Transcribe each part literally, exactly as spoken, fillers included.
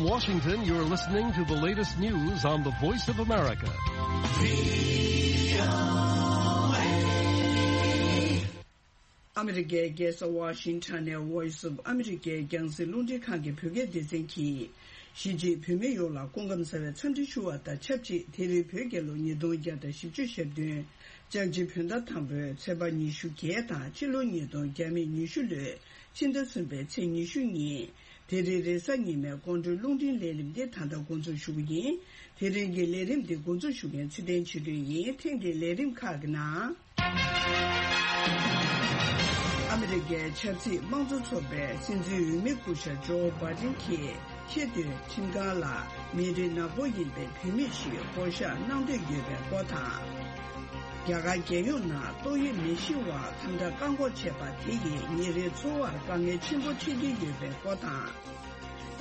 Washington, you're listening to the latest news on the Voice of America. ཨ་མི་རི་ཀའི་རྒྱལ་ས་ཝ་ཤིང་ཊོན་ནས་Voice of America རྒྱང་སྲིང་རླུང་འཕྲིན་ཁང་གི་བོད་སྐད་སྡེ་ཚན་གྱིས། གཞིས་བྱེས་བོད་མི་ཡོངས་ལ་སྐུ་ཁམས་བཟང་བའི་འཚམས་འདྲི་ཞུ་བ་དང་ཆབས་ཅིག་དེ་རིང་བོད་རྒྱལ་ལོ་ཉིས་སྟོང་བརྒྱ་དང་བཞི་བཅུ་ཞེ་བདུན། ལྕགས་བྱི་བོད་ཟླ་དང་པོའི་ཚེས་པ་ཉི་ཤུ་བརྒྱད་དང་། ཕྱི་ལོ་ཉིས་སྟོང་བརྒྱ་མེད་ཉི་ཤུ་ལོའི་ཕྱི་ཟླ་གསུམ་པའི་ཚེས་ཉི་ཤུ་ཉིན། དེ་རིང་རེས་གཟའ་ཉི་མའི་དགོང་དྲོའི་རླུང་འཕྲིན་ལས་རིམ་འདི་ད་ལྟ་འགོ་འཛུགས་ཞུ་གི་ཡིན། དེ་རིང་གི་ལས་རིམ་འདི་འགོ་འཛུགས་ཞུ་མཁན་ཚེ་བརྟན་ཆོས་སྒྲོན་ཡིན། ཐེངས་འདིའི་ལས་རིམ་ཁག་གི་ནང་། ཨ་མི་རི་ཀའི་ཆབ་སྲིད་དམངས་གཙོ་ཚོགས་པའི་སྲིད་འཛིན་འོས་མི་སྐུ་ཞབས་ཇོ་བྷ་ཏིན་གྱིས་ཆེས་མཐོའི་ཁྲིམས་ཁང་ལ་མི་རིགས་ནག་པོ་ཡིན་པའི་བུད་མེད་ཞིག་བསྐོ་གཞག་གནང་འདོད་ཡོད་པའི་སྐོར་དང་། རྒྱ་གར་རྒྱལ་ཡོངས་ནང་ཏོག་དབྱིབས་ནད་གཞི་བར་དམ་དྲག་བཀག་འགོག་བྱས་པ་དེ་ཡིས་ཉིན་རེའི་འཚོ་བར་དཀའ་ངལ་ཆེན་པོ་འཕྲད་ཀྱི་ཡོད་པའི་སྐོར་དང་།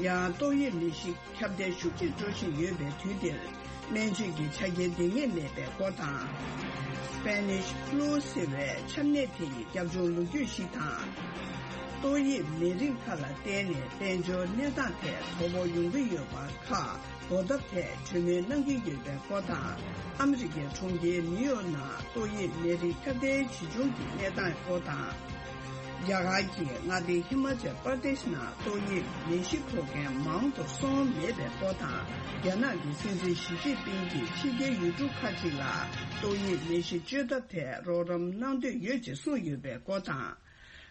ཡང་ཏོག་དབྱིབས་ནད་གཞི་ཁྱབ་གདལ་ཤུགས་ཆེ་འགྲོ་བཞིན་ཡོད་པའི་དུས་འདིར། སྨན་བཅོས་ཀྱི་ཆ་རྐྱེན་འདང་ངེས་མེད་པའི་སྐོར་དང་། Spanish flu ཟེར་བའི་ཆམ་ནད་དེ་ཡི་རྒྱབ་ལྗོངས་ལོ་རྒྱུས་ཤིག་དང་། ཏོག་དབྱིབས་ནད་རིམས་ཁག་ལ་བརྟེན་ནས་དཔལ་འབྱོར་གནས་སྟངས་ཐད་དོ་ཕོག་ཡོང་གི་ཡོད་པ་ཁག་འགོག་ཐབས་ཐད་གྲོས་མོལ་གནང་གི་ཡོད་པའི་སྐོར་དང་། ཨ་མི་རི་ཀའི་གྲོང་ཁྱེར་ནིའུ་ཡོག་ནང་ཏོག་དབྱིབས་ནད་རིགས་ཁྱབ་གདལ་ཇི་བྱུང་གི་གནས་སྟངས་སྐོར་དང་། རྒྱ་གར་གྱི་མངའ་སྡེ་ཧི་མ་ཅལ་པར་དེཤ་ནང་ཏོག་དབྱིབས་ནད་གཞི་ཕོག་མཁན་མང་དུ་སོང་མེད་པའི་སྐོར་དང་། རྒྱ་ནག་གི་སྲིད་འཛིན་ཞི་ཅིན་ཕིང་གིས་ཕྱི་རྒྱལ་ཡུལ་གྲུ་ཁག་ཅིག་ལ་ཏོག་དབྱིབས་ནད་གཞི་བཅོས་ཐབས་ཐད་རོགས་རམ་གནང་འདོད་ཡོད་ཅེས་གསུངས་ཡོད་པའི་སྐོར་དང་།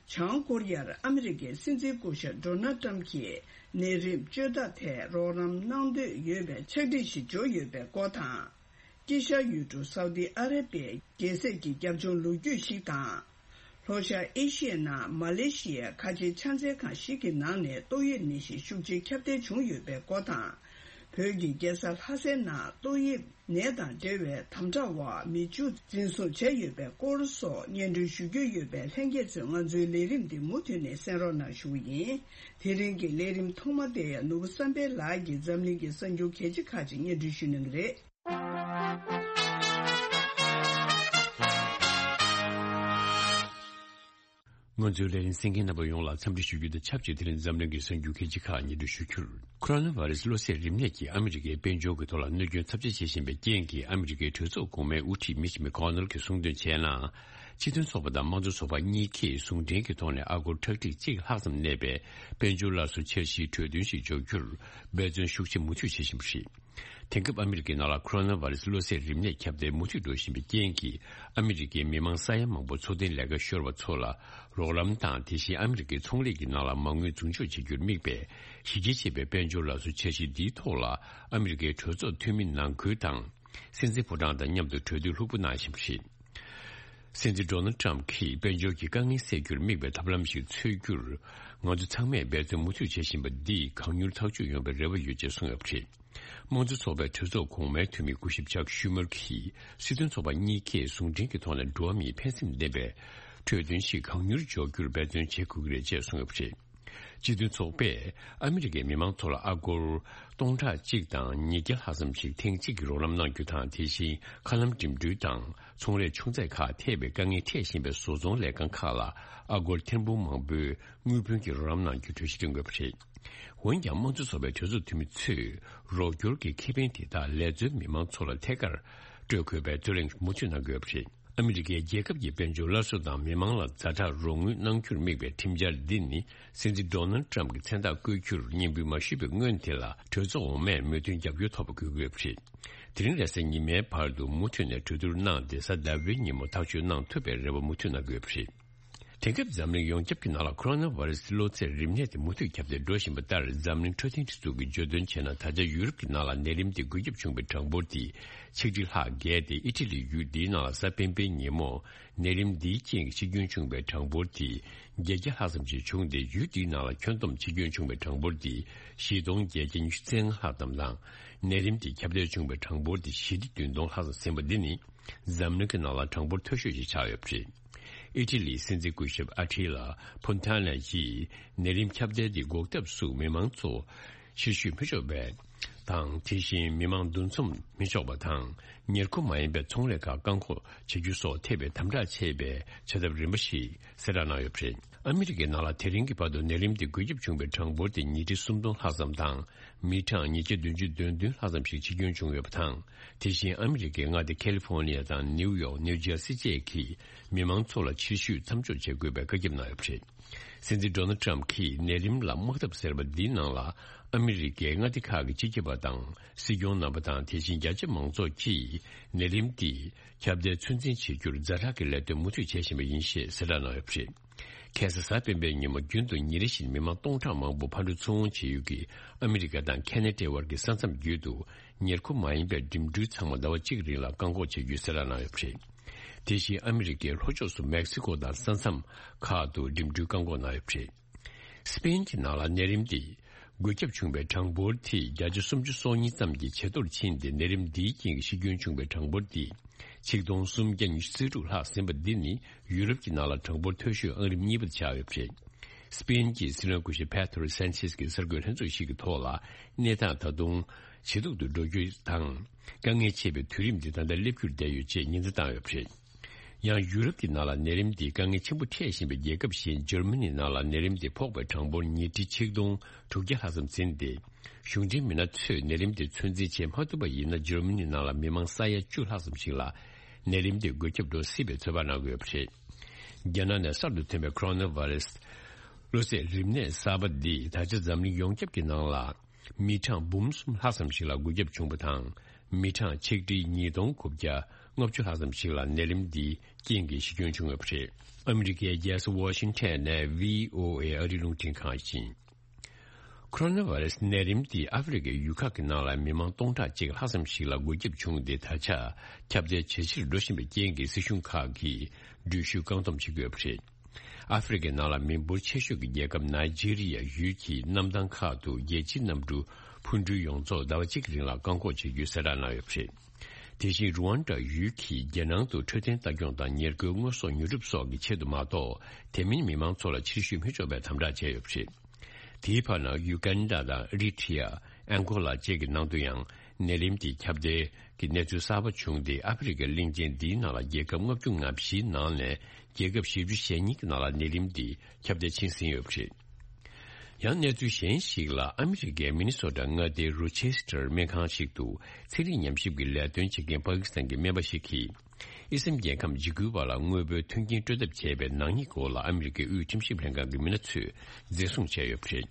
བྱང་ཀོ་རི་ཡར་ཨ་མི་རི་ཀའི་སྲིད་འཛིན་སྐུ་ཞབས་ཌོ་ནལ་ཏྲམ་གྱིས་ནད་རིམས་བཅོས་ཐབས་ཐད་རོགས་རམ་གནང་འདོད་ཡོད་པའི་ཕྱག་བྲིས་ཤིག་འབྱོར་ཡོད་པའི་སྐོར་དང་། དཀྱིལ་ཤར་ཡུལ་གྲུ་སའུ་ཏི་ཨ་ར་པའི་རྒྱལ་སྲས་ཀྱི་རྒྱབ་ལྗོངས་ལོ་རྒྱུས་ཤིག་དང་། ལྷོ་ཤར་ཨེ་ཤི་ཡའི་ནང་མ་ལེ་ཤི་ཡའི་ཁ་ཆེའི་ཕྱག་འཚལ་ཁང་ཞིག་གི་ནང་ནས་ཏོག་དབྱིབས་ནད་གཞི་ཤུགས་ཆེ་ཁྱབ་གདལ་བྱུང་ཡོད་པའི་སྐོར་དང་། བོད་ཀྱི་རྒྱལ་ས་ལྷ་སའི་ནང་ཏོག་དབྱིབས་ནད་དང་འབྲེལ་བའི་དམ་དྲག་འོག་མི་བཅུ་འཛིན་བཟུང་བྱས་ཡོད་པའི་སྐོར་སོགས་སྙན་སྒྲོན་ཞུ་རྒྱུ་ཡོད་པས། ལྷན་རྒྱས་ཚོས་ང་ཚོའི་ལས་རིམ་འདི་མུ་མཐུད་ནས་གསན་རོགས་གནང་ཞུ་བ་ཡིན། དེ་རིང་གི་ལས་རིམ་ཐོག་མ་དེ་ཡང་ནོར་བུ་བསམ་འཕེལ་ལགས་ཀྱིས་འཛམ་གླིང་གི་གསར་འགྱུར་གལ་ཆེ་ཁག་ཅིག་སྙན་སྒྲོན་ཞུ་གནང་གི་རེད། ང་ཚོའི་ལས་རིམ་གསན་མཁན་རྣམ་པ་ཡོངས་ལ་འཚམས་འདྲི་ཞུ་རྒྱུ་དང་ཆབས་ཅིག་དེ་རིང་འཛམ་གླིང་གི་གསར་འགྱུར་གལ་ཆེ་ཁག་སྙན་སྒྲོན་ཞུ་རྒྱུར། ཁོ་རོ་ན་བྷ་རེ་སི་གློ་ཚད་རིམས་ནད་ཀྱིས་ཨ་མི་རི་ཀའི་དཔལ་འབྱོར་གྱི་ཐོག་ལ་གནོད་སྐྱོན་ཚབས་ཆེ་བྱེད་བཞིན་པའི་རྐྱེན་གྱིས། ཨ་མི་རི་ཀའི་གྲོས་ཚོགས་གོང་མའི་དབུ་ཁྲིད་མི་ཆི་མེ་ཀོ་ནལ་གྱིས་གསུངས་དོན་བྱས་ན། སྤྱི་མཐུན་ཚོགས་པ་དང་དམངས་གཙོ་ཚོགས་པ་གཉིས་ཀས་ཟུང་འབྲེལ་གྱི་ཐོག་ནས་ཨ་སྒོར་ཁྲག་ཁྲིག་གཅིག་ལྷག་ཙམ་གནས་པའི་དཔལ་འབྱོར་སླར་གསོ་འཆར་གཞིའི་གྲོས་མཐུན་ཞིག་འཇོག་རྒྱུར་འབད་བརྩོན་ཤུགས་ཆེ་མུ་མཐུད་བྱེད་བཞིན་པ་རེད། དེང་སྐབས་ཨ་མི་རི་ཀའི་ནང་ལ་ཁོ་རོ་ན་བྷ་རེ་སི་གློ་ཚད་རིམས་ནད་ཁྱབ་གདལ་མུ་མཐུད་འགྲོ་བཞིན་པའི་རྐྱེན་གྱིས། ཨ་མི་རི་ཀའི་མི་མང་ས་ཡ་མང་པོ་འཚོ་རྟེན་ལས་ཀ་ཤོར་བ་ཚོ་ལ་རོགས་རམ་དང་། དེ་བཞིན་ཨ་མི་རི་ཀའི་ཚོང་ལས་ཀྱི་ནང་ལ་མ་དངུལ་འཛུགས་འཇུག་བྱེད་རྒྱུར་དམིགས་པའི་གཞི་རྒྱ་ཆེ་བའི་དཔལ་འབྱོར་སླར་གསོ་འཆར་གཞི་འདིའི་ཐོག་ལ། ཨ་མི་རི་ཀའི་གྲོས་ཚོགས་འཐུས་མི་ནང་ཁུལ་དང་། སྲིད་འཛིན་ཕོ་བྲང་དང་མཉམ་དུ་གྲོས་བསྡུར་ལྷུག་པོ་གནང་བཞིན་པ་རེད། སྲིད་འཛིན་ཌོ་ནལ་ཏྲམ་གྱིས་དཔལ་འབྱོར་གྱི་དཀའ་ངལ་སེལ་རྒྱུར་དམིགས་པའི་ཐབས་ལམ་ཞིག་འཚོལ་རྒྱུར། ང་ཚོ་ཚང་མས་འབད་བརྩོན་མུ་མཐུད་བྱེད་བཞིན་པ་འདིས་གང་མྱུར་ཐག་གཅོད་ཡོང་བའི་རེ་བ་ཡོད་ཅེས་གསུངས་ཡོད་པ་རེད། དམངས་གཙོ་ཚོགས་པའི་གྲོས་ཚོགས་གོང་མའི་འཐུས་མི་སྐུ་ཞབས་ཅག་ཤུ་མར་གྱིས་སྲིད་དོན་ཚོགས་པ་གཉིས་ཀས་ཟུང་འབྲེལ་གྱི་ཐོག་ནས་འགྲོ་བ་མིའི་ཕན་སེམས་ལྡན་པའི་གྲོས་མཐུན་ཞིག་གང་མྱུར་འཇོག་རྒྱུར་འབད་བརྩོན་བྱེད་དགོས་ཀྱི་རེད་ཅེས་གསུངས་ཡོད་པ་རེད། སྤྱི་མཐུན་ཚོགས་པས་ཨ་མི་རི་ཀའི་མི་མང་ཚོ་ལ་ཨ་སྒོར་སྟོང་ཕྲག་གཅིག་དང་ཉིས་བརྒྱ་ལྷག་ཙམ་ཞིག་ཐེངས་གཅིག་གི་རོགས་རམ་གནང་རྒྱུ་དང་། དེ་བཞིན་མཁའ་ལམ་འགྲིམ་འགྲུལ་དང་ཚོང་ལས་ཆུང་ཚད་ཁག་ཐེ་བའི་དཀའ་ངལ་འཕྲད་བཞིན་པའི་བཟོ་ཚོང་ལས་ཁང་ཁག་ལ་ཨ་སྒོར་ཐེར་འབུམ་མང་པོའི་དངུལ་བུན་གྱི་རོགས་རམ་གནང་རྒྱུའི་གྲོས་གཞི་བཏིང་དགོས་པ་རེད། འོན་ཀྱང་། དམངས་གཙོ་ཚོགས་པའི་གྲོས་ཚོགས་འཐུས་མི་ཚོས་རོགས་སྐྱོར་གྱི་ཁེ་ཕན་དེ་དག་ལས་བཟོའི་མི་མང་ཚོ་ལ་ཐད་ཀར་སྤྲོད་དགོས་པའི་རྩོད་གླེང་མུ་མཐུད་གནང་དགོས་པ་རེད། ཨ་མི་རི་ཀའི་རྒྱལ་ཁབ་ཀྱི་དཔལ་འབྱོར་སླར་གསོ་དང་མི་མང་ལ་ཛ་དྲག་རོགས་དངུལ་གནང་རྒྱུར་དམིགས་པའི་ཁྲིམས་འཆར་འདི་ནི། སྲིད་འཛིན་ཌོ་ནལ་ཏྲམ་གྱི་མཚན་རྟགས་བཀོད་རྒྱུར་སྙན་འབུལ་མ་ཞུས་པའི་སྔོན་དེ་ལ་གྲོས་ཚོགས་འོག་མས་མོས་མཐུན་རྒྱབ་སྐྱོར་ཐོབ་པ་དགོས་ཀྱི་ཡོད་པ་རེད། དེ་རིང་རེས་གཟའ་ཉི་མའི་བར་དུ་མུ་མཐུད་ནས་གྲོས་བསྡུར་གནང་སྟེ། གཟའ་ཟླ་བའི་ཉིན་མོ་ཐག་གཅོད་གནང་ཐུབ་པའི་རེ་བ་མུ་མཐུད་གནང་དགོས་པ་རེད། དེང་སྐབས་འཛམ་གླིང་ཡོངས་ཁྱབ་ཀྱི་ནང་ལ་ཁོ་རོ་ན་བྷ་རེ་སི་གློ་ཚད་རིམས་ནད་དེ་མུ་མཐུད་ཁྱབ་གདལ་འགྲོ་བཞིན་པ་ལྟར། འཛམ་གླིང་འཕྲོད་བསྟེན་སྒྲིག་འཛུགས་ཀྱིས་བརྗོད་དོན་བྱས་ན། ད་ཆ་ཡུ་རོབ་ཀྱི་ནང་ལ་ནད་རིམས་དེ་འགོས་ཁྱབ་བྱུང་བའི་གྲངས་འབོར་དེ་ཆིག་ཁྲི་ལྷག་བརྒལ་ཏེ། ཨི་ཊ་ལི་ཡུལ་འདིའི་ནང་ལ་གཟའ་སྤེན་པའི་ཉིན་མོ་ནད་རིམས་འདིའི་རྐྱེན་གྱིས་འཆི་སྐྱོན་བྱུང་བའི་གྲངས་འབོར་དེ་བརྒྱད་བརྒྱ་ལྷག་ཙམ་ཞིག་བྱུང་སྟེ། ཡུལ་འདིའི་ནང་ལ་ཁྱོན་བསྡོམས་འཆི་སྐྱོན་བྱུང་བའི་གྲངས་འབོར་དེ་བཞི་སྟོང་བརྒྱད་བརྒྱ་ཉི་ཤུ་རྩ་ལྔ་ལྷག་ཙམ་དང་། ནད་རིམས་དེ་ཁྱབ་གདལ་བྱུང་བའི་གྲངས་འབོར་དེ་བཞི་སྟོང་བདུན་སྟོང་ལྷག་ཙམ་ཟིན་པ་འདི་ནི། འཛམ་གླིང་གི་ནང་ལ་གྲངས་འབོར་མཐོ་ཤོས་ཤིག་ཆགས་ཡོད་པ་རེད། ཨི་ཊ་ལིའི་སྲིད་འཛིན་སྐུ་ཞབས་ཨ་ཊི་ལ་ཕོན་ཐ་ན་ཡིས་ནད་རིམས་ཁྱབ་གདལ་འདི་འགོག་ཐབས་སུ་མི་མང་ཚོ་ཕྱིར་བཤོལ་མི་ཆོག་པ་དང་། དེ་བཞིན་མི་མང་འདུ་འཛོམས་མི་ཆོག་པ་དང་། ཉེར་མཁོ་མ་ཡིན་པའི་ཚོང་ལས་ཁག་བཀག་འགོག་བྱེད་རྒྱུ་སོགས་ཐེ་བའི་དམ་དྲག་ཆེ་བའི་བྱ་ཐབས་རིམ་པ་ཞིག་གསལ་བསྒྲགས་གནང་ཡོད་པ་རེད། ཨ་མི་རི་ཀའི་ནང་ལ་དེ་རིང་གི་བར་དུ་ནད་རིམས་དེ་འགོས་ཁྱབ་བྱུང་བའི་གྲངས་འབོར་དེ་ཉིས་ཁྲི་སུམ་སྟོང་ལྷག་ཙམ་དང་། མི་གྲངས་ཉིས་བརྒྱ་བདུན་ཅུ་དོན་བདུན་ལྷག་ཙམ་ཞིག་འཆི་སྐྱོན་བྱུང་ཡོད་པ་དང་། དེ་བཞིན་ཨ་མི་རི་ཀའི་མངའ་སྡེ་ཁ་ལི་ཧྥོ་ནི་ཡ་དང་ནིའུ་ཡོག་ནིའུ་ཇར་སི་བཅས་ཀྱི་མི་མང་ཚོ་ལ་ཕྱིར་བཤོལ་མཚམས་འཇོག་བྱེད་དགོས་པའི་བཀའ་ཁྱབ་གནང་ཡོད་པ་རེད། སྲིད་འཛིན་ཌོ་ནལ་ཊམ་གྱིས་ནད་རིམས་ལ་དམག་འཐབ་ཟེར་བ་འདིའི་ནང་ལ་ཨ་མི་རི་ཀའི་མངའ་སྡེ་ཁག་གི་སྤྱི་ཁྱབ་པ་དང་སྲིད་སྐྱོང་རྣམ་པ་དང་། དེ་བཞིན་རྒྱ་ཆེ་མང་ཚོགས་ཀྱིས་ནད་རིམས་འདི་ཁྱབ་གདལ་ཚོད་འཛིན་བྱེད་རྒྱུར་ཛ་དྲག་གི་ལས་དོན་མུ་མཐུད་བྱེད་བཞིན་པ་ཡིན་ཞེས་གསལ་བསྒྲགས་གནང་ཡོད་པ་རེད། ཁ་སང་གཟའ་སྤེན་པའི་ཉིན་མོ་རྒྱུན་དུ་ཉིན་རེ་བཞིན་མི་མང་སྟོང་ཕྲག་མང་པོ་ཕར་འགྲོ་ཚུར་འོང་བྱེད་ཡུལ་གྱི་ཨ་མི་རི་ཀ་དང་ཁ་ན་ཌའི་དབར་གྱི་ས་མཚམས་བརྒྱུད་དུ་ཉེར་མཁོ་མ་ཡིན་པའི་འགྲིམ་འགྲུལ་ཚང་མ་ཟླ་བ་གཅིག་རིང་ལ་བཀག་འགོག་བྱེད་རྒྱུའི་གསལ་བསྒྲགས་གནང་ཡོད་པ་རེད། དེ་བཞིན་ཨ་མི་རི་ཀའི་ལྷོ་ཕྱོགས་སུ་མེག་སི་ཀོ་དང་ས་མཚམས་ཁག་ཏུ་འགྲིམ་འགྲུལ་བཀག་འགོག་གནང་ཡོད་པ་རེད། སི་པེན་གྱི་ནང་ལ་ནད་རིམས་དེ་འགོས་ཁྱབ་བྱུང་བའི་གྲངས་འབོར་དེ་བརྒྱ་ཆ་སུམ་ཅུ་སོ་གཉིས་ཙམ་གྱི་ཇེ་མཐོར་ཕྱིན་ཏེ། ནད་རིམས་འདིའི་རྐྱེན་གྱིས་ཤི་སྐྱོན་བྱུང་བའི་གྲངས་འབོར་དེ་ཆིག་སྟོང་སུམ་བརྒྱ་ཉི་ཤུ་རྩ་དྲུག་ལྷག་ཟིན་པ་འདི་ནི་ཡུ་རོབ་ཀྱི་ནང་ལ་གྲངས་འབོར་མཐོ་ཤོས་ཨང་རིམ་གཉིས་པར་ཆགས་ཡོད་པ་རེད། སི་པེན་གྱི་སྲིད་བློན་སྐུ་ཞབས་པེ་ཏྲོ་སན་ཆེས་ཀྱིས་གསར་འགོད་ལྷན་ཚོགས་ཤིག་གི་ཐོག་ལ། གནས་སྟངས་ད་དུང་ཇེ་སྡུག་ཏུ་འགྲོ་རྒྱུ་དང་། དཀའ་ངལ་ཆེ་བའི་དུས་རིམ་འདི་ད་ལྟ་སླེབས་རྒྱུར་བསྡད་ཡོད་ཅེས་ཉེན་བརྡ་བཏང་ཡོད་པ་རེད། ཡང་ཡུ་རོབ་ཀྱི་ནང་ལ་ནད་རིམས་འདིས་དཀའ་ངལ་ཆེན་པོ་འཕྲད་བཞིན་པའི་རྒྱལ་ཁབ་གཞན་འཇར་མ་ནིའི་ནང་ལ་ནད་རིམས་འདི་ཕོག་པའི་གྲངས་འབོར་ཉིས་ཁྲི་ཆིག་སྟོང་དྲུག་བརྒྱ་ལྷག་ཙམ་ཟིན་ཏེ། གཞུང་འབྲེལ་མི་སྣ་ཚོས་ནད་རིམས་དེ་ཚོད་འཛིན་བྱེད་མ་ཐུབ་པ་ཡིན་ན། འཇར་མ་ནིའི་ནང་ལ་མི་མང་ས་ཡ་བཅུ་ལྷག་ཙམ་ཞིག་ལ་ནད་རིམས་དེ་འགོས་ཁྱབ་འགྲོ་སྲིད་པའི་ཚོད་དཔག་གནང་གི་ཡོད་པ་རེད། རྒྱ་ནག་ནས་གསར་དུ་ཐོན་པའི་ཁོ་རོ་ན་ཝེ་རུ་སི་གློ་ཚད་རིམས་ནད་གསར་པ་འདིས་ད་ཆ་འཛམ་གླིང་ཡོངས་ཁྱབ་ཀྱི་ནང་ལ་མི་གྲངས་འབུམ་གསུམ་ལྷག་ཙམ་ཞིག་ལ་འགོས་ཁྱབ་བྱུང་བ་དང་། མི་གྲངས་ཆིག་ཁྲི་ཉིས་སྟོང་དགུ་བརྒྱ་ལྔ་བཅུ་ལྷག་ཙམ་ཞིག་ལ་ནད་རིམས་འདིའི་རྐྱེན་གྱིས་ཤི་སྐྱོན་བྱུང་ཡོད་པ་རེད། ཨ་མི་རི་ཀའི་རྒྱལ་ས་ཝ་ཤིང་ཊོན་ནས་བྷི་ཨོ་ཨེ་ཨ་རིའི་རླུང་འཕྲིན་ཁང་ཡིན། ཁོ་རོ་ན་ཝེ་རུ་སི་ནད་རིམས་འདིས་ཨ་ཧྥེ་རི་ཁའི་ཡུལ་ཁག་གི་ནང་ལ་མི་མང་སྟོང་ཕྲག་གཅིག་ལྷག་ཙམ་ཞིག་ལ་འགོས་ཁྱབ་བྱུང་སྟེ། ད་ཆ་ཁྱབ་གདལ་ཇེ་ཆེར་འགྲོ་བཞིན་པའི་རྐྱེན་གྱིས་སྲིད་གཞུང་ཁག་གིས་འགྲུལ་བཞུད་བཀག་སྡོམ་བྱེད་ཀྱི་ཡོད་པ་རེད། ཨ་ཧྥེ་རི་ཁའི་ནང་ལ་མི་འབོར་ཆེ་ཤོས་ཀྱི་རྒྱལ་ཁབ་ནཱི་ཇི་རི་ཡ་ཡུལ་གྱི་གནམ་ཐང་ཁག་ཏུ་རྒྱལ་སྤྱིའི་གནམ་གྲུ་འཕུར་འགྲུལ་ཡོངས་རྫོགས་ཟླ་བ་གཅིག་གི་རིང་ལ་བཀག་འགོག་བྱེད་རྒྱུའི་གསལ་བསྒྲགས་གནང་ཡོད་པ་རེད། དེ་བཞིན་རུ་ཝན་ཌ་ཡུལ་གྱིས་རྒྱལ་ནང་དུ་འཕྲོད་བསྟེན་ལྟ་སྐྱོང་དང་ཉེར་མཁོའི་དངོས་ཟོག་ཉོ་སྒྲུབ་སོགས་ཀྱི་ཆེད་དུ་མ་གཏོགས། དེ་མིན་མི་མང་ཚོ་ལ་ཕྱིར་བཤོལ་མི་ཆོག་པའི་དམ་དྲག་བྱས་ཡོད་པ་རེད། དེའི་བར་ན་ཡུ་གན་ཌ་དང་ཨི་རི་ཊི་ཡ། ཨན་གོ་ལ་བཅས་ཀྱི་ནང་དུ་ཡང་ནད་རིམས་དེ་ཁྱབ་གདལ་གྱི་གནས་ཚུལ་གསར་པ་བྱུང་སྟེ། ཨ་ཧྥེ་རི་ཁའི་གླིང་ཆེན་འདིའི་ནང་ལ་རྒྱལ་ཁབ་ལྔ་བཅུ་ང་བཞིའི་ནང་ནས་རྒྱལ་ཁབ་བཞི་བཅུ་ཞེ་གཉིས་ཀྱི་ནང་ལ་ནད་རིམས་དེ་ཁྱབ་གདལ་ཕྱིན་ཟིན་ཡོད་པ་རེད། ཡང་གནས་ཚུལ་གཞན་ཞིག་ལ། ཨ་མི་རི་ཀའི་མི་ནི་སོ་ཊ་མངའ་སྡེའི་རོ་ཆེ་སི་ཊར་སྨན་ཁང་ཞིག་ཏུ་ཚན་རིག་ཉམས་ཞིབ་ཀྱི་ལས་དོན་བྱེད་མཁན་པ་ཀི་སི་ཐན་གྱི་སྨན་པ་ཞིག་གིས། ཨི་སམ་རྒྱལ་ཁམས་འཇིགས་སྐུལ་བ་ལ་དངོས་པོའི་མཐུན་རྐྱེན་སྤྲོད་ཐབས་བྱས་པའི་ནག་ཉེས་སྐོར་ལ་ཨ་མི་རི་ཀའི་དབུས་ཁྲིམས་ཞིབ་ལྷན་ཁང་གི་མི་སྣ་ཚོས་འཛིན་བཟུང་བྱས་ཡོད་པ་རེད།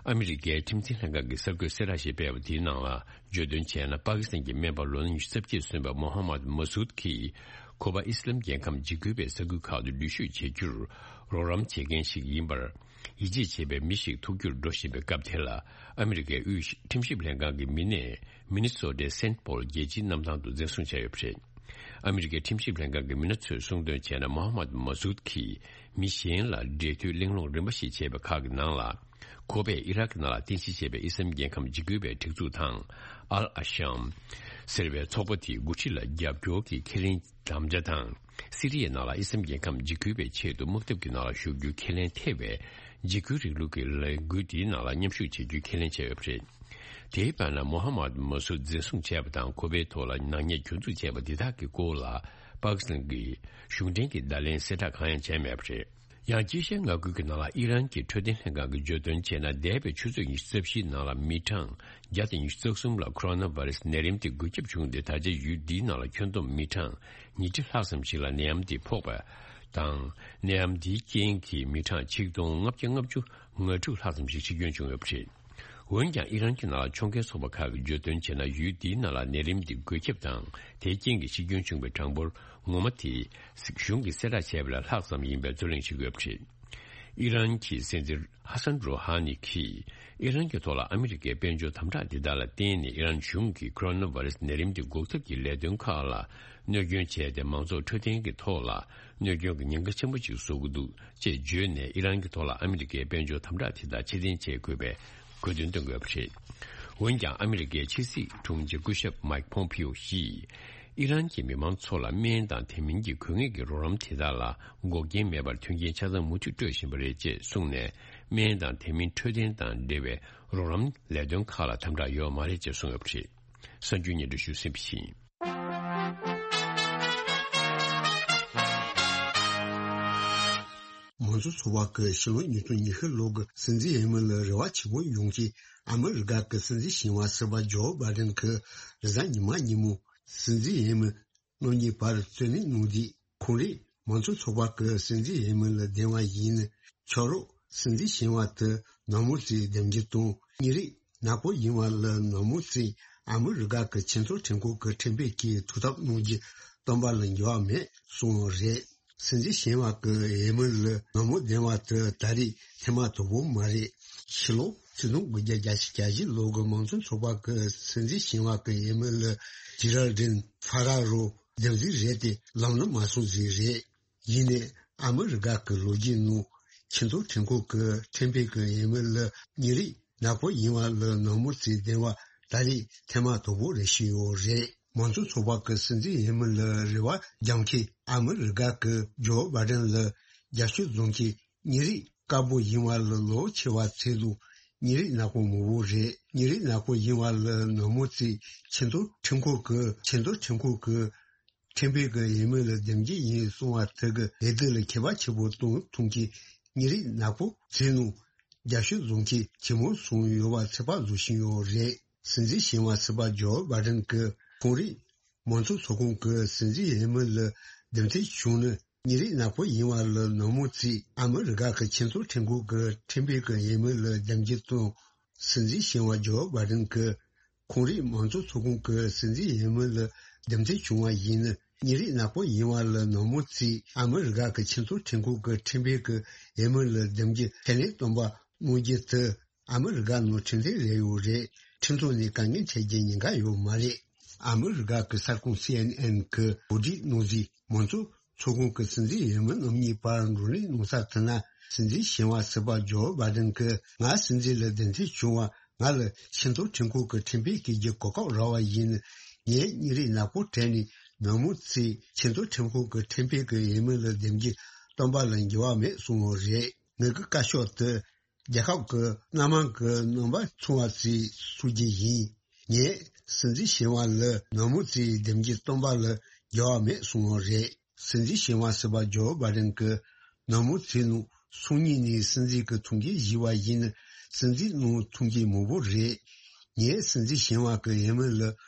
ཨ་མི་རི་ཀའི་ཁྲིམས་འཛིན་ལྷན་ཁང་གིས་གསར་འགོད་གསལ་བསྒྲགས་ཤིག་སྤེལ་བ་དེའི་ནང་ལ། བརྗོད་དོན་བྱས་ན། པ་ཀི་སི་ཐན་གྱི་སྨན་པ་ལོ་ན་ཉི་ཤུ་རྩ་བརྒྱད་སོན་པ་མོ་ཧ་མད་མ་སུད་ཀྱིས། ཁོ་པ་ཨི་སི་ལམ་རྒྱལ་ཁམས་འཇིགས་སྐུལ་བའི་ས་ཁུལ་ཁག་ཏུ་འགྲུལ་བཞུད་བྱེད་རྒྱུར་རོགས་རམ་བྱེད་མཁན་ཞིག་ཡིན་པར་ཡིད་ཆེས་བྱེད་པའི་མི་ཞིག་ཐུག་རྒྱུར་འགྲོ་བཞིན་པའི་སྐབས་དེ་ལ། ཨ་མི་རི་ཀའི་དབུས་ཁྲིམས་ཞིབ་ལྷན་ཁང་གི་མི་སྣས་མི་ནི་སོ་ཊའི་སེན་ཊི་པོལ་རྒྱལ་སྤྱིའི་གནམ་ཐང་དུ་འཛིན་བཟུང་བྱས་ཡོད་པ་རེད། ཨ་མི་རི་ཀའི་ཁྲིམས་ཞིབ་ལྷན་ཁང་གི་མི་སྣ་ཚོས་གསུངས་དོན་བྱས་ན། མོ་ཧ་མད་མ་སུད་ཀྱིས་མི་གཞན་ལ་འབྲེལ་མཐུད་གླེང་སློང་རིམ་པ་ཞིག་བྱས་པའི་ཁག་གི་ནང་ལ། ཁོ་པས་ཨི་རག་གི་ནང་ལ་རྟེན་གཞི་བྱས་པའི་ཨི་སམ་རྒྱལ་ཁམས་འཇིགས་སྐུལ་བའི་སྒྲིག་འཛུགས་དང་། ཨལ་ཨ་ཤམ་ཟེར་བའི་ཚོགས་པ་དེའི་འགོ་ཁྲིད་ལ་རྒྱབ་སྐྱོར་གྱི་ཁས་ལེན་དམ་བཅའ་དང་། སི་རི་ཡའི་ནང་ལ་ཨི་སམ་རྒྱལ་ཁམས་འཇིགས་སྐུལ་བའི་ཆེད་དུ་དམག་འཐབ་ཀྱི་ནང་ལ་ཞུགས་རྒྱུའི་ཁས་ལེན་ཐེ་བའི་འཇིགས་སྐུལ་རིང་ལུགས་ཀྱི་ལས་འགུལ་དེའི་ནང་ལ་མཉམ་ཞུགས་བྱེད་རྒྱུའི་ཁས་ལེན་བྱས་ཡོད་པ་རེད། དེའི་བར་ན། མོ་ཧ་མད་མ་སུད་འཛིན་བཟུང་བྱས་པ་དང་། ཁོ་པའི་ཐོག་ལ་ནག་ཉེས་གྱོང་འཛུགས་བྱས་པ་འདི་དག་གི་སྐོར་ལ་པ་ཀི་སི་ཐན་གྱི་གཞུང་འབྲེལ་གྱི་བརྡ་ལན་གསལ་བསྒྲགས་གང་ཡང་བྱས་མེད་པ་རེད། ཡང་དཀྱིལ་ཤར་མངའ་ཁུལ་གྱི་ནང་ལ་ཨི་རན་གྱི་འཕྲོད་བསྟེན་ལྷན་ཁང་གིས་བརྗོད་དོན་བྱས་ན། འདས་པའི་ཆུ་ཚོད་ཉི་ཤུ་རྩ་བཞིའི་ནང་ལ་མི་གྲངས་བརྒྱ་དང་ཉི་ཤུ་རྩ་གསུམ་ལ་ཁོ་རོ་ན་ཝེ་རུ་སི་ནད་རིམས་དེ་འགོས་ཁྱབ་བྱུང་སྟེ། ད་ཆ་ཡུལ་འདིའི་ནང་ལ་ཁྱོན་བསྡོམས་མི་གྲངས་ཉིས་ཁྲི་ལྷག་ཙམ་ཞིག་ལ་ནད་ཡམས་དེ་ཕོག་པ་དང་། ནད་ཡམས་འདིའི་རྐྱེན་གྱིས་མི་གྲངས་ཆིག་སྟོང་ལྔ་བརྒྱ་ལྔ་བཅུ་ང་དྲུག་ལྷག་ཙམ་ཞིག་འཆི་སྐྱོན་བྱུང་ཡོད་པ་རེད། འོན་ཀྱང་ཨི་རན་གྱི་ནང་ལ་ཕྱོགས་འགལ་ཚོགས་པ་ཁག་གིས་བརྗོད་དོན་བྱས་ན། ཡུལ་འདིའི་ནང་ལ་ནད་རིམས་འདི་འགོས་ཁྱབ་དང་དེའི་རྐྱེན་གྱིས་འཆི་སྐྱོན་བྱུང་བའི་གྲངས་འབོར་ངོ་མ་དེ་གཞུང་གིས་གསལ་བསྒྲགས་བྱས་པ་ལས་ལྷག་ཙམ་ཡིན་པའི་རྩོད་གླེང་བྱེད་ཀྱི་ཡོད་པ་རེད། ཨི་རན་གྱི་སྲིད་འཛིན་ཧ་སན་རོ་ཧ་ནི་གིས་ཨི་རན་གྱི་ཐོག་ལ་ཨ་མི་རི་ཀའི་དཔལ་འབྱོར་དམ་དྲག་འདི་དག་ལ་བརྟེན་ནས། ཨི་རན་གཞུང་གིས་ཁོ་རོ་ན་ཝེ་རུ་སི་ནད་རིམས་འདི་འགོག་ཐབས་ཀྱི་ལས་དོན་ཁག་ལ་གནོད་སྐྱོན་བྱས་ཏེ། མང་ཚོགས་འཕྲོད་བསྟེན་གྱི་ཐོག་ལ་གནོད་སྐྱོན་གྱི་ཉེན་ཁ་ཆེན་པོ་ཅིག་བཟོ་གི་འདུག་ཅེས་བརྗོད་ནས། ཨི་རན་གྱི་ཐོག་ལ་ཨ་མི་རི་ཀའི་དཔལ་འབྱོར་དམ་དྲག་དེ་དག་ཕྱིར་འཐེན་བྱེད་དགོས་པའི་དགོས་འདུན་བཏོན་དགོས་པ་རེད། འོན་ཀྱང་ཨ་མི་རི་ཀའི་ཕྱི་སྲིད་དྲུང་ཆེ་སྐུ་ཞབས་མཱིག་ཕོམ་ཕིའོ་ཡིས། ཨི་རན་གྱི་མི་མང་ཚོ་ལ་སྨན་དང་དེ་མིན་གྱི་དགོས་ངེས་ཀྱི་རོགས་རམ་དེ་དག་ལ་འགོག་རྐྱེན་མེད་པར་མཐུན་རྐྱེན་ཆ་ཚང་མུ་མཐུད་སྤྲོད་བཞིན་པ་རེད་ཅེས་གསུངས་ནས། སྨན་དང་དེ་མིན་འཕྲོད་བསྟེན་དང་འབྲེལ་བའི་རོགས་རམ་ལས་དོན་ཁག་ལ་དམ་དྲག་ཡོད་མ་རེད་ཅེས་གསུངས་ཡོད་པ་རེད། གསར་འགྱུར་སྙན་སྒྲོན་ཞུས་ཟིན་པ་ཡིན། མང་གཙོ་ཚོགས་པ་གི་ཕྱི་ལོ་ཉིས་སྟོང་ཉི་ཤུ་ལོ་གི་སྲིད་འཛིན་འོས་མི་ལ་རེ་བ་ཆེ་པོ་ཡོང་གི། ཨ་མི་རི་ཀ་གི་སྲིད་འཛིན་ཞི་བ་ཟུར་པ་ཇོ་བྷའི་ཌེན་གི་རེས་གཟའ་ཉི་མ་ཉིན་མོ་སྲིད་འཛིན་འོས་མི་རྣམ་གཉིས་བར་རྩོད་གླེང་གནང་དུས། ཁོང་རིགས་མང་གཙོ་ཚོགས་པ་གི་སྲིད་འཛིན་འོས་མི་ལ་བདེན་པ་ཡིན་ན། ཕྱག་རོགས་སྲིད་འཛིན་ཞི་བ་དེ་ནག་མོ་རྩིས་འདེམས་རྒྱུ་དང་། མི་རིགས་ནག་པོ་ཡིན་པ་ལ་ནག་མོ་རྩིས་ཨ་མི་རི་ཀ་གི་ཆེས་མཐོའི་ཁྲིམས་ཁང་གི་ཁྲིམས་དཔོན་གྱིས་ཐུགས་འཐབ་གནང་རྒྱུ་སྟོན་པ་ལ་འགྱུར་བ་མེད་གསུངས་པ་རེད། སྲིད་འཛིན་ཞི་བ་གི་འོས་མི་ལ་ནག་མོ་ལྡན་པ་དེ་ད་རེས་ཐེངས་མ་དང་པོ་མ་རེད། ཕྱི་ལོ་ཆིག་སྟོང་དགུ་བརྒྱ་བརྒྱད་ཅུ་གྱ་བཞི་ལོ་གི་མང་གཙོ་ཚོགས་པ་གི་སྲིད་འཛིན་ཞི་བ་གི་འོས་མི་ལ་ཇི་རལ་ཌིན་ཧྥ་ར་རོ་འདེམས་རྩིས་རེད་དེ། ལམ་ལ་མ་སོང་རྩིས་རེད། ཡིན་ནའི་ཨ་མི་རི་ཀ་གི་ལོ་རྒྱུས་ནང་ཆེས་མཐོའི་ཁྲིམས་ཁང་གི་ཁྲིམས་དཔོན་གི་འོས་མི་ལ་མི་རིགས་ནག་པོ་ཡིན་པ་ལ་ནག་མོ་རྩིས་ལྡན་པ་ད་རེས་ཐེངས་མ་དང་པོ་རེད་བཤད་ཡོད་རེད། མང་གཙོ་ཚོགས་པ་གི་སྲིད་འཛིན་འོས་མི་ལ་རེ་བ་རྒྱག་མཁན་ཨ་མི་རི་ཀ་གི་ཇོ་བྷའི་ཌེན་ལ་རྒྱབ་སྐྱོར་བཟོ་མཁན་མི་རིགས་དཀར་པོ་ཡིན་པ་ལ་ལོ་ཆེ་བ་ཚོ་དང་མི་རིགས་ནག་པོ་མང་པོ་རེད། མི་རིགས་ནག་པོ་ཡིན་པ་ལ་ནག་མོ་རྩིས་ཆེས་མཐོའི་ཁྲིམས་ཁང་གི་ཆེས་མཐོའི་ཁྲིམས་ཁང་གི་ཁྲིམས་དཔོན་གྱི་འོས་མི་ལ་འདེམས་རྒྱུ་ཡིན་གསུངས་པ་དེ་གི་འོས་བསྡུ་ལ་ཁྱད་པར་ཆེན་པོ་གཏོང་ཐུབ་མཁན་མི་རིགས་ནག་པོ་ཚོའི་ནང་རྒྱབ་སྐྱོར་བཟོ་མཁན་ཇེ་མང་སོང་ཡོད་པ་ཚོད་དཔག་བཟོ་བཞིན་ཡོད་རེད། སྲིད་འཛིན་ཞི་བ་ཟུར་པ་ཇོ་བྷའི་ཌེན་གྱིས་ཁོང་རིགས་མང་གཙོ་ཚོགས་ཁོངས་ཀྱི་སྲིད་འཛིན་འོས་མི་ལ་འདེམས་ཐོན་བྱུང་ན། མི་རིགས་ནག་པོ་ཡིན་པ་ལ་ནག་མོ་རྩིས་ཨ་མི་རི་ཀ་གི་ཆེས་མཐོའི་ཁྲིམས་ཁང་གི་ཁྲིམས་དཔོན་གྱི་འོས་མི་ལ་འདེམས་རྒྱུ་དང་། སྲིད་འཛིན་ཞི་བ་ཇོ་བྷའི་ཌེན་གྱིས་ཁོང་རིགས་མང་གཙོ་ཚོགས་ཁོངས་ཀྱི་སྲིད་འཛིན་འོས་མི་ལ་འདེམས་ཐོན་བྱུང་བ་ཡིན་ན། མི་རིགས་ནག་པོ་ཡིན་པ་ལ་ནག་མོ་རྩིས་ཨ་མི་རི་ཀ་གི་ཆེས་མཐོའི་ཁྲིམས་ཁང་གི་ཁྲིམས་དཔོན་གྱི་འོས་མི་ལ་འདེམས་རྒྱུ་ཁས་ལེན་བཏོན་པ་གནང་རྒྱུ་དེ་ཨ་མི་རི་ཀ་ནང་ཁྲིམས་མཐུན་རེད་ཡོད་རེད། ཁྲིམས་ཐོག་ནས་དཀའ་ངལ་འཕྲད་རྒྱུའི་ཉེན་ཁ་ཡོད་མ་རེད། ཨ་མི་རི་ཀ་གི་གསར་ཁང་སི་ཨེན་ཨེན་གྱིས་གོ་སྒྲིག་གནང་རྗེས། མང་གཙོ་ཚོགས་ཁོངས་ཀྱི་སྲིད་འཛིན་འོས་མི་རྣམ་གཉིས་བར་བགྲོ་གླེང་གནང་ས་དེ་ན། སྲིད་འཛིན་ཞི་བ་ཟུར་པ་ཇོ་བྷའི་ཌེན་གྱིས་ང་སྲིད་འཛིན་ལ་འདེམས་ཐོན་བྱུང་བ། ང་ལ་ཆེས་མཐོའི་ཁྲིམས་ཁང་གི་ཁྲིམས་དཔོན་བྱེད་རྒྱུའི་གོ་སྐབས་རག་པ་ཡིན་ན། ངས་མི་རིགས་ནག་པོ་གྲས་ནས་ནག་མོ་རྩིས་ཆེས་མཐོའི་ཁྲིམས་ཁང་གི་ཁྲིམས་དཔོན་གྱི་འོས་མི་ལ་འདེམས་རྒྱུ་སྟོན་པ་ལ་འགྱུར་བ་མེད་གསུངས་པ་རེད། ངེད་ཀྱི་བཀའ་ཤོག་དེ་རྒྱལ་ཁབ་ཀྱི་སྣ་མང་གི་རྣམ་པ་མཚུངས་པ་ཞིག་བཟོ་རྒྱུ་ཡིན། ངས་སྲིད་འཛིན་ཞི་བ་ལ་ནག་མོ་རྩིས་འདེམས་རྒྱུ་སྟོན་པ་ལ་འགྱུར་བ་མེད་གསུངས་པ་རེད། སྲིད་འཛིན་ཞི་བ་ཟུར་པ་ཇོ་བྷའི་ཌེན་གྱིས་ནག་མོ་རྩིས་ནང་སང་ཉིན་ནས་སྲིད་འཛིན་གྱི་ཐུགས་འགན་བཞེས་པ་ཡིན་ན། སྲིད་འཛིན་གནང་ཐུབ་མཁན་མང་པོ་རེད། ངས་སྲིད་འཛིན་ཞི་བ་གི་འོས་མི་ལ་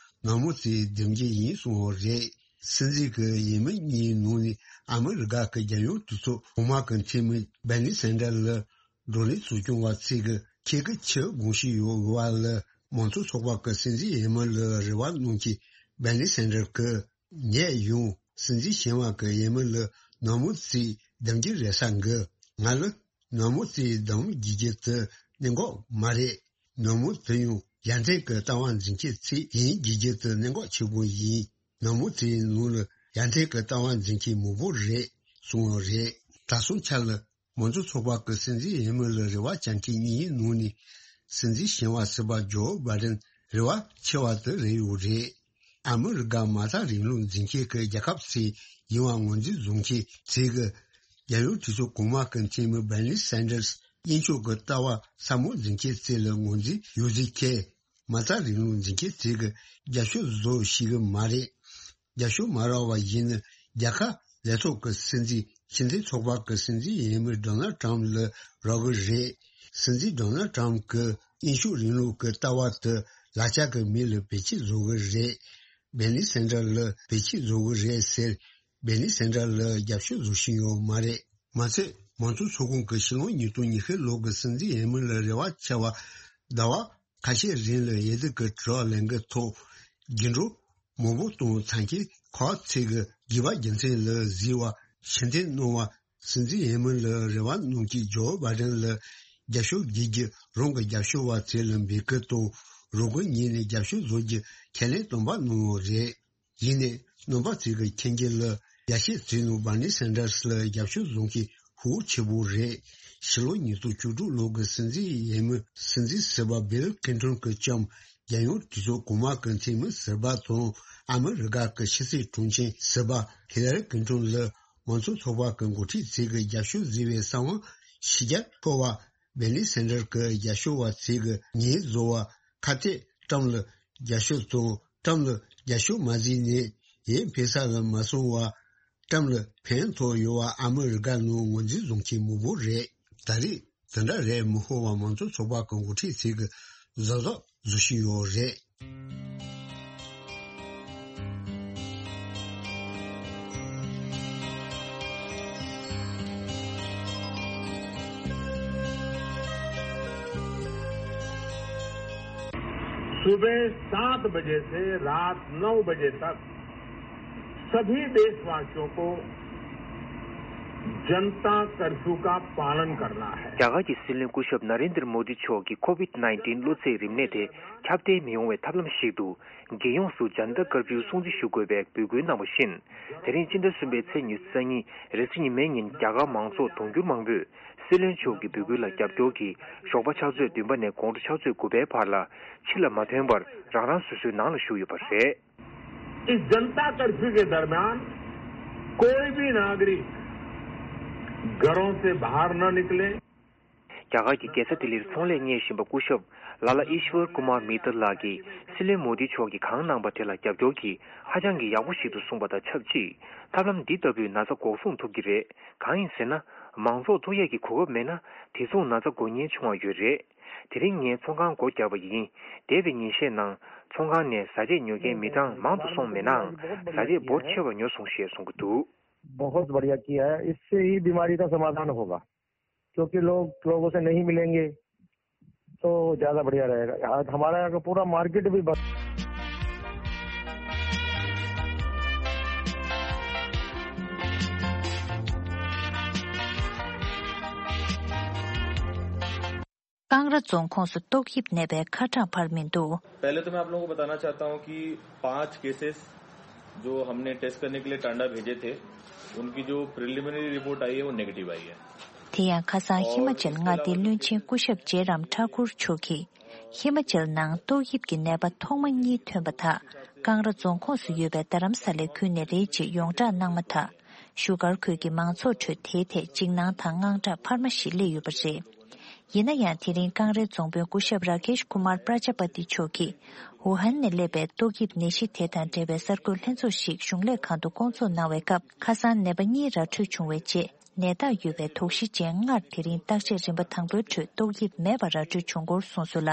ནག་མོ་རྩིས་འདེམས་རྒྱུ་ཡིན་གསུངས་པ་རེད། སྲིད་འཛིན་གྱི་འོས་མི་གཉིས་ནང་ནས་ཨ་མི་རི་ཀ་གི་རྒྱལ་ཡོངས་གྲོས་ཚོགས་གོང་མ་གི་འཐུས་མི་བྷར་ནི་སན་ཌར་ལ་བགྲོ་གླེང་ཚོགས་སྐྱོང་བ་ཚོས་ཀྱི་ཁྱེད་ཀྱི་ཆེས་དགོངས་གཞི་ཡོད་པ་ལ་མང་གཙོ་ཚོགས་པ་གི་སྲིད་འཛིན་འོས་མི་ལ་རེ་བ་གནང་གི། བྷར་ནི་སན་ཌར་གྱིས་ངས་ཡང་སྲིད་འཛིན་ཞི་བ་གི་འོས་མི་ལ་ནག་མོ་རྩིས་འདེམས་རྒྱུ་རེད་ས་གི། ང་ལ་ནག་མོ་རྩིས་འདེམས་རྒྱུ་དེ་གནད་འགག་མ་རེད། ནག་མོ་དེ་ཡང་ཡར་ཐོན་གྱི་ལྟ་བ་འཛིན་མཁན་ཚོ་ཡིན་རྒྱུ་དེ་གནད་འགག་ཆེན་པོ་ཡིན། ནག་མོ་རྩིས་ནང་ལ་ཡར་ཐོན་གྱི་ལྟ་བ་འཛིན་མཁན་མང་པོ་རེད་གསུངས་པ་རེད། གྲྭ་ཚང་ཆ་ལ་མང་གཙོ་ཚོགས་པ་གི་སྲིད་འཛིན་འོས་མི་ལ་རེ་བ་བཅངས་མཁན་གཉིས་ནང་ནས་སྲིད་འཛིན་ཞི་བ་ཟུར་པ་ཇོ་བྷའི་ཌེན་རེ་བ་ཆེ་བ་དེ་རེད་ཡོད་རེད། ཨ་མི་རི་ཀ་མ་རྩ་རིང་ལུགས་འཛིན་མཁན་གྱི་རྒྱལ་ཁབ་ཚོ་ཡིན་པ་ངོས་འཛིན་བཟོ་མཁན་ཚོས་ཀྱི། རྒྱལ་ཡོངས་གྲོས་ཚོགས་གོང་མ་གི་འཐུས་མི་བྷར་ནི་སན་ཌར་དབྱིན་ཕྱུག་གི་ལྟ་བ་ཟབ་མོ་འཛིན་མཁན་ཚོ་ལ་ངོས་འཛིན་ཡོད་ཚུལ་ཁྱེད། མ་རྩ་རིང་ལུགས་འཛིན་མཁན་ཚོས་ཀྱི་རྒྱབ་སྐྱོར་བཟོ་ཤེས་ཀྱི་མ་རེད། རྒྱབ་སྐྱོར་མ་རག་པ་ཡིན་ན། རྒྱལ་ཁབ་ལས་ཐོག་གི་སྲིད་འཛིན། སྤྱི་མཐུན་ཚོགས་པ་གི་སྲིད་འཛིན་འོས་མི་ཌོ་ནལ་ཊམ་ལ་རག་གི་རེད། སྲིད་འཛིན་ཌོ་ནལ་ཊམ་གྱིས་དབྱིན་ཕྱུག་རིང་ལུགས་ཀྱི་ལྟ་བ་དེ་ལག་ཆ་གི་མི་ལ་བེད་སྤྱོད་བཟོ་གི་རེད། བྷར་ནི་སན་ཌར་ལ་བེད་སྤྱོད་བཟོ་གི་རེད་ཟེར། བྷར་ནི་སན་ཌར་ལ་རྒྱབ་སྐྱོར་བཟོ་བཞིན་ཡོད་མ་རེད། མ་ཚད་མང་གཙོ་ཚོགས་ཁོངས་ཀྱི་ཕྱི་ལོ་ཉིས་སྟོང་ཉི་ཤུ་ལོ་གི་སྲིད་འཛིན་འོས་མི་ལ་རེ་བ་ཆེ་བ། ཟླ་བ་ཁ་ཤས་རིང་ལ་འོས་བསྡུ་གི་དྲི་བ་ལེན་གི་ཐོག་རྒྱུན་འགྲོ་མང་པོ་གཏོང་ཚར་མཁན་ཁག་ཅིག་གིས་དགོས་པ་རྒྱུ་མཚན་ལ་གཟིགས་པ། ཕྱིར་འཐེན་གནང་བ། སྲིད་འཛིན་འོས་མི་ལ་རེ་བ་གནང་མཁན་ཇོ་བྷའི་ཌེན་ལ་རྒྱབ་སྐྱོར་དགོས་རྒྱུ་རང་གི་རྒྱབ་སྐྱོར་བ་ཚོ་ལ་འབོད་སྐུལ་དང་། རང་འགུལ་ངོས་ནས་རྒྱབ་སྐྱོར་བཟོ་རྒྱུ་ཁས་ལེན་བཏོན་པ་གནང་ཡོད་རེད། ཡིན་ནའི་རྣམ་པ་ཚོས་ཀྱི་མཁྱེན་རྒྱུ་ལ། རྒྱ་ཆེ་ཚོའི་ནང་བྷར་ནི་སན་ཌར་སི་ལ་རྒྱབ་སྐྱོར་བཟོ་མཁན་ཧུར་ཆེ་པོ་རེད། ཕྱི་ལོ་ཉིས་སྟོང་བཅུ་དྲུག་ལོ་གི་སྲིད་འཛིན་འོས་མི། སྲིད་འཛིན་ཟུར་པ་བྷིལ་ཀིན་ཊོན་གྱིས་བཅངས། རྒྱལ་ཡོངས་གྲོས་ཚོགས་གོང་མ་གི་འཐུས་མི་ཟུར་པ་དང་། ཨ་མི་རི་ཀ་གི་ཕྱི་སྲིད་དྲུང་ཆེ་ཟུར་པ་ཧི་ལ་རི་ཀིན་ཊོན་ལ་མང་གཙོ་ཚོགས་པ་གི་འགོ་ཁྲིད་ཚོས་ཀྱི་རྒྱབ་སྐྱོར་བཟོས་པའི་གསང་བ་ཕྱི་རྒྱལ་འཁོར་བ། བྷར་ནི་སན་ཌར་གྱི་རྒྱབ་སྐྱོར་བ་ཚོས་ཀྱི་ཉེས་བཟོ་བ། ཁ་གཏད་ཊམ་ལ་རྒྱབ་སྐྱོར་དང་། ཊམ་ལ་རྒྱབ་སྐྱོར་མ་བཟོས་ནས་འོས་འཕེན་ས་ལ་མ་སོང་བ། གཤམ་ལ་ཕན་ཐོགས་ཡོད་པ་ཨ་མི་རི་ཀ་ནང་ངོས་འཛིན་བཟུང་མཁན་མང་པོ་རེད། ད་རེས་དེ་འདྲ་རེད་མི་ཤོར་བ་མང་གཙོ་ཚོགས་པ་གི་འགོ་ཁྲིད་ཚོས་གཟབ་གཟབ་བཟོ་བཞིན་ཡོད་རེད། सुबह सात बजे से रात नौ बजे तक सभी देशवासियों को जनता कर्फ्यू का पालन करना है। རྒྱ་གར་གྱི་སྲིད་བློན་སྐུ་ཞབས་ན་རེན་དྲ་མོ་དི་མཆོག་གིས་ཁོ་ཝིད་ནའིན་ཊིན་གློ་ཚད་རིམས་ནད་དེ་ཁྱབ་གདལ་མི་ཡོང་བའི་ཐབས་ལམ་ཞིག་ཏུ། རྒྱལ་ཡོངས་སུ་ཇན་ཏ་ཀར་ཕིའུ་སྲུང་བརྩི་ཞུ་དགོས་པའི་འབོད་སྐུལ་གནང་བ་བཞིན། དེ་རིང་སྤྱི་ཟླ་གསུམ་པའི་ཚེས་ཉི་ཤུ་རྩ་གཉིས་རེས་གཟའ་ཉི་མའི་ཉིན་རྒྱ་གར་མང་ཚོགས་དུང་ཕྱུར་མང་པོས་སྲིད་བློན་མཆོག་གི་འབོད་སྐུལ་ལ་རྒྱབ་སྐྱོར་གྱིས་ཞོགས་པ་ཕྱག་ཚོད་བདུན་པ་ནས་དགོང་དྲོ་ཕྱག་ཚོད་དགུ་པའི་བར་ལ་ཕྱི་ལ་མ་ཐོན་པར་རང་རང་སོ་སོའི་ནང་ལ་བཞུགས་ཡོད་པ་རེད། इस जनता कर्फ्यू के दरमियान कोई भी नागरिक घरों से बाहर न निकले। རྒྱ་གར་གྱི་རྒྱལ་ས་ལྡི་ལིར་ཚོང་ལས་གཉེར་བཞིན་པ་སྐུ་ཞབས་ལ་ལ་ཨིཤ་ཝར་ཀུ་མར་མི་ཏར་ལགས་ཀྱིས་སྲིད་བློན་མོ་དི་མཆོག་གིས་གང་གནང་པ་དེ་ལ་རྒྱབ་སྐྱོར་གྱིས་ཧ་ཅང་གི་ཡག་པོ་ཞིག་ཏུ་གསུངས་པ་དང་ཆབས་ཅིག་ཐབས་ལམ་འདི་ལྟ་བུས་ན་ཚ་འགོག་སྲུང་ཐུབ་ཀྱི་རེད། གང་ཡིན་ཟེར་ན། མང་ཚོགས་ཐུག་ཡས་ཀྱི་གོ་སྐབས་མེད་ན། དེ་མཚུངས་ན་ཚ་འགོག་ཉེན་ཆུང་བ་ཡོད་རེད། དེ་རིང་ངས་ཚོང་ཁང་སྒོ་བརྒྱབ་པ་ཡིན། འདས་པའི་ཉིན་ཤས་ནང་། ཚོང་ཁང་ནས་བཟའ་ཆས་ཉོ་མཁན་མི་གྲངས་མང་དུ་སོང་མེད་ནའང་། བཟའ་ཆས་འབོར་ཆེ་བ་ཉོ་སོང་ཞེས་གསུང་གི་འདུག बहुत बढ़िया किया है, इससे ही बीमारी का समाधान होगा, क्योंकि लोग लोगों से नहीं मिलेंगे, तो ज्यादा बढ़िया रहेगा। आज हमारा यहाँ का पूरा मार्केट भी बंद। ཀང་ར་རྫོང་ཁོངས་སུ་ཏོག་དབྱིབས་ནད་པའི་ཁ་གྲངས་འཕར་མི་འདུག། पहले तो मैं आप लोगों को बताना चाहता हूं कि पांच केसेस जो हमने टेस्ट करने के लिए टांडा भेजे थे, उनकी जो प्रिलिमिनरी रिपोर्ट आई है, वो नेगेटिव आई है। དེ་ཡང་ཁ་སང་ཧི་མ་ཅལ་མངའ་སྡེའི་བློན་ཆེན་སྐུ་ཞབས་ཇེ་རམ་ཐ་ཁུར་མཆོག་གིས། ཧི་མ་ཅལ་ནང་ཏོག་དབྱིབས་ཀྱི་ནད་པ་ཐོག་མ་གཉིས་ཐོན་པ་དག་ཀང་ར་རྫོང་ཁོངས་སུ་ཡོད་པའི་རྡ་རམ་ས་ལའི་ཁུལ་ནས་རེད་ཅེས་ཡོངས་བསྒྲགས་གནང་མ་ཐག་བཞུགས་སྒར་ཁུལ་གྱི་མང་ཚོགས་ཁྲོད་དེའི་ཐད་འཇིགས་སྣང་དང་དངངས་སྐྲག་འཕར་མ་ཞིག་སླེབས་ཡོད་པ་རེད། ཡིན་ན་ཡང་། དེ་རིང་ཀང་རའི་རྫོང་དཔོན་སྐུ་ཞབས་ར་ཀེཤ་ཀུ་མར་པྲ་ཇ་པ་ཏི་མཆོག་གིས། ཝུ་ཧན་ནས་སླེབས་པའི་ཏོག་དབྱིབས་ནད་གཞི་དེ་དང་འབྲེལ་བའི་གསར་འགོད་ལྷན་ཚོགས་ཤིག་གཞུང་ལས་ཁང་དུ་བསྐོང་ཚོགས་གནང་བའི་སྐབས། ཁ་སང་ནད་པ་གཉིས་ར་འཕྲོད་བྱུང་བའི་རྗེས། ནད་རྟགས་ཡོད་པའི་དོགས་གཞི་ཅན་ལྔར་དེ་རིང་བརྟག་དཔྱད་རིམ་པ་དང་པོའི་ཁྲོད་ཏོག་དབྱིབས་མེད་པ་ར་འཕྲོད་བྱུང་སྐོར་གསུངས་སོང་ལ།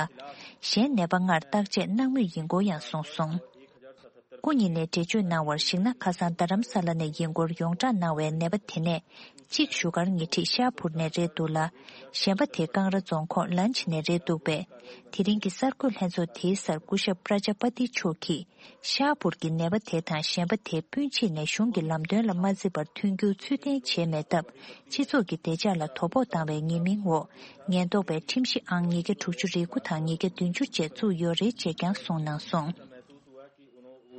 གཞན་ནད་པ་ལྔར་བརྟག་དཔྱད་གནང་མུས་ཡིན་སྐོར་ཡང་གསུངས་སོང་། སྐུ་ཉིད་ནས་འགྲེལ་བརྗོད་གནང་བར་གཞིགས་ན། ཁ་སང་རྡ་རམ་ས་ལ་ནས་ཡིན་སྐོར་ཡོངས་བསྒྲགས་གནང་བའི་ནད་པ་དེ་ནས་གཅིག་བཞུགས་སྒར་ཉེ་འཁྲིས་ཤ་ཧ་པུར་ནས་རེད་འདུག་ལ། གཞན་པ་དེ་ཀང་ར་རྫོང་ཁོངས་ལན་ཆི་ནས་རེད་འདུག་པས། དེ་རིང་གི་གསར་འགོད་ལྷན་ཚོགས་དེའི་སར་སྐུ་ཞབས་པྲ་ཇ་པ་ཏི་མཆོག་གིས། ཤ་ཧ་པུར་གྱི་ནད་པ་དེ་དང་གཞན་པ་དེ་སྤུན་མཆེད་ནས་གཞུང་གི་ལམ་སྟོན་ལ་མ་བརྩི་བར་མཐུན་འགྱུར་ཚུལ་ལྡན་བྱས་མེད་སྟབས། སྤྱི་ཚོགས་ཀྱི་བདེ་འཇགས་ལ་དོ་ཕོག་བཏང་བའི་ཉེས་མིང་འོག་ཉེན་རྟོག་པས་ཁྲིམས་གཞི་ཨང་ཉིས་བརྒྱ་དྲུག་ཅུ་རེ་དགུ་དང་ཉིས་བརྒྱ་བདུན་ཅུ་བཅས་བཙུགས་ཡོད་རེད་ཅེས་ཀྱང་གསུངས་གནང་སོང་།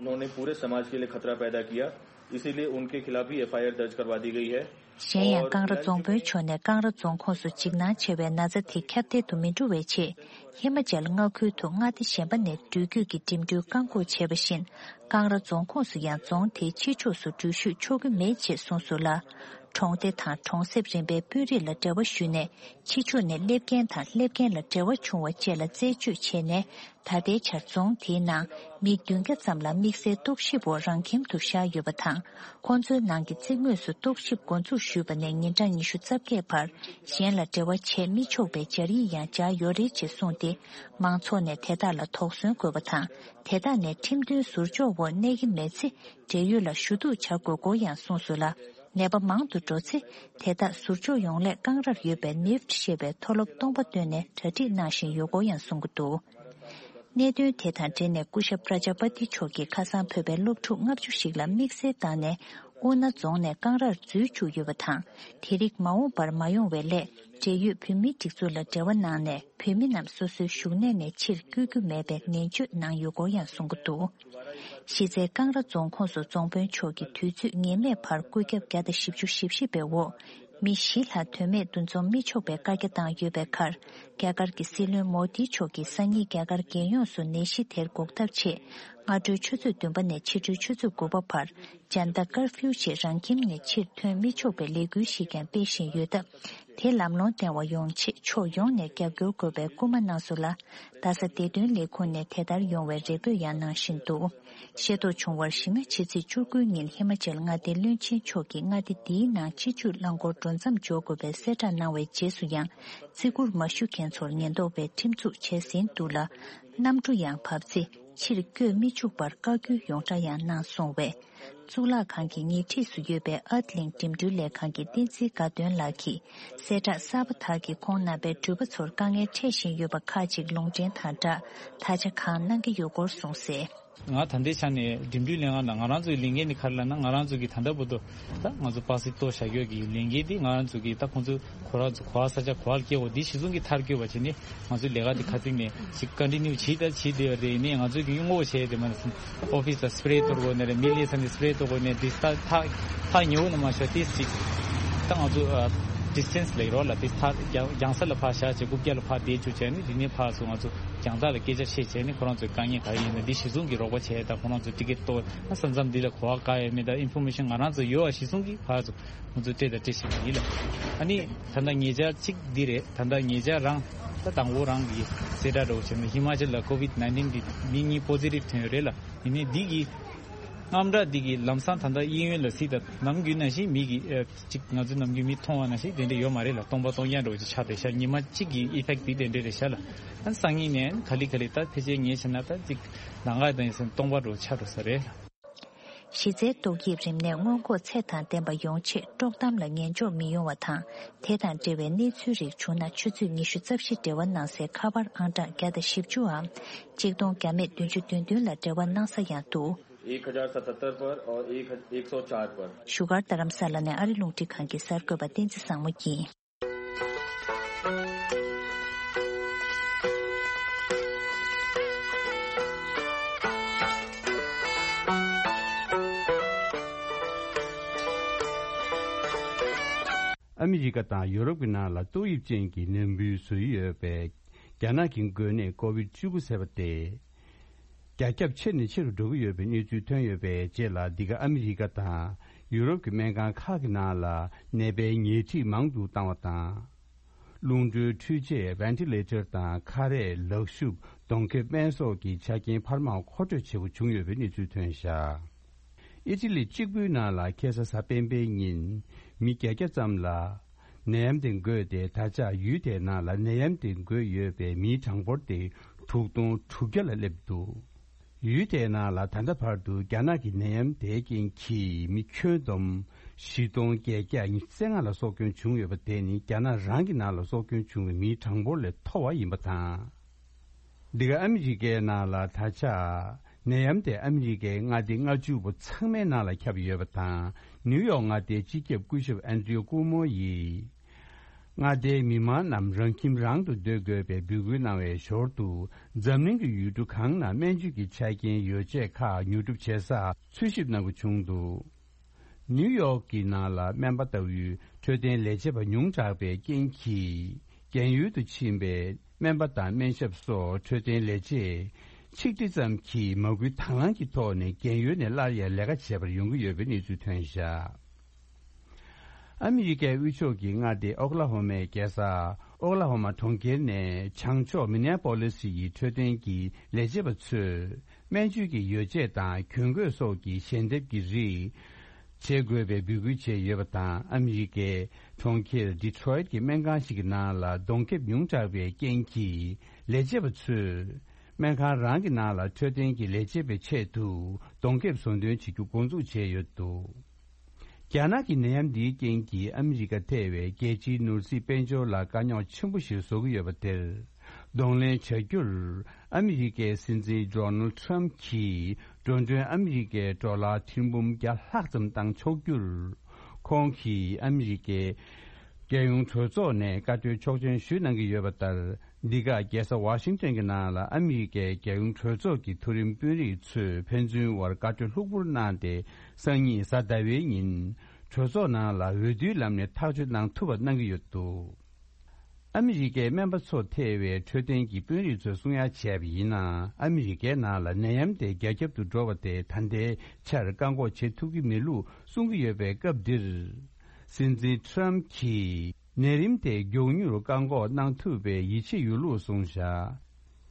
उन्होंने पूरे समाज के लिए खतरा पैदा किया, इसीलिए उनके खिलाफ भी एफआईआर दर्ज करवा दी गई है। གཞན་ཡང་ཀང་ར་རྫོང་དཔོན་མཆོག་ནས་ཀང་ར་རྫོང་ཁོངས་སུ་འཇིགས་སྣང་ཆེ་བའི་ན་ཚ་དེ་ཁྱབ་གདལ་དུ་མི་འགྲོ་བའི་ཆེད། ཧི་མ་ཅལ་མངའ་ཁུལ་དུ་མངའ་སྡེ་གཞན་པ་ནས་འགྲུལ་སྐྱོད་ཀྱི་འགྲིམ་འགྲུལ་བཀག་འགོག་བྱས་པ་བཞིན། ཀང་ར་རྫོང་ཁོངས་སུ་ཡང་རྫོང་དེའི་ཕྱི་ཕྱོགས་སུ་འགྲུལ་བཞུད་ཆོག་གི་མེད་ཅེས་གསུངས་སོང་ལ། གྲོང་སྡེ་དང་གྲོང་གསེབ་རིམ་པའི་དཔོན་རིགས་ལ་འབྲེལ་བ་ཞུས་ནས། ཕྱི་ཕྱོགས་ནས་སླེབས་མཁན་དང་སླེབས་མཁན་ལ་འབྲེལ་བ་བྱུང་བ་བཅས་ལ་རྩད་གཅོད་བྱས་ནས། ད་ལྟའི་ཆར་རྫོང་དེའི་ནང་མི་བདུན་བརྒྱ་ཙམ་ལ་དམིགས་བསལ་རྟོག་ཞིབ་འོག་རང་ཁྱིམ་དུ་བཞག་ཡོད་པ་དང་། ཁོང་ཚོའི་ནང་གི་རྩིག་ངོས་སུ་རྟོག་ཞིབ་འགོ་འཛུགས་ཞུས་པ་ནས་ཉིན་གྲངས་ཉི་ཤུ་རྩ་བརྒྱད་བར་གཞན་ལ་འབྲེལ་བ་བྱས་མི་ཆོག་པའི་སྦྱར་ཡིག་ཡང་སྦྱར་ཡོད་རེད་ཅེས་གསུངས་ཏེ། མང་ཚོགས་ནས་དེ་དག་ལ་དོགས་ཟོན་དགོས་པ་དང་། དེ་དག་ནས་ཁྲིམས་མཐུན་ཟུར་འཇོག་འོག་གནས་ཀྱི་མེད་ཚེ། འབྲེལ་ཡོད་ལ་ཞུ་གཏུག་བྱ་དགོས་སྐོར་ཡང་གསུངས་སོང་ལ། ནད་པ་མང་དུ་འགྲོ་ཚེ། དེ་དག་ཟུར་འཇོག་ཡོང་སླད་ཀང་རར་ཡོད་པའི་ནིབ་ཊི་ཞེས་པའི་མཐོ་སློབ་སྟོང་པ་བཏོན་ནས་གྲ་སྒྲིག་གནང་བཞིན་ཡོད་སྐོར་ཡང་གསུང་གི་འདུག། གནད་དོན་དེ་དང་འབྲེལ་ནས་སྐུ་ཞབས་པྲ་ཇ་པ་ཏི་མཆོག་གིས་ཁ་སང་བོད་པའི་སློབ་ཕྲུག་ལྔ་བཅུ་ཞིག་ལ་དམིགས་བསལ་བཏང་ནས་ཨུ་ན་རྫོང་ནས་ཀང་རར་འཛུལ་བཅུག་ཡོད་པ་དང་། དེ་རིགས་མ་འོངས་པར་མ་ཡོང་བའི་སླད། འབྲེལ་ཡོད་བོད་མིའི་སྒྲིག་འཛུགས་ལ་འབྲེལ་བ་གནང་ནས། བོད་མི་རྣམས་སོ་སོའི་བཞུགས་གནས་ནས་ཕྱིར་བསྐྱོད་རྒྱུ་མེད་པའི་ནན་བརྗོད་གནང་ཡོད་སྐོར་ཡང་གསུང་གི་འདུག། གཞི་རྩའི་ཀང་ར་རྫོང་ཁོངས་སུ་རྫོང་དཔོན་མཆོག་གིས་དུས་ཚོད་ངེས་མེད་བར་བཀོད་ཁྱབ་བརྒྱ་དང་བཞི་བཅུ་ཞེ་བཞི་པའི་འོག་མི་བཞི་ལྷག་དོན་མེད་འདུ་འཛོམས་མི་ཆོག་པའི་བཀའ་རྒྱ་བཏང་ཡོད་པའི་ཁར། རྒྱ་གར་གྱི་སྲིད་བློན་མོ་དི་མཆོག་གིས་སང་ཉིན་རྒྱ་གར་རྒྱལ་ཡོངས་སུ་ནད་གཞི་དེར་འགོག་ཐབས་ཆེད། སྔ་དྲོའི་ཆུ་ཚོད་བདུན་པ་ནས་ཕྱི་དྲོའི་ཆུ་ཚོད་དགུ་པ་བར། ཇན་ཏ་ཀར་ཕིའུ་ཞེས་རང་ཁྱིམ་ནས་ཕྱིར་ཐོན་མི་ཆོག་པའི་ལས་འགུལ་ཞིག་ཀྱང་སྤེལ་བཞིན་ཡོད་སྟབས། དེ་ལམ་ལྷོང་ལྡན་པ་ཡོང་ཆེད་ཕྱོགས་ཡོངས་ནས་རྒྱབ་སྐྱོར་དགོས་པའི་སྐུལ་མ་གནང་སོང་ལ། རྡ་ས་བདེ་དོན་ལས་ཁུངས་ནས་དེ་ལྟར་ཡོང་བའི་རེ་འབོད་ཡང་གནང་བཞིན་འདུག་ཤེས་རྟོགས་བྱུང་བར། གཞི་མ་ཕྱི་ཚེས་བཅུ་དགུ་ཉིན་ཧི་མ་ཅལ་མངའ་སྡེའི་བློན་ཆེན་མཆོག་གིས་མངའ་སྡེ་འདིའི་ནང་སྤྱི་སྤྱོད་རླངས་འཁོར་འགྲོ་མཚམས་འཇོག་དགོས་པའི་གསལ་བསྒྲགས་གནང་བའི་རྗེས་སུ་ཡང་། བརྩི་བཀུར་མ་ཞུ་མཁན་ཚོར་ཉེན་རྟོག་པས་ཁྲིམས་འཛུགས་བྱས་ཟིན་འདུག་ལ། གནམ་གྲུ་ཡང་བབས་ཚེ་ཕྱིར་བསྐྱོད་མི་བཅུག་པར་བཀའ་བཀྱོན་ཡོངས་གྲགས་ཡང་གནང་སོང་བས། གཙུག་ལག་ཁང་གི་ཉེ་འཁྲིས་སུ་ཡོད་པའི་ཨར་ཏི་ལིང་འགྲིམ་འགྲུལ་ལས་ཁང་གི་བསྟན་འཛིན་དགའ་སྟོན་ལགས་ཀྱིས། གསལ་བསྒྲགས་གསར་པ་དག་གིས་ཁོང་རྣམ་པའི་འགྲུལ་པ་ཚོར་དཀའ་ངལ་འཕྲད་བཞིན་ཡོད་པ་ཁག་ཅིག་ལུང་འདྲེན་དང་སྦྲགས། ད་ཆ་གང་གནང་གི་ཡོད་སྐོར་གསུངས་གསལ། ང་ད་ལྟའི་ཆ་ནས་འགྲིམ་འགྲུལ་ལས་ཁང་དང་ང་རང་ཚོའི་ལས་འགན་ནི་ག་རེ་ལབ་ན། ང་རང་ཚོ་གིས་ད་ལྟ་བར་དུ་ད་ང་ཚོ་པ་སེ་གཏོར་བཞག་ཡོད་ཀྱི་ལས་འགན་འདི་ང་རང་ཚོ་གིས་ད་ཁོང་ཚོ་ཁོ་རང་ཚོ་གོ་བ་ས་ཆ་གོ་བ་སྐྱེལ་འོ་འདི་གཞི་བཟུང་གི་མཐར་འཁྱོལ་བ་བྱས་ནས། ང་ཚོའི་ལས་ཀ་འདི་ཁ་ཚིག་ནས་ཞིག་ཀོན་ཊི་ནིའུ་བྱེད་ད་བྱེད་བསྡད་པ་རེད། ཡིན་ནའི་ང་ཚོས་ཀྱི་སྔོན་འགོག་བྱས་ཏེ་མ་ནས་ཨོ་ཕི་སི་ལ་སི་པེ་རེ་གཏོར་དགོས་ནི་རེད། མི་ལས་ས་ནས་སི་པེ་རེ་གཏོར་དགོས་ནི་འདི་ཐག་ཐག་ཐག་ཉེ་བོ་ནས་མ་ཤོར་ཏེ་ཅིག་ད་ང་ཚོ་ཌི་སི་ཊེན་སི་ལབ་ཀྱི་རེད་ལ། དེ་ཐག་རྒྱང་རྒྱང་ས་ལ་ཕར་བཞག་བྱས་རྐུབ་བཀྱག་ལ་ཕར་བསྡད་བཅུག་བྱས་ནས། དེ་ནས་ཕར་ཚུར་ང་ཚོ་རྒྱང་ཐག་ལ་སྐད་ཆ་བཤད་བྱས་ནས་ཁོ་རང་ཚོའི་དཀའ་ངལ་ག་རེ་ཡིན་ན་འདི་གཞི་བཟུང་གི་རོགས་པ་བྱས། ད་ཁོ་རང་ཚོ་ཊི་ཀེ་ཊི་གཏོར་ན་ས་མཚམས་འདི་ལ་གོ་བ་ག་ཡོད་མེད། ད་ཨིན་ཕོར་མེ་ཤན་ང་རང་ཚོ་ཡོད་པ་གཞི་བཟུང་གི་ཕར་ཚུར། ང་ཚོ་སྤྲད་དང་སྤྲད་བཞིན་པ་ཡིན་ལ། ཨ་ནི་ད་ལྟ་ཉེ་ཆར་གཅིག་འདི་རེད། ད་ལྟ་ཉེ་ཆར་རང་ད་དང་པོ་རང་གི་གསལ་བསྒྲགས་འདྲ་བོ་བྱས་ན། ཧི་མ་ཅལ་ལ་ཀོ་ཝིད་ནའིན་ཊིན་འདི་མི་གཉིས་པོ་སི་ཊིབ་ཐོན་ཡོད་རེད་ལ། ཡིན་ནའི་འདི་གི་དངངས་སྐྲག་འདི་གི་ལམ་སང་ད་ལྟ་གཡས་གཡོན་ལ་གཟིགས་དང་། ནམ་རྒྱུན་ནང་བཞིན་མི་གི་ཨ་གཅིག་ང་ཚོ་ནམ་རྒྱུན་མི་མཐོང་བ་ནང་བཞིན་དེ་འདྲ་ཡོད་མ་རེད་ལ། སྟོང་པ་སྟོང་རྐྱང་འདྲ་བོ་ཅིག་ཆགས་བསྡད་ཤག་ཉི་མ་གཅིག་གི་ཨི་ཕེག་ཊི་འདི་དེ་འདྲ་རེད་ཤག་ལ། ཨ་སང་ཉིན་ནས་ག་ལེ་ག་ལེ་ད་ཕལ་ཆེར་ངས་བྱས་ན་ད་ཅིག་ལམ་ཁ་དང་ཡིན་ཟེར་ན་སྟོང་པ་འདྲ་བོ་ཆགས་འགྲོ་ས་རེད་ལ། གཞི་རྩའི་ཏོག་དབྱིབས་རིམས་ནད་སྔོན་འགོག་ཚད་དང་ལྡན་པ་ཡོང་ཆེད་དཀྲོག་གཏམ་ལ་ཉན་འཇོག་མི་ཡོང་བ་དང་། དེ་དང་འབྲེལ་བའི་གནས་ཚུལ་རིགས་བྱུང་ན་ཆུ་ཚོད་ཉི་ཤུ་རྩ་བཞི་འབྲེལ་བ་གནང་སའི་ཁ་པར་ཨང་གྲངས་བརྒྱ་དང་བཞི་བཅུའམ་གཅིག་སྟོང་བརྒྱ་མེད་བདུན་ཅུ་དོན་བདུན་ལ་འབྲེལ་བ་གནང་ས་ཡང་འདུག एक हजार सतहत्तर पर और एक एक सौ चार पर। བཞུགས་སྒར་རྡ་རམ་ས་ལ་ནས་ཨ་རི་རླུང་འཕྲིན་ཁང་གི་གསར་འགོད་པ་བསྟན་འཛིན་བཟང་མོ་ཡིན། ཨ་མི་རི་ཀ་དང་ཡོ་རོབ་ཀྱི་ནང་ལ་ཏོག་དབྱིབས་ཅན་གྱི་ནད་འབུ་བཟོ་ཡི་ཡོད་པའི་རྒྱ་ནག་གི་འགོས་ནད་ཀོ་ཝིད་བཅུ་དགུ་ཟེར་བ་དེ། རྒྱ་ཁྱབ་ཆེ་ནས་ཆེ་རུ་འགྲོ་གི་ཡོད་པའི་གནས་ཚུལ་ཐོན་ཡོད་པའི་རྗེས་ལ། འདི་ག་ཨ་མི་རི་ཀ་དང་ཡུ་རོབ་ཀྱི་སྨན་ཁང་ཁག་གི་ནང་ལ་ནད་པའི་ཉལ་ཁྲི་མང་དུ་བཏང་བ་དང་། རླུང་མགྲོན་འཕྲུལ་ཆས་ཝེན་ཊི་ལེ་ཊར་དང་། ཁ་རས། ལག་ཤུབས། གདོང་ཁེབས། སྨན་སོགས་ཀྱི་ཆ་རྐྱེན་འཕར་མ་མཁོ་སྤྲོད་བྱེད་དགོས་བྱུང་ཡོད་པའི་གནས་ཚུལ་ཐོན་བཞག་ཨི་ཊ་ལི་གཅིག་པུའི་ནང་ལ་ཁ་སང་གཟའ་སྤེན་པའི་ཉིན་མི་བརྒྱད་བརྒྱ་ཙམ་ལ། ནད་ཡམས་དེ་འགོས་ཏེ། ད་ཆ་ཡུལ་དེའི་ནང་ལ་ནད་ཡམས་དེ་འགོས་ཡོད་པའི་མིའི་གྲངས་འབོར་དེ་དྲུག་སྟོང་དྲུག་བརྒྱ་ལ་སླེབས་འདུག་ཡུལ་དེའི་ནང་ལ་ད་ལྟ་བར་དུ་རྒྱ་ནག་གི་ནད་ཡམས་དེའི་རྐྱེན་གྱིས་མི་ཁྱོན་བསྡོམས་བཞི་སྟོང་བརྒྱད་བརྒྱ་ཉི་ཤུ་རྩ་ལྔ་ལ་སྲོག་སྐྱོན་བྱུང་ཡོད་པ་དེ་ནི་རྒྱ་ནག་རང་གི་ནང་ལ་སྲོག་སྐྱོན་བྱུང་བའི་མིའི་གྲངས་འབོར་ལས་མཐོ་བ་ཡིན་པ་དང་། འདི་ག་ཨ་མི་རི་ཀའི་ནང་ལ་ད་ཆ་ནད་ཡམས་དེ་ཨ་མི་རི་ཀའི་མངའ་སྡེ་ལྔ་བཅུ་པོ་ཚང་མའི་ནང་ལ་ཁྱབ་ཡོད་པ་དང་། ནིའུ་ཡོག་མངའ་སྡེའི་སྤྱི་ཁྱབ་སྐུ་ཞབས་ཨན་ཌྲིའུ་ཀུ་མོ་ཡིས། མངའ་སྡེའི་མི་མང་རྣམས་རང་ཁྱིམ་རང་དུ་སྡོད་དགོས་པའི་འབོད་སྐུལ་གནང་བའི་ཞོར་དུ། འཛམ་གླིང་གི་ཡུལ་གྲུ་གང་ན་སྨན་བཅོས་ཀྱི་ཆ་རྐྱེན་ཡོ་བྱད་ཁག་ཉོ་སྒྲུབ་བྱེད་སར་འཚོལ་ཞིབ་གནང་དགོས་བྱུང་འདུག་ནིའུ་ཡོག་གི་ནང་ལ་སྨན་པ་ལྟ་བུའི་འཕྲོད་བསྟེན་ལས་བྱེད་པ་ཉུང་དྲགས་པའི་རྐྱེན་གྱིས། རྒན་ཡོལ་དུ་ཕྱིན་པའི་སྨན་པ་དང་སྨན་ཞབས་སོགས་འཕྲོད་བསྟེན་ལས་བྱེད་ཆིག་ཁྲི་ཙམ་གྱིས་མ་སྐུལ་དང་བླངས་ཀྱི་ཐོག་ནས་རྒན་ཡོལ་ནས་སླར་ཡང་ལས་ཀ་བྱེད་པར་ཡོང་གི་ཡོད་པའི་གནས་ཚུལ་ཐོན་བཞག་ཨ་མི་རི་ཀའི་དབུས་ཕྱོགས་ཀྱི་མངའ་སྡེ་ཨོ་ཀ་ལ་ཧོ་མའི་རྒྱལ་ས་ཨོ་ཀ་ལ་ཧོ་མ་གྲོང་ཁྱེར་ནས་བྱང་ཕྱོགས་མི་ནེ་ཨ་པོ་ལི་སི་ཡི་འཕྲོད་བསྟེན་གྱི་ལས་བྱེད་པ་ཚོས། སྨན་བཅོས་ཀྱི་ཡོ་བྱད་དང་གྱོན་གོས་སོགས་ཀྱི་ཞལ་འདེབས་ཀྱི་རིགས་བྱེད་དགོས་པའི་འབོད་སྐུལ་བྱས་ཡོད་པ་དང་། ཨ་མི་རི་ཀའི་གྲོང་ཁྱེར་ཌི་ཊི་རོ་ཡིད་ཀྱི་སྨན་ཁང་ཞིག་གི་ནང་ལ་གདོང་ཁེབས་ཉུང་དྲགས་པའི་རྐྱེན་གྱིས། ལས་བྱེད་པ་ཚོས་སྨན་ཁང་རང་གི་ནང་ལ་འཕྲོད་བསྟེན་གྱི་ལས་བྱེད་པའི་ཆེད་དུ་གདོང་ཁེབས་བཟོ་འདོན་བྱེད་རྒྱུ་འགོ་འཛུགས་བྱས་ཡོད་འདུག་རྒྱ་ནག་གི་ནད་ཡམས་འདིའི་རྐྱེན་གྱིས་ཨ་མི་རི་ཀ་ཐེ་བའི་རྒྱལ་སྤྱིའི་ནོར་སྲིད་དཔལ་འབྱོར་ལ་དཀའ་རྙོག་ཆེན་པོ་ཞིག་བཟོ་གི་ཡོད་པ་དེར། གདོང་ལེན་བྱ་རྒྱུར་ཨ་མི་རི་ཀའི་སྲིད་འཛིན་ཌོ་ནལ་ཊམ་གྱིས་འགྲོ་གྲོན་ཨ་མི་རི་ཀའི་ཌོ་ལར་ཐེར་འབུམ་བརྒྱ་ལྷག་ཙམ་བཏང་ཆོག་རྒྱུར། ཁོང་གིས་ཨ་མི་རི་ཀའི་རྒྱལ་ཡོངས་གྲོས་ཚོགས་ནས་བཀའ་འཁྲོལ་ཆོག་མཆན་ཞུ་གནང་གི་ཡོད་པ་ལྟར། འདི་ག་རྒྱལ་ས་ཝ་ཤིང་ཊོན་གྱི་ནང་ལ་ཨ་མི་རི་ཀའི་རྒྱལ་ཡོངས་གྲོས་ཚོགས་ཀྱི་མཐོ་རིམ་དཔོན་རིགས་ཚོས་ཕན་ཚུན་དབར་བཀའ་འཁྲོལ་ལྷུག་པོར་གནང་སྟེ། སང་ཉིན་གཟའ་ཟླ་བའི་ཉིན་གྲོས་ཚོགས་ནང་ལ་འོས་བསྡུའི་ལམ་ནས་ཐག་གཅོད་གནང་ཐུབ་པ་གནང་གི་ཡོད་འདུག་ཨ་མི་རི་ཀའི་སྨན་པ་ཚོ་ཐེ་བའི་འཕྲོད་བསྟེན་གྱི་དཔོན་རིགས་ཚོས་གསུང་ཡ་བྱས་པ་ཡིན་ན། ཨ་མི་རི་ཀའི་ནང་ལ་ནད་ཡམས་དེ་རྒྱ་ཁྱབ་ཏུ་འགྲོ་བ་དེ་ད་ལྟའི་ཆར་བཀག་འགོག་བྱེད་ཐུབ་ཀྱི་མེད་ལུགས་གསུང་གི་ཡོད་པའི་སྐབས་འདིར། སྲིད་འཛིན་ཊམ་གྱིས་ནད་རིམས་དེ་མགྱོགས་མྱུར་བཀག་འགོག་གནང་ཐུབ་པའི་ཡིད་ཆེས་ཡོད་ལུགས་གསུངས་བཞག་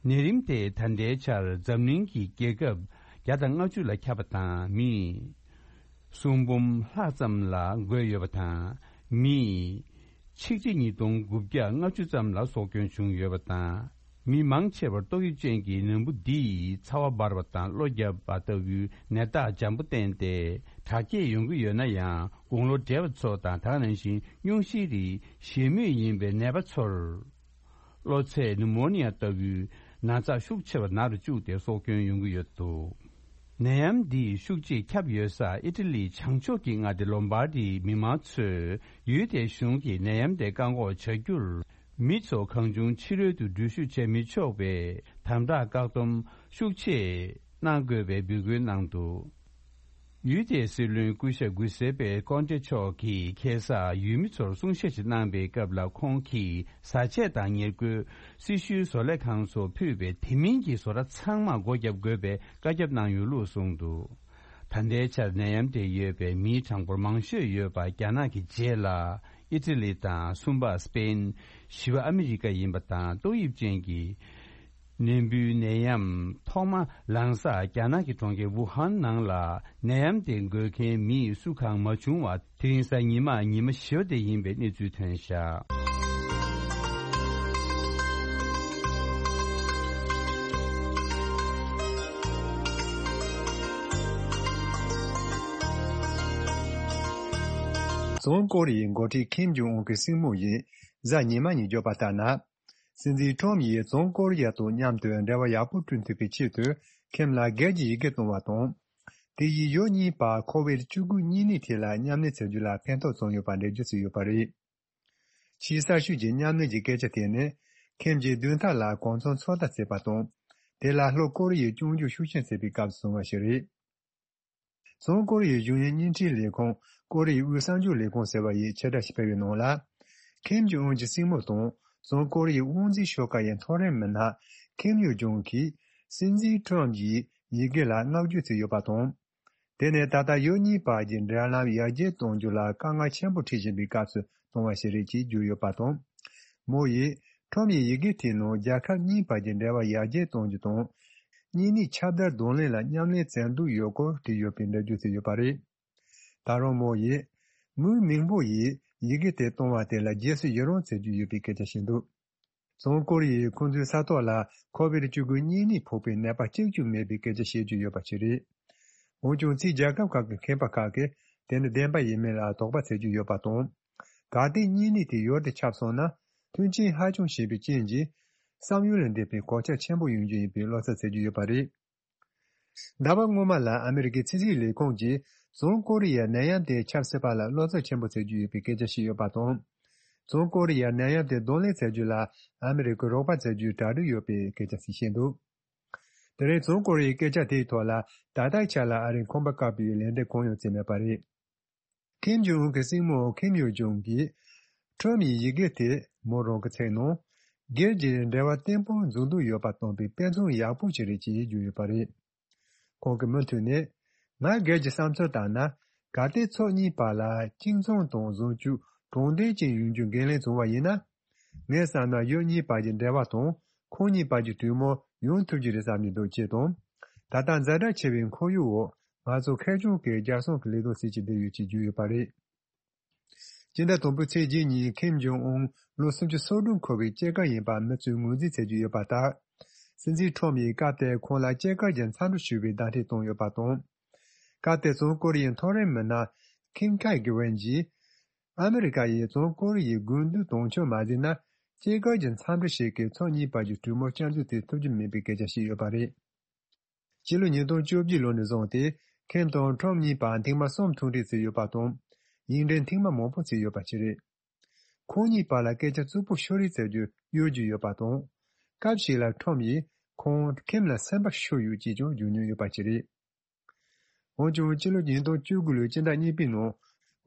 ནད་རིམས་དེ་ད་ལྟའི་ཆར་འཛམ་གླིང་གི་རྒྱལ་ཁབ་བརྒྱ་དང་ལྔ་བཅུ་ལ་ཁྱབ་པ་དང་། མི་སུམ་འབུམ་ལྷག་ཙམ་ལ་འགོས་ཡོད་པ་དང་། མི་ཆིག་ཁྲི་ཉིས་སྟོང་དགུ་བརྒྱ་ལྔ་བཅུ་ཙམ་ལ་སྲོག་སྐྱོན་བྱུང་ཡོད་པ་དང་། མི་མང་ཆེ་བར་ཏོག་དབྱིབས་ཅན་གྱི་ནད་འབུ་འདིས་ཚ་བ་འབར་བ་དང་གློ་བརྒྱབ་པ་ལྟ་བུའི་ནད་རྟགས་འཇམ་པོ་བསྟན་ཏེ། དྲག་སྐྱེད་ཡོང་གི་ཡོད་ན་ཡང་། དགུང་ལོ་བགྲེས་པ་ཚོ་དང་། དེ་ནང་བཞིན་སྙུང་གཞིའི་རིགས་བཞེས་མུས་ཡིན་པའི་ནད་པ་ཚོར། གློ་ཚད་ནུ་མོ་ནི་ཡ་ལྟ་བུའི་ན་ཚ་ཤུགས་ཆེ་བ་ན་རུ་བཅུག་སྟེ་སྲོག་སྐྱོན་ཡོང་གི་ཡོད་འདུག་ནད་ཡམས་འདིས་ཤུགས་ཆེས་ཁྱབ་ཡོད་ས་ཨི་ཊ་ལིའི་བྱང་ཕྱོགས་ཀྱི་མངའ་སྡེ་ལོམ་བར་ཌིའི་མི་མང་ཚོས་ཡུལ་དེའི་གཞུང་གིས་ནད་ཡམས་དེ་བཀག་འགོག་བྱ་རྒྱུར། མི་ཚོ་གང་བྱུང་ཕྱི་རོལ་དུ་འགྲུལ་བཞུད་བྱེད་མི་ཆོག་པའི་དམ་དྲག་བཀག་སྡོམ་ཤུགས་ཆེ་གནང་དགོས་པའི་འབོད་སྐུལ་གནང་འདུག་ཡུལ་དེའི་སྲིད་བློན་སྐུ་ཞབས་གུས་སེ་པེ་ཀོན་ཏེ་མཆོག་གིས་ཁ་སང་ཡུལ་མི་ཚོར་གསུང་བཤད་ཅིག་གནང་པའི་སྐབས་ལ། ཁོང་གིས་བཟའ་ཆས་དང་ཉེར་མཁོའི་སྲི་ཞུའི་བཟོ་ལས་ཁང་ཚོར་ཕུལ་བའི་དེ་མིན་གྱི་བཟོ་གྲྭ་ཚང་མར་སྒོ་བརྒྱབ་དགོས་པའི་བཀའ་ཁྱབ་གནང་ཡོད་ལུགས་གསུངས་འདུག་ད་ལྟའི་ཆར་ནད་ཡམས་དེ་ཡོད་པའི་མིའི་གྲངས་འབོར་མང་ཤོས་ཡོད་པ་རྒྱ་ནག་གི་རྗེས་ལ་ཨི་ཊ་ལི་དང་། གསུམ་པ་སི་པེན། བཞི་པ་ཨ་མི་རི་ཀ་ཡིན་པ་དང་། ཏོག་དབྱིབས་ཅན་གྱི་ནད་འབུའི་ནད་ཡམས་ཐོག་མ་ལངས་ས་རྒྱ་ནག་གི་གྲོང་ཁྱེར་ཝུ་ཧན་ནང་ལ་ནད་ཡམས་དེ་འགོས་མཁན་མི་སུ་གང་མ་བྱུང་བ། དེ་རིང་གཟའ་ཉི་མ་ཉི་མ་བཞི་པ་དེ་ཡིན་པའི་གནས་ཚུལ་ཐོན་བཞག་བྱང་ཀོ་རི་ཡའི་འགོ་ཁྲིད་ཁིམ་ཇོང་ཨུན་གྱི་སྲིང་མོ་ཡིས་གཟའ་ཉི་མ་ཉིན་བརྗོད་པ་ལྟར་ན། སྲིད་འཛིན་ཁྲོམ་ཡིས་བྱང་ཀོ་རི་ཡ་དང་མཉམ་དུ་འབྲེལ་བ་ཡག་པོ་བསྐྲུན་ཐུབ་པའི་ཆེད་དུ་ཁིམ་ལ་སྒེར་གྱི་ཡི་གེ་བཏང་བ་དང་། དེ་ཡིས་ཡུལ་གཉིས་བར་ཁོ་བིཌ་བཅུ་དགུ་གཉན་ནད་ཐད་ལ་མཉམ་ལས་བྱ་རྒྱུ་ལ་ཕན་ཐོགས་བྱུང་ཡོད་པ་འགྲེལ་བརྗོད་བྱས་ཡོད་པ་རེད། ཆེས་གསར་ཤོས་ཀྱི་མཉམ་ལས་ཀྱི་སྐད་ཆ་དེ་ནི། ཁིམ་གྱིས་བདུན་ཕྲག་ལ་གོ་མཚོན་ཚོད་ལྟ་བྱས་པ་དང་། དེ་ལ་ལྷོ་ཀོ་རི་ཡའི་སྐྱོང་རྒྱུ་ཤུགས་ཆེན་བྱས་པའི་སྐབས་སུ་བྱུང་བ་ཞིག་རེད། བྱང་ཀོ་རི་ཡའི་གཞུང་གཉེར་བརྙན་འཕྲིན་ལས་ཁང་ཀོ་རི་ཡའི་དབུས་གསར་འགྱུར་ལས་ཁང་ཟེར་བ་ཡིས་ཕྱིར་བསྒྲགས་ཤིག་སྤེལ་བའི་ནང་ལ། ཁིམ་ཇོང་ཨུན་གྱི་སྲིང་མོ་དང་། བྱང་ཀོ་རི་ཡའི་དབང་འཛིན་ཤོག་ཁག་ཡི་མཐོ་རིམ་མི་སྣ་ཁིམ་ཡོ་ཇོང་གིས་སྲིད་འཛིན་ཁྲོམ་ཡི་ཡི་གེ་ལ་བསྔགས་བརྗོད་བྱས་ཡོད་པ་དང་། དེ་ནས་ད་ལྟ་ཡུལ་གཉིས་བར་གྱི་འབྲེལ་ལམ་ཡར་རྒྱས་གཏོང་རྒྱུ་ལ་དཀའ་ངལ་ཆེན་པོ་འཕྲད་བཞིན་པའི་སྐབས་སུ་བཏང་བ་ཞིག་རེད་ཅེས་བརྗོད་ཡོད་པ་དང་། མོ་ཡིས་ཁྲོམ་ཡི་ཡི་གེ་དེའི་ནང་རྒྱལ་ཁབ་གཉིས་བར་གྱི་འབྲེལ་བ་ཡར་རྒྱས་གཏོང་རྒྱུ་དང་། གཉན་ནད་ཁྱབ་གདལ་གདོང་ལེན་ལ་མཉམ་ལས་བྱེད་འདོད་ཡོད་སྐོར་བྲིས་ཡོད་པའི་འགྲེལ་བརྗོད་བྱས་ཡོད་པ་རེད། ད་རུང་མོ་ཡིས་མིའུ་མིང་པོ་ཡིས་ཡི་གེ་དེ་བཏང་བ་དེ་ལ་རྗེས་སུ་ཡི་རང་བྱེད་རྒྱུ་ཡོད་པའི་སྐད་ཆ་བཤད་འདུག་བྱང་ཀོ་རི་ཡས་ཁོ་ཚོའི་ས་ཐོག་ལ་ཁོ་བིཌ་བཅུ་དགུ་གཉན་ནད་ཕོག་པའི་ནད་པ་གཅིག་ཀྱང་མེད་པའི་སྐད་ཆ་བཤད་རྒྱུ་ཡོད་པ་ཞིག་རེད། འོན་ཀྱང་། ཕྱིའི་རྒྱལ་ཁབ་ཁག་གི་མཁས་པ་ཁག་གིས་དེ་ནི་བདེན་པ་ཡིན་མིན་ལ་དོགས་པ་བྱེད་ཀྱི་ཡོད་པ་དང་། གལ་ཏེ་གཉན་ནད་དེ་ཡུལ་དེར་ཁྱབ་སོང་ན། མཐུན་རྐྱེན་ཧ་ཅང་ཞན་པའི་རྐྱེན་གྱིས། བསམ་ཡུལ་ལས་འདས་པའི་གོད་ཆག་ཆེན་པོ་ཡོང་རྒྱུ་ཡིན་པའི་བློ་འཚབ་བྱེད་ཀྱི་ཡོད་པ་རེད། ཟླ་བ་སྔོན་མ་ལ་ཨ་མི་རི་ཀའི་ཕྱི་སྲིད་ལས་ཁུངས་ཀྱིས་བྱང་ཀོ་རི་ཡར་ནད་ཡམས་དེ་ཁྱབ་སྲིད་པ་ལ་བློ་འཚབ་ཆེན་པོ་བྱེད་ཀྱི་ཡོད་པའི་སྐད་ཆ་བཤད་ཡོད་པ་དང་། བྱང་ཀོ་རི་ཡར་ནད་ཡམས་དེ་གདོང་ལེན་བྱ་རྒྱུ་ལ་ཨ་མི་རི་ཀས་རོགས་པ་བྱ་རྒྱུའི་གྲ་སྒྲིག་ཡོད་པའི་སྐད་ཆ་ཞིག་བཤད་འདུག་དེ་རིང་བྱང་ཀོ་རི་ཡའི་སྐད་ཆ་དེའི་ཐོག་ལ་ད་ལྟའི་ཆ་ལ་ཨ་རིས་ཁང་པ་བཀག་པའི་ལན་འདེབས་གང་ཡང་བྱས་མེད་པ་རེད། ཁིམ་ཇོང་ཨུན་གྱི་སྲིང་མོ་ཁིམ་ཡོ་ཇོང་གིས། ཁྲོམ་ཡི་ཡི་གེ་དེ་མོ་རང་གི་ཚིག་ནང་། སྒེར་གྱི་འབྲེལ་བ་བརྟན་པོ་འཛིན་འདོད་ཡོད་པ་སྟོན་པའི་དཔེ་མཚོན་ཡག་པོ་ཞིག་རེད་ཅེས་བརྗོད་ཡོད་པ་རེད། ཁོང་གིས་མུ་མཐུད་ནས། ང་སྒེར་གྱི་བསམ་ཚུལ་ལྟར་ན། གལ་ཏེ་ཕྱོགས་གཉིས་བར་ལ་གཅིག་མཚུངས་དང་བཟང་སྤྱོད་དྲང་བདེན་ཅན་ཡོང་རྒྱུ་འགན་ལེན་བྱུང་བ་ཡིན་ན། ངས་བསམ་ན་ཡུལ་གཉིས་བར་གྱི་འབྲེལ་བ་དང་ཁོང་གཉིས་བར་གྱི་གྲོས་མོལ་ཡོང་ཐུབ་ཀྱི་རེད་བསམ་གྱི་འདུག་ཅེས་དང་། ད་ལྟ་ཛ་དྲག་ཆེ་བའི་ཁོར་ཡུག་འོག་ང་ཚོ་ཁེར་རྐྱང་གིས་རྒྱལ་སྲུང་གི་ལས་དོན་བྱེད་ཀྱི་བསྡད་ཡོད་ཅེས་བརྗོད་ཡོད་པ་རེད། སྤྱི་ཟླ་དང་པོའི་ཚེས་གཅིག་ཉིན་ཁིམ་ཇོང་ཨུན་ལོ་སུམ་ཅུ་སོ་དྲུག་འཁོར་བའི་སྐྱེས་སྐར་ཡིན་པ་མི་ཚོས་ངོས་འཛིན་བྱེད་ཀྱི་ཡོད་པ་ལྟར། སྲིད་འཛིན་ཁྲོམ་ཡིས་སྐབས་དེར་ཁོང་ལ་སྐྱེས་སྐར་གྱི་འཚམས་འདྲི་ཞུ་བའི་བརྡ་འཕྲིན་བཏང་ཡོད་པ་དང་། སྐབས་དེར་བྱང་ཀོ་རི་ཡའི་མཐོ་རིམ་མི་སྣ་ཁིམ་ཁའེ་གི་ཝན་གྱིས། ཨ་མི་རི་ཀ་ཡིས་བྱང་ཀོ་རི་ཡའི་དགོས་འདུན་དོན་འཁྱོལ་མ་བྱས་ན། སྐྱེས་སྐར་གྱི་འཚམས་འདྲི་ཞིག་གིས་ཕྱོགས་གཉིས་བར་གྱི་གྲོས་མོལ་བསྐྱར་འཛུགས་བྱེད་ཐུབ་ཀྱི་མེད་པའི་སྐད་ཆ་བཤད་ཡོད་པ་རེད། ཕྱི་ལོ་ཉིས་སྟོང་བཅོ་བརྒྱད་ལོ་ནས་བཟུང་སྟེ། ཁིམ་དང་ཁྲོམ་གཉིས་བར་ཐེངས་མ་གསུམ་ཐུག་འཕྲད་བྱས་ཡོད་པ་དང་། ཡིག་འབྲེལ་ཐེངས་མ་མང་པོ་བྱས་ཡོད་པ་ཞིག་རེད། ཁོང་གཉིས་བར་ལ་སྐད་ཆ་རྩུབ་པོ་ཤོད་རེས་བྱ་རྒྱུ་གཡོལ་རྒྱུ་ཡོད་པ་དང་། སྐབས་ཤིག་ལ་ཁྲོམ་ཡིས་ཁོང་ཁིམ་ལ་སེམས་པ་ཤོར་ཡོད་ཅེས་ཀྱང་བརྗོད་མྱོང་ཡོད་པ་ཞིག་རེད། འོན་ཀྱང་། ཕྱི་ལོ་ཉིས་སྟོང་བཅུ་དགུ་ལོའི་སྤྱི་ཟླ་གཉིས་པའི་ནང་།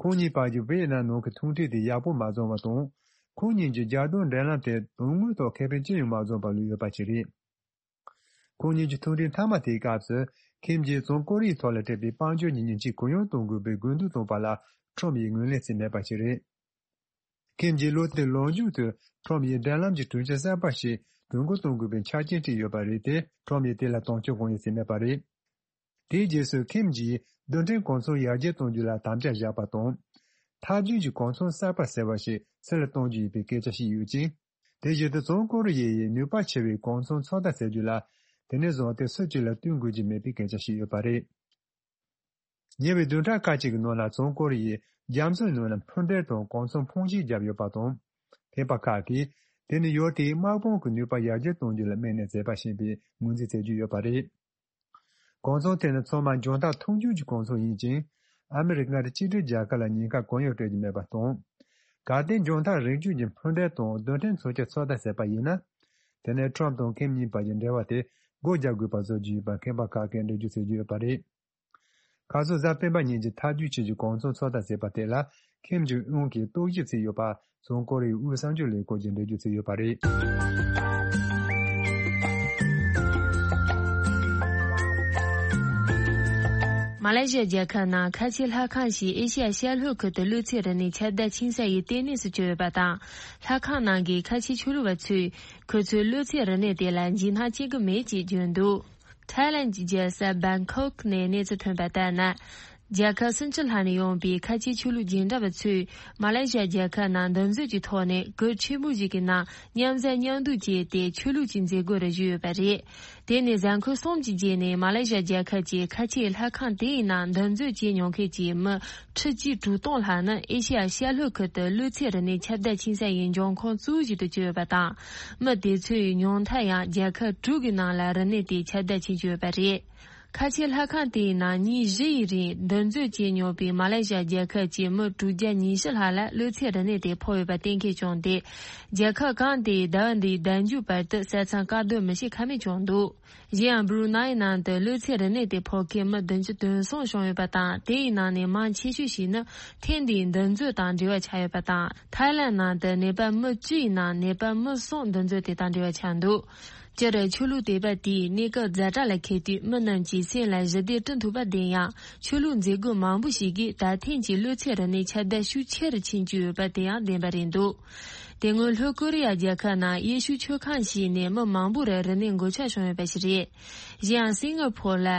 ཁོང་གཉིས་བར་གྱི་ཝེ་ཡེ་ནམ་ནང་གི་ཐུག་འཕྲད་དེ་ཡག་པོ་མ་བྱུང་བ་དང་། ཁོང་གཉིས་ཀྱི་རྒྱལ་དོན་འབྲེལ་ལམ་དེ་དོན་དངོས་ཐོག་ཁེ་ཕན་ཅི་ཡང་མ་བཟུང་པ་ལོས་ཡོད་པ་ཞིག་རེད། ཁོང་གཉིས་ཀྱི་ཐུག་འཕྲད་མཐའ་མ་དེའི་སྐབས་སུ་ཁིམ་གྱིས་བྱང་ཀོ་རི་ཡའི་ཐོག་ལ་སྤྲད་པའི་དཔལ་འབྱོར་གྱི་ཉེས་ཆད་གུ་ཡངས་གཏོང་དགོས་པའི་དགོས་འདུན་བཏོན་པ་ལ་ཁྲོམ་ཡིས་ངོས་ལེན་བྱས་མེད་པ་ཞིག་རེད། ཁིམ་གྱིས་ལོ་དེའི་ལོ་མཇུག་ཏུ་ཁྲོམ་ཡིས་འབྲེལ་ལམ་གྱི་གྲོས་ཆོད་གསར་པ་ཞིག་དོན་འཁྱོལ་གཏོང་དགོས་པའི་ཆ་རྐྱེན་བྲིས་ཡོད་པ་རེད་དེ། ཁྲོམ་ཡིས་དེ་ལ་དོན་འཁྱོལ་གང་ཡང་བྱས་མེད་པ་རེད། དེའི་རྗེས་སུ་ཁིམ་གྱིས་རྡུལ་ཕྲན་གོ་མཚོན་ཡར་རྒྱས་གཏོང་རྒྱུ་ལ་དམ་བཅའ་བཞག་པ་དང་། ཐབས་ཇུས་ཀྱི་གོ་མཚོན་གསར་པ་ཟེར་བ་ཞིག་ཕྱི་ལ་གཏོང་རྒྱུ་ཡིན་པའི་སྐད་ཆ་བཤད་ཡོད་ཅིང་། དེ་བཞིན་དུ་བྱང་ཀོ་རི་ཡའི་ནུས་པ་ཆེ་བའི་གོ་མཚོན་ཚོད་ལྟ་བྱེད་རྒྱུ་ལ་དེ་ནས་བཟུང་སྟེ་སུ་གཅིག་ལ་བསྟུན་དགོས་ཀྱི་མེད་པའི་སྐད་ཆ་བཤད་ཡོད་པ་རེད། ཉེ་བའི་བདུན་ཕྲག་ཁ་ཅིག་གི་ནང་ལ་བྱང་ཀོ་རི་ཡས་རྒྱ་མཚོའི་ནང་ལ་འཕུར་མདེལ་དང་གོ་མཚོན་འཕོངས་གཤིས་བརྒྱབ་ཡོད་པ་དང་། ཐེམ་པ་ཁག་གིས་དེ་ནི་ཡུལ་དེའི་དམག་དཔུང་གི་ནུས་པ་ཡར་རྒྱས་གཏོང་རྒྱུ་ལ་དམིགས་ནས་མཛད་པ་ཞིག་ཡིན་པའི་ངོས་འཛིན་བྱེད་ཀྱི་ཡོད་པ་རེད། གོ་མཚོན་དེ་ནི་ཚང་མ་འཇོན་ཐང་མཐོན་པོ་གི་གོ་མཚོན་ཡིན་ཅིང་། ཨ་མི་རི་ཀ་མངའ་སྡེ་གཅིག་སྒྲིལ་རྒྱལ་ཁབ་ལ་ཉེན་ཁ་གང་ཡང་སྤྲད་ཀྱི་མེད་པ་དང་། གལ་ཏེ་འཇོན་ཐང་རིགས་རྒྱུད་ཀྱི་འཕུར་མདེལ་དང་རྡུལ་ཕྲན་མཚོན་ཆ་ཚོད་ལྟ་བྱས་པ་ཡིན་ན། དེ་ནས་ཁྲོམ་དང་ཁིམ་གཉིས་བར་གྱི་འབྲེལ་བ་དེ་སྒོ་རྒྱག་དགོས་པ་བཟོ་རྒྱུ་ཡིན་པ་ཐེམ་པ་ཁག་གིས་འགྲེལ་བརྗོད་བྱེད་ཀྱི་ཡོད་པ་རེད། ཁ་སང་གཟའ་སྤེན་པ་ཉིན་གྱི་ཐབས་ཇུས་ཆེད་ཀྱི་གོ་མཚོན་ཚོད་ལྟ་བྱས་པ་དེ་ལ་ཁིམ་ཇུང་ཨུན་གྱིས་རྟོག་ཞིབ་བྱས་ཡོད་པ་བྱང་ཀོ་རི་ཡའི་དབུས་གསར་འགྱུར་ལས་ཁུངས་ཀྱིས་འགྲེལ་བརྗོད་བྱས་ཡོད་པ་རེད། མ་ལེ་ཤི་ཡ་རྒྱལ་ཁབ་ནང་ཁ་ཆེའི་ལྷ་ཁང་ཞིག་ཨེ་ཤི་ཡ་ཤར་ལྷོ་ཁུལ་དུ་གློད་བྱེད་རིག་གནས་ཁྱབ་གདལ་ཆེ་ས་ཡི་ལྟེ་གནས་སུ་གྱུར་ཡོད་པ་དང་། ལྷ་ཁང་ནང་གི་ཁ་ཆེའི་ཆོས་ལུགས་པ་ཚོས་ཁོ་ཚོའི་གློད་བྱེད་རིག་གནས་དེ་ལ་འཇིགས་སྣང་སྐྱེ་གི་མེད་ཅེས་བརྗོད་འདུག་ཐའི་ལན་གྱི་རྒྱལ་ས་བྷན་ཁོག་ནས་གནས་ཚུལ་ཐོན་པ་ལྟར་ན། རྒྱལ་ཁབ་སུམ་ཅུ་ལྷག་ནས་ཡོང་པའི་ཁ་ཆེའི་ཆོས་ལུགས་སྦྱིན་བདག་པ་ཚོས་མ་ལེ་ཤི་ཡ་རྒྱལ་ཁབ་ནང་འདུ་འཛོམས་ཀྱི་ཐོག་ནས་གུར་ཆེན་པོ་ཞིག་གི་ནང་མཉམ་ཟ་མཉམ་འདུག་བྱས་ཏེ་ཆོས་ལུགས་ཀྱི་མཛད་སྒོ་རེ་ཞུས་ཡོད་པ་རེད། དེ་ནི་གཟའ་འཁོར་གསུམ་གྱི་རྗེས་ནས་མ་ལེ་ཤི་ཡ་རྒྱལ་ཁབ་ཀྱི་ཁ་ཆེའི་ལྷ་ཁང་དེའི་ནང་འདུ་འཛོམས་བྱེད་མྱོང་མཁན་གྱི་མི་ཁྲི་གཅིག་དྲུག་སྟོང་ལྷག་ནི་ཨེ་ཤི་ཡ་ཤར་ལྷོ་ཁུལ་དུ་གློད་བྱེད་རིག་གནས་ཁྱབ་གདལ་ཆེ་ས་ཡི་འབྱུང་ཁུངས་གཙོ་བོ་ཞིག་ཏུ་གྱུར་ཡོད་པ་དང་། མི་དེ་ཚོའི་ཉུང་མཐའ་ཡང་རྒྱལ་ཁབ་དྲུག་གི་ནང་ལ་རིག་གནས་དེ་ཁྱབ་གདལ་ཕྱིན་ཡོད་པ་རེད། ཁ་ཆེའི་ལྷ་ཁང་དེའི་ནང་ཉིན་བཞི་ཡི་རིང་འདུ་འཛོམས་བྱེད་མྱོང་བའི་མ་ལེ་ཤི་ཡ་རྒྱལ་ཁབ་ཀྱི་མི་དྲུག་བརྒྱ་ཉི་ཤུ་ལྷག་ལ་གློད་བྱེད་རིག་གནས་དེ་ཕོག་ཡོད་པ་གཏན་འཁེལ་བྱུང་སྟེ། རྒྱལ་ཁབ་གང་དེའི་ཟླ་བ་འདིའི་ཟླ་མཇུག་བར་དུ་ས་མཚམས་བཀག་སྡོམ་མི་བྱེད་ཁ་མེད་བྱུང་འདུག་གཞན་ཡང་། སྦུ་རུ་ནའི་ནང་དུ་གློད་བྱེད་རིག་གནས་དེ་ཕོག་མཁན་མི་བདུན་ཅུ་དོན་གསུམ་བྱུང་ཡོད་པ་དང་། དེའི་ནང་ནས་མང་ཆེ་ཤོས་ཤིག་ནི་ཐེངས་འདིའི་འདུ་འཛོམས་དང་འབྲེལ་བ་ཆགས་ཡོད་པ་དང་། ཐའི་ལན་ནང་དུ་ནད་པ་མི་བཅུ་ཡི་ནང་ནད་པ་མི་གསུམ་འདུ་འཛོམས་དེ་དང་འབྲེལ་བ་ཆགས་འདུག་སྤྱིར་ཆོས་ལུགས་དད་པ་དེས་གནས་སྐབས་ཛ་དྲག་ལ་འཁེལ་དུས་མི་རྣམས་ཀྱིས་སེམས་ལ་ཞི་བདེ་སྐྲུན་ཐུབ་པ་བདེན་ཡང་། ཆོས་ལུགས་མཛད་སྒོ་མང་པོ་ཞིག་གིས་ད་ཐེངས་ཀྱི་གློད་བྱེད་རིག་གནས་ཁྱབ་གདལ་ཤུགས་ཆེ་རུ་ཕྱིན་བཅུག་ཡོད་པ་དེ་ཡང་བདེན་པ་རེད་འདུག་དེ་སྔོན་ལྷོ་ཀོ་རི་ཡ་རྒྱལ་ཁབ་ནང་ཡེ་ཤུ་ཆོས་ཁང་ཞིག་ནས་མི་མང་པོར་རིག་གནས་འགོག་བཅག་བྱུང་ཡོད་པ་ཞིག་རེད། གཞན་ཡང་སིང་ག་ཕོར་ལ།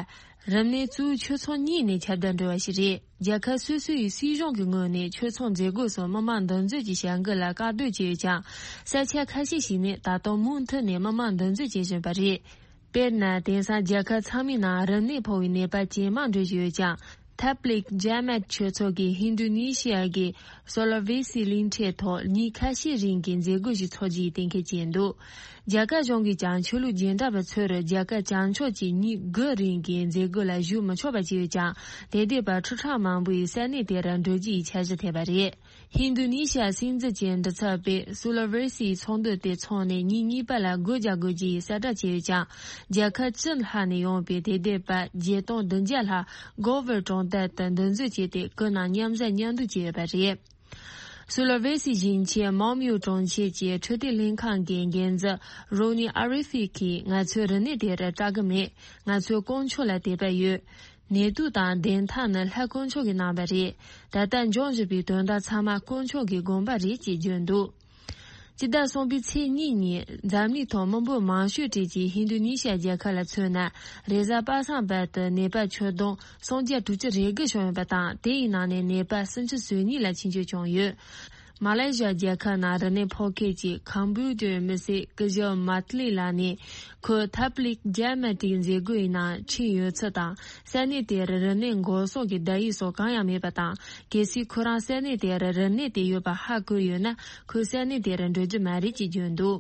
རིམས་ནད་གཙོ་བོ་ཆོས་ཚོགས་གཉིས་ནས་ཁྱབ་གདལ་འགྲོ་བ་ཞིག་རེད། རྒྱལ་ཁབ་སོ་སོ་ཡི་སྲིད་གཞུང་གི་ངོས་ནས་ཆོས་ཚོགས་མཛད་སྒོ་སོགས་མི་མང་འདུ་འཛོམས་ཀྱི་བྱ་འགུལ་ལ་བཀག་སྡོམ་བྱས་ཡོད་ཀྱང་། ས་ཆ་ཁ་ཤས་ཤིག་ནས་ད་དུང་མུ་མཐུད་ནས་མི་མང་འདུ་འཛོམས་བྱེད་བཞིན་པ་རེད། དཔེར་ན། དེང་སང་རྒྱལ་ཁབ་ཚང་མའི་ནང་རིམས་ནད་ཕོག་པའི་ནད་པ་ཇེ་མང་འགྲོ་བཞིན་ཡོད་ཀྱང་། ཐབ་ལིག་ཇཱ་མཱཏ་ཆོས་ཚོགས་ཀྱིས་ཧིན་རྡུ་ནི་ཤི་ཡ་གི་སོ་ལ་ཝེ་སི་གླིང་ཕྲན་ཐོག་ཉིན་ཁ་ཤས་རིང་གི་མཛད་སྒོ་ཞིག་འཚོགས་རྒྱུའི་གཏན་འཁེལ་བྱས་འདུག་རྒྱ་གར་གཞུང་གིས་ཀྱང་ཆོས་ལུགས་སྦྱིན་བདག་པ་ཚོར་རྒྱ་གར་བྱང་ཕྱོགས་ཀྱི་ཉིན་དགུ་རིང་གི་མཛད་སྒོ་ལ་ཞུགས་མི་ཆོག་པ་བྱས་ཡོད་ཀྱང་། དེ་འདས་པར་ཁྲི་ཕྲག་མང་པོ་ཡི་ས་གནས་དེར་འགྲོ་རྒྱུ་ཡི་འཆར་གཞི་ཐེབས་པ་རེད། ཧིན་རྡུ་ནི་ཤི་ཡ་སྲིད་འཛིན་གྱི་མགྲིན་ཚབ་པས་སུ་ལ་ཝེ་སིའི་ཚོགས་འདུ་དེ་འཚོགས་ནས་ཉིན་གཉིས་པ་ལ་སྒོ་རྒྱག་དགོས་རྒྱུ་ཡི་གསལ་བསྒྲགས་བྱས་ཡོད་ཀྱང་། རྒྱལ་ཁབ་བཅུ་ལྷག་ནས་ཡོང་པའི་དེ་འདས་པ་བརྒྱད་སྟོང་བདུན་བརྒྱ་ལྷག་གོ་ཝར་གྲོང་རྡལ་དུ་འདུ་འཛོམས་བྱས་ཏེ་ཁོའི་ནང་མཉམ་ཟ་མཉམ་འདུག་བྱས་ཡོད་པ་རེད། སུ་ལ་ཝེ་སི་ཞིང་ཆེན་མོམ་ཡུ་གྲོང་ཁྱེར་གྱི་འཕྲོད་བསྟེན་ལྷན་ཁང་གི་འགན་འཛིན་རོ་ནི་ཨ་རི་ཧྥི་གིས་ང་ཚོའི་རིག་གནས་དེར་སྐྲག་གི་མེད། ང་ཚོས་དཀོན་མཆོག་ལ་དད་པ་ཡོད། ནད་དུག་དང་བདེན་མཐའ་ནི་ལྷ་དཀོན་མཆོག་གི་གནང་བ་རེད། ད་ལྟ་འབྱུང་བཞིན་པའི་དོན་དག་ཚང་མ་དཀོན་མཆོག་གི་དགོངས་པ་རེད་ཅེས་བརྗོད་འདུག་སྤྱི་ཟླ་གསུམ་པའི་ཚེས་གཉིས་ཉིན་འཛམ་གླིང་ཐོག་མི་འབོར་མང་ཤོས་གྲས་ཀྱི་ཧིན་རྡུ་ནི་ཤི་ཡ་རྒྱལ་ཁབ་ལ་མཚོན་ན། རེས་གཟའ་པ་སངས་བར་དུ་ནད་པ་ཁྱོན་བསྡོམས་སུམ་བརྒྱ་དྲུག་ཅུ་རེ་དགུ་བྱུང་ཡོད་པ་དང་། དེ་ཡི་ནང་ནས་ནད་པ་སུམ་ཅུ་སོ་གཉིས་ལ་ཆེད་བཅོས་བྱུང་ཡོད། མ་ལེ་ཤི་ཡ་རྒྱལ་ཁབ་ནང་རིམས་ནད་ཕོག་མཁན་གྱི་ཁམ་བུ་ཏོའི་མི་སེར་ཀི་ཞོ་མཱ་ཏི་ལི་ལགས་ནས། ཁོས་ཐབ་ལིག་ཇཱ་མཱ་ཏིའི་མཛད་སྒོའི་ནང་ཁྲིད་ཡོད་ཚུལ་དང་། ས་གནས་དེར་རིམས་ནད་འགོག་སྲུང་གི་བརྡ་ཡིག་སོགས་གང་ཡང་མེད་པ་དང་། གལ་སྲིད་ཁོ་རང་ས་གནས་དེར་རིམས་ནད་དེ་ཡོད་པ་ཧ་གོ་ཡོད་ན། ཁོས་ས་གནས་དེར་འགྲོ་རྒྱུ་མ་རེད་ཅེས་བརྗོད་འདུག་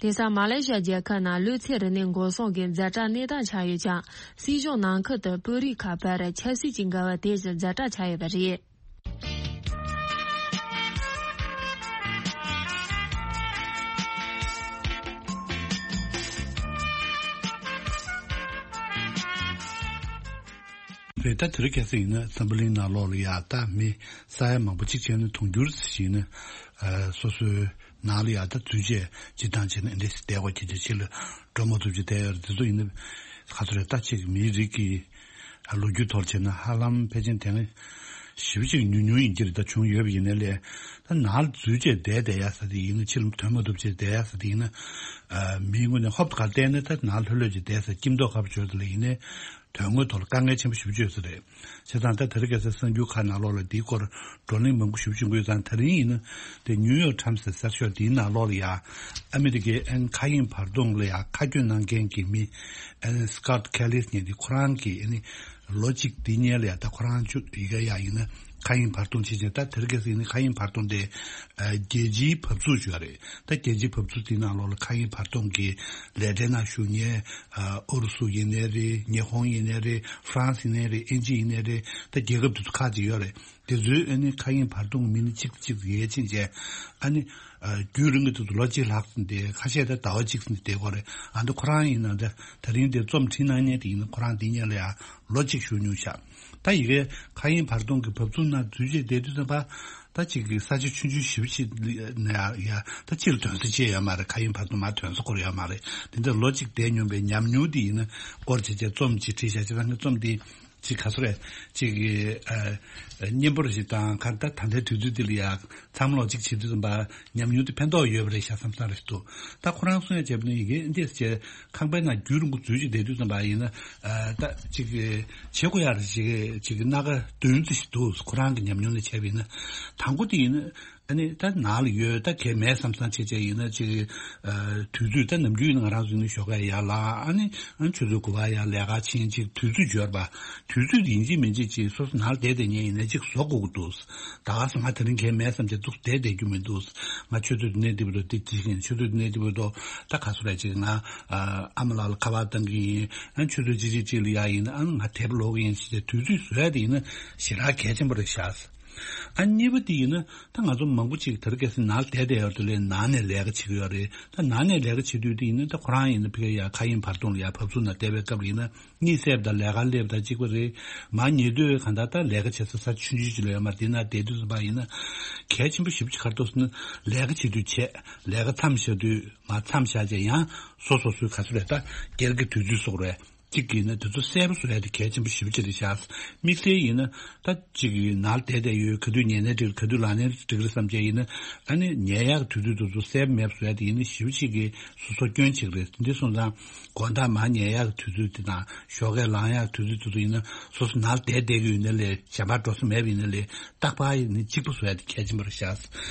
དེང་སང་མ་ལེ་ཤི་ཡ་རྒྱལ་ཁབ་ནང་གློད་བྱེད་རིམས་ནད་འགོག་སྲུང་གི་ཛ་དྲག་གནས་སྟངས་ཆགས་ཡོད་ཀྱང་། སྲིད་གཞུང་ནང་ཁུལ་དུ་དཔོན་རིགས་ཁག་བར་ཆབ་སྲིད་ཀྱི་འགལ་བ་དེ་བཞིན་ཛ་དྲག་ཆགས་ཡོད་པ་རེད། བས་ད་དེ་རིང་ཁ་སང་ཡིན་ན་འཛམ་བུ་གླིང་ནང་ལོགས་ལ་ཡ་ད་མི་ས་ཡ་མང་པོ་གཅིག་བྱས་ན་དུང་འགྱུར་ཞིག་ཡིན་ན་སོ་སོའི་ནང་ལ་ཡ་ད་འཛུལ་བྱས་སྤྱིར་བཏང་བྱས་ན་འདི་འདྲས་བསྡད་དགོས་ཀྱི་ཆ་ཕྱི་ལ་འགྲོ་མ་ཐུབ་ཀྱི་བསྡད་ཡོད་རེད། དེ་ཚོ་ཡིན་ན་ག་ཚོད་རེད། ད་ཅིག་མིའི་རིགས་ཀྱི་ལོ་རྒྱུས་ཐོག་བྱས་ན་ཧ་ལམ་ཕལ་ཆེར་དེ་སྔ་ཞེ་པོ་ཅིག་ཉུང་ཉུང་ཡིན་གྱི་རེད། ད་བྱུང་ཡོད་པ་ཡིན་ན་ལས་ད་ནང་ལ་འཛུལ་བྱས་བསྡད་བསྡད་ཡ་ས་དེ་ཡིན་ན་ཕྱི་ལ་ཐོན་མ་ཐུབ་བྱས་བསྡད་ཡ་ས་དེ་ཡིན་ན་མིའི་ངོས་ནས་ཧོབ་ཏེ་ག་བལྟས་ན་ད་ནང་ལྷོད་ལྷོད་ཅིག་བསྡད་ས་སྐྱིད་མདོག་ཁ་པོ་བྱོས་ས་ལ་ཡིན་ནའི། དོན་དངོས་ཐོག་ལ་དཀའ་ངལ་ཆེན་པོ་ཞེ་པོ་ཅིག་ཡོད་ས་རེད། བྱས་ཙང་ད་དེ་རིང་ཁ་སང་གསར་འགྱུར་ཁག་ནང་ལོགས་ལ་འདིའི་སྐོར་བགྲོ་གླེང་མང་པོ་ཞེ་པོ་ཅིག་འགོས་ཙང་དེ་རིང་ཡིན་ན་དེ་ནིའུ་ཡོག་ཊའིམ་སི་ཟེར་ཤོག་འདིའི་ནང་ལོགས་ལ་ཡ་ཨ་མི་རི་ཀའི་ཨན་མཁའ་དབྱིངས་བར་སྟོང་ལ་ཡ་མཁའ་སྐྱོད་གནང་མཁན་གྱི་མི་ཨན་སི་ཀོཊ་ཁེ་ལིས་ཉིད་དེ་ཁོ་རང་གི་ཨ་ནི་ལོ་གཅིག་འདི་སྔོན་ལ་ཡ་ད་ཁོ་རང་ཅུ་ཡི་གེ་ཡ་ཡིན་ན་མཁའ་དབྱིངས་བར་སྟོང་ཕྱིན་ཅིང་ད་དེ་རིང་ཁ་སང་ཡིན་ན་མཁའ་དབྱིངས་བར་སྟོང་དེ་རྒྱལ་སྤྱིའི་བབས་ཚུགས་ཅིག་ཡོད་རེད། ད་རྒྱལ་སྤྱིའི་བབས་ཚུགས་དེའི་ནང་ལོགས་ལ་མཁའ་དབྱིངས་བར་སྟོང་གི་ལས་གྲྭའི་ནང་ཞུགས་མཁན། ཨུ་རུ་སུ་ཡིན་ནའི་རེད། ཉི་ཧོང་ཡིན་ནའི་རེད། ཧྥ་རན་སི་ཡིན་ནའི་རེད། ཨིན་ཇི་ཡིན་ནའི་རེད། ད་རྒྱལ་ཁབ་དེ་ཚོ་ཁག་ཅིག་ཡོད་རེད། དེ་ཚོའི་ཨ་ནི་མཁའ་དབྱིངས་བར་སྟོང་མི་སྣ་གཅིག་གཅིག་ཡར་ཕྱིན་བྱས་ཨ་ནི་རྒྱུན་རིང་གི་དུས་སུ་ལོ་གཅིག་ལྷག་ཙམ་དེ་ཁ་ཤས་ད་ཟླ་བ་གཅིག་ཙམ་བསྡད་ཀྱི་ཡོད་རེད། ཨ་ནི་ཁོ་རང་ཡིན་ན་ད་དེ་རིང་དེ་རྩོམ་བྲིས་གནང་མཁན་དེ་ཡིན་ན་ཁོ་རང་འདི་སྔོན་ལ་ཡ་ལོ་གཅིག་བཞུགས་མྱོང་ཤག་ད་ཡི་གེ་མཁའ་དབྱིངས་བར་སྟོང་གི་བབས་ཚུགས་ནང་འཛུལ་བྱས་བསྡད་དུས་ཙམ་པ། ད་ཅིག་གི་ས་ཆ་ཆུང་ཆུང་ཞེ་པོ་ཅིག་ལ་ཡ་ད་ཕྱིར་ཐོན་ས་ཅིག་ཡོད་མ་རེད། མཁའ་དབྱིངས་བར་སྟོང་མར་ཐོན་ས་ཁོ་རང་ཡོད་མ་རེད། དེ་འདྲ་ལོ་གཅིག་བསྡད་མྱོང་པའི་ཉམས་མྱོང་དེ་ཡིན་ན་སྐོར་བྱས་བྱས་རྩོམ་ཅིག་བྲིས་བཞག་བྱས་ཙང་གི་རྩོམ་དེ་ཅིག་ག་ཚོད་རེད། ཅིག་གི་ཨ་སྙན་པོ་རེ་ཞིག་དང་ག་ད་ད་ལྟའི་དུས་ཚོད་འདི་ལ་ཡ་ཚང་མ་ལོ་གཅིག་བྱེད་དུས་ཙམ་པ་ཉམས་མྱོང་དེ་ཕན་ཐོགས་ཡོད་པ་རེད་ཤག་བསམ་བསམ་རེད་འདུག་ད་ཁོ་རང་གསུང་ཡ་བྱས་པ་ནི་ཡི་གེ་འདི་བྱས་ཁང་པའི་ནང་རྒྱུན་རིང་པོ་འཛུལ་ཅིག་བསྡད་དུས་ཙམ་པ་ཡིན་ན་ཨ་ད་ཅིག་གི་བྱེད་དགོས་ཡ་རེ་ཅིག་ཅིག་གི་སྣ་ཁ་བདུན་ཙམ་ཞིག་འདུག་ཁོ་རང་གི་ཉམས་མྱོང་ནས་བྱས་པ་ཡིན་ན། དང་པོ་དེ་ཡིན་ན་ཨ་ནི་ད་ནང་ལ་ཡོད་ད་གལ་མེད་བསམ་བསམ་བྱས་བྱས་ཡིན་ན་ཅིག་ཨ་དུས་ཚོད་ད་ནམ་རྒྱུན་ཡིན་ན་ང་རང་ཚོ་ཡིན་ན་ཞོགས་ཀས་ཡར་ལངས་ཨ་ནི་ཨ་ཆུ་ཚོད་དགུ་པ་ཡར་ལས་ཀ་ཕྱིན་ཅིག་དུས་ཚོད་འབྱོར་བ་དུས་ཚོད་ཡིན་གཅིག་མིན་གཅིག་ཅིག་སོ་སོ་ནང་ལ་བསྡད་བསྡད་མཁན་ཡིན་ན་ཅིག་བཟོ་དགོས་ཀྱི་འདུག་ད་ག་སེ་ང་དེ་རིང་གལ་མེད་བསམ་བྱས་འདུག་བསྡད་བསྡད་རྒྱུ་མི་འདུག་ང་ཆུ་ཚོད་འདི་ནས་འདི་བར་དུ་འདི་བྱེད་ཀྱི་ཡིན། ཆུ་ཚོད་འདི་ནས་འདི་བར་དུ་ད་ག་ཚོད་རེད་ཅིག་ང་ཨ་མ་ལགས་ལ་ཁ་པར་བཏང་གི་ཡིན། ཨ་ཆུ་ཚོད་ཅིག་ཅིག་ཅིག་ལ་ཡ་ཡིན་ན་ཨ་ང་དེབ་ཀློག་གི་ཡིན་ཟེར་ཏེ་དུས་ཚོད་བཟོ་ཡ་དེ་ཡིན་ན་ཞེ་དྲག་གལ་ཆེན་པོ་རེད་ཤག་ཨ་གཉིས་པ་དེ་ཡིན་ན་ད་ང་ཚོ་མང་པོ་ཅིག་དེ་རིང་ཁ་སང་ནང་ལ་བསྡད་བསྡད་ཡོད་དུས་ལས་ནང་ནས་ལས་ཀ་བྱེད་ཀྱི་ཡོད་རེད། ད་ནང་ནས་ལས་ཀ་བྱེད་དུས་དེ་ཡིན་ན་ད་ཁོ་རང་ཡིན་ན་ཕ་གིར་ཡ་མཁའ་དབྱིངས་བར་སྟོང་ལ་ཡ་བབས་ཚུགས་ན་བསྡད་པའི་སྐབས་ལ་ཡིན་ན། གཉིད་སད་པ་དང་ལས་ཀ་སླེབས་དང་གཅིག་པ་རེད། མར་ཉལ་དུས་གང་ལྟར་ད་ལས་ཀ་བྱེད་ས་ས་ཆུང་ཆུང་ཅིག་ལ་ཡོད་མ་རེད། དེ་ན་བསྡད་དུས་ཙམ་པ་ཡིན་ན་གལ་ཆེན་པོ་ཞེ་པོ་ཅིག་ག་རེ་འདུག་ཟེར་ན་ལས་ཀ་བྱེད་དུས་བྱས་ལས་ཀ་མཚམས་བཞག་དུས་མར་མཚམས་བཞག་བྱས་ཡང་སོ་སོ་སོའི་ག་ཚོད་རེད་ད་སྒེར་གྱི་དུས་ཚོད་སོགས་རེད། གཅིག་ཡིན་ན་དེ་ཚོ་གསལ་པོ་བཟོ་ཡ་དེ་གལ་ཆེན་པོ་ཞེ་པོ་ཅིག་རེད་ཤག་དམིགས་བསལ་ཡིན་ན་ད་གཅིག་ཡིན་ནར་བསྡད་བསྡད་ཡོད། ག་དུས་ཉལ་ནའི་འགྲིག་ག་དུས་ལངས་ནའི་འགྲིག་རེད་བསམ་བྱས་ཡིན་ན་ཨ་ནི་ཉལ་ཡག་གི་དུས་ཚོད་དེ་ཚོ་གསལ་པོ་མེད་པ་བཟོ་ཡ་དེ་ཡིན་ན་ཞེ་པོ་ཅིག་གི་སོ་སོ་སྐྱོན་ཆེ་གི་རེད། འདི་སོང་ཙང་དགོང་དག་མར་ཉལ་ཡག་གི་དུས་ཚོད་དེ་དང་ཞོགས་ཀས་ལངས་ཡག་གི་དུས་ཚོད་དེ་ཚོ་ཡིན་ན་སོ་སོ་ནར་བསྡད་བསྡད་ཀྱི་ཡོད་ན་ལས་གཞན་པ་འགྲོ་ས་མེད་པ་ཡིན་ན་ལས་རྟག་པར་ཡིན་ན་གཅིག་པ་བཟོ་ཡ་དེ་གལ་ཆེན་པོ་རེད་ཤག་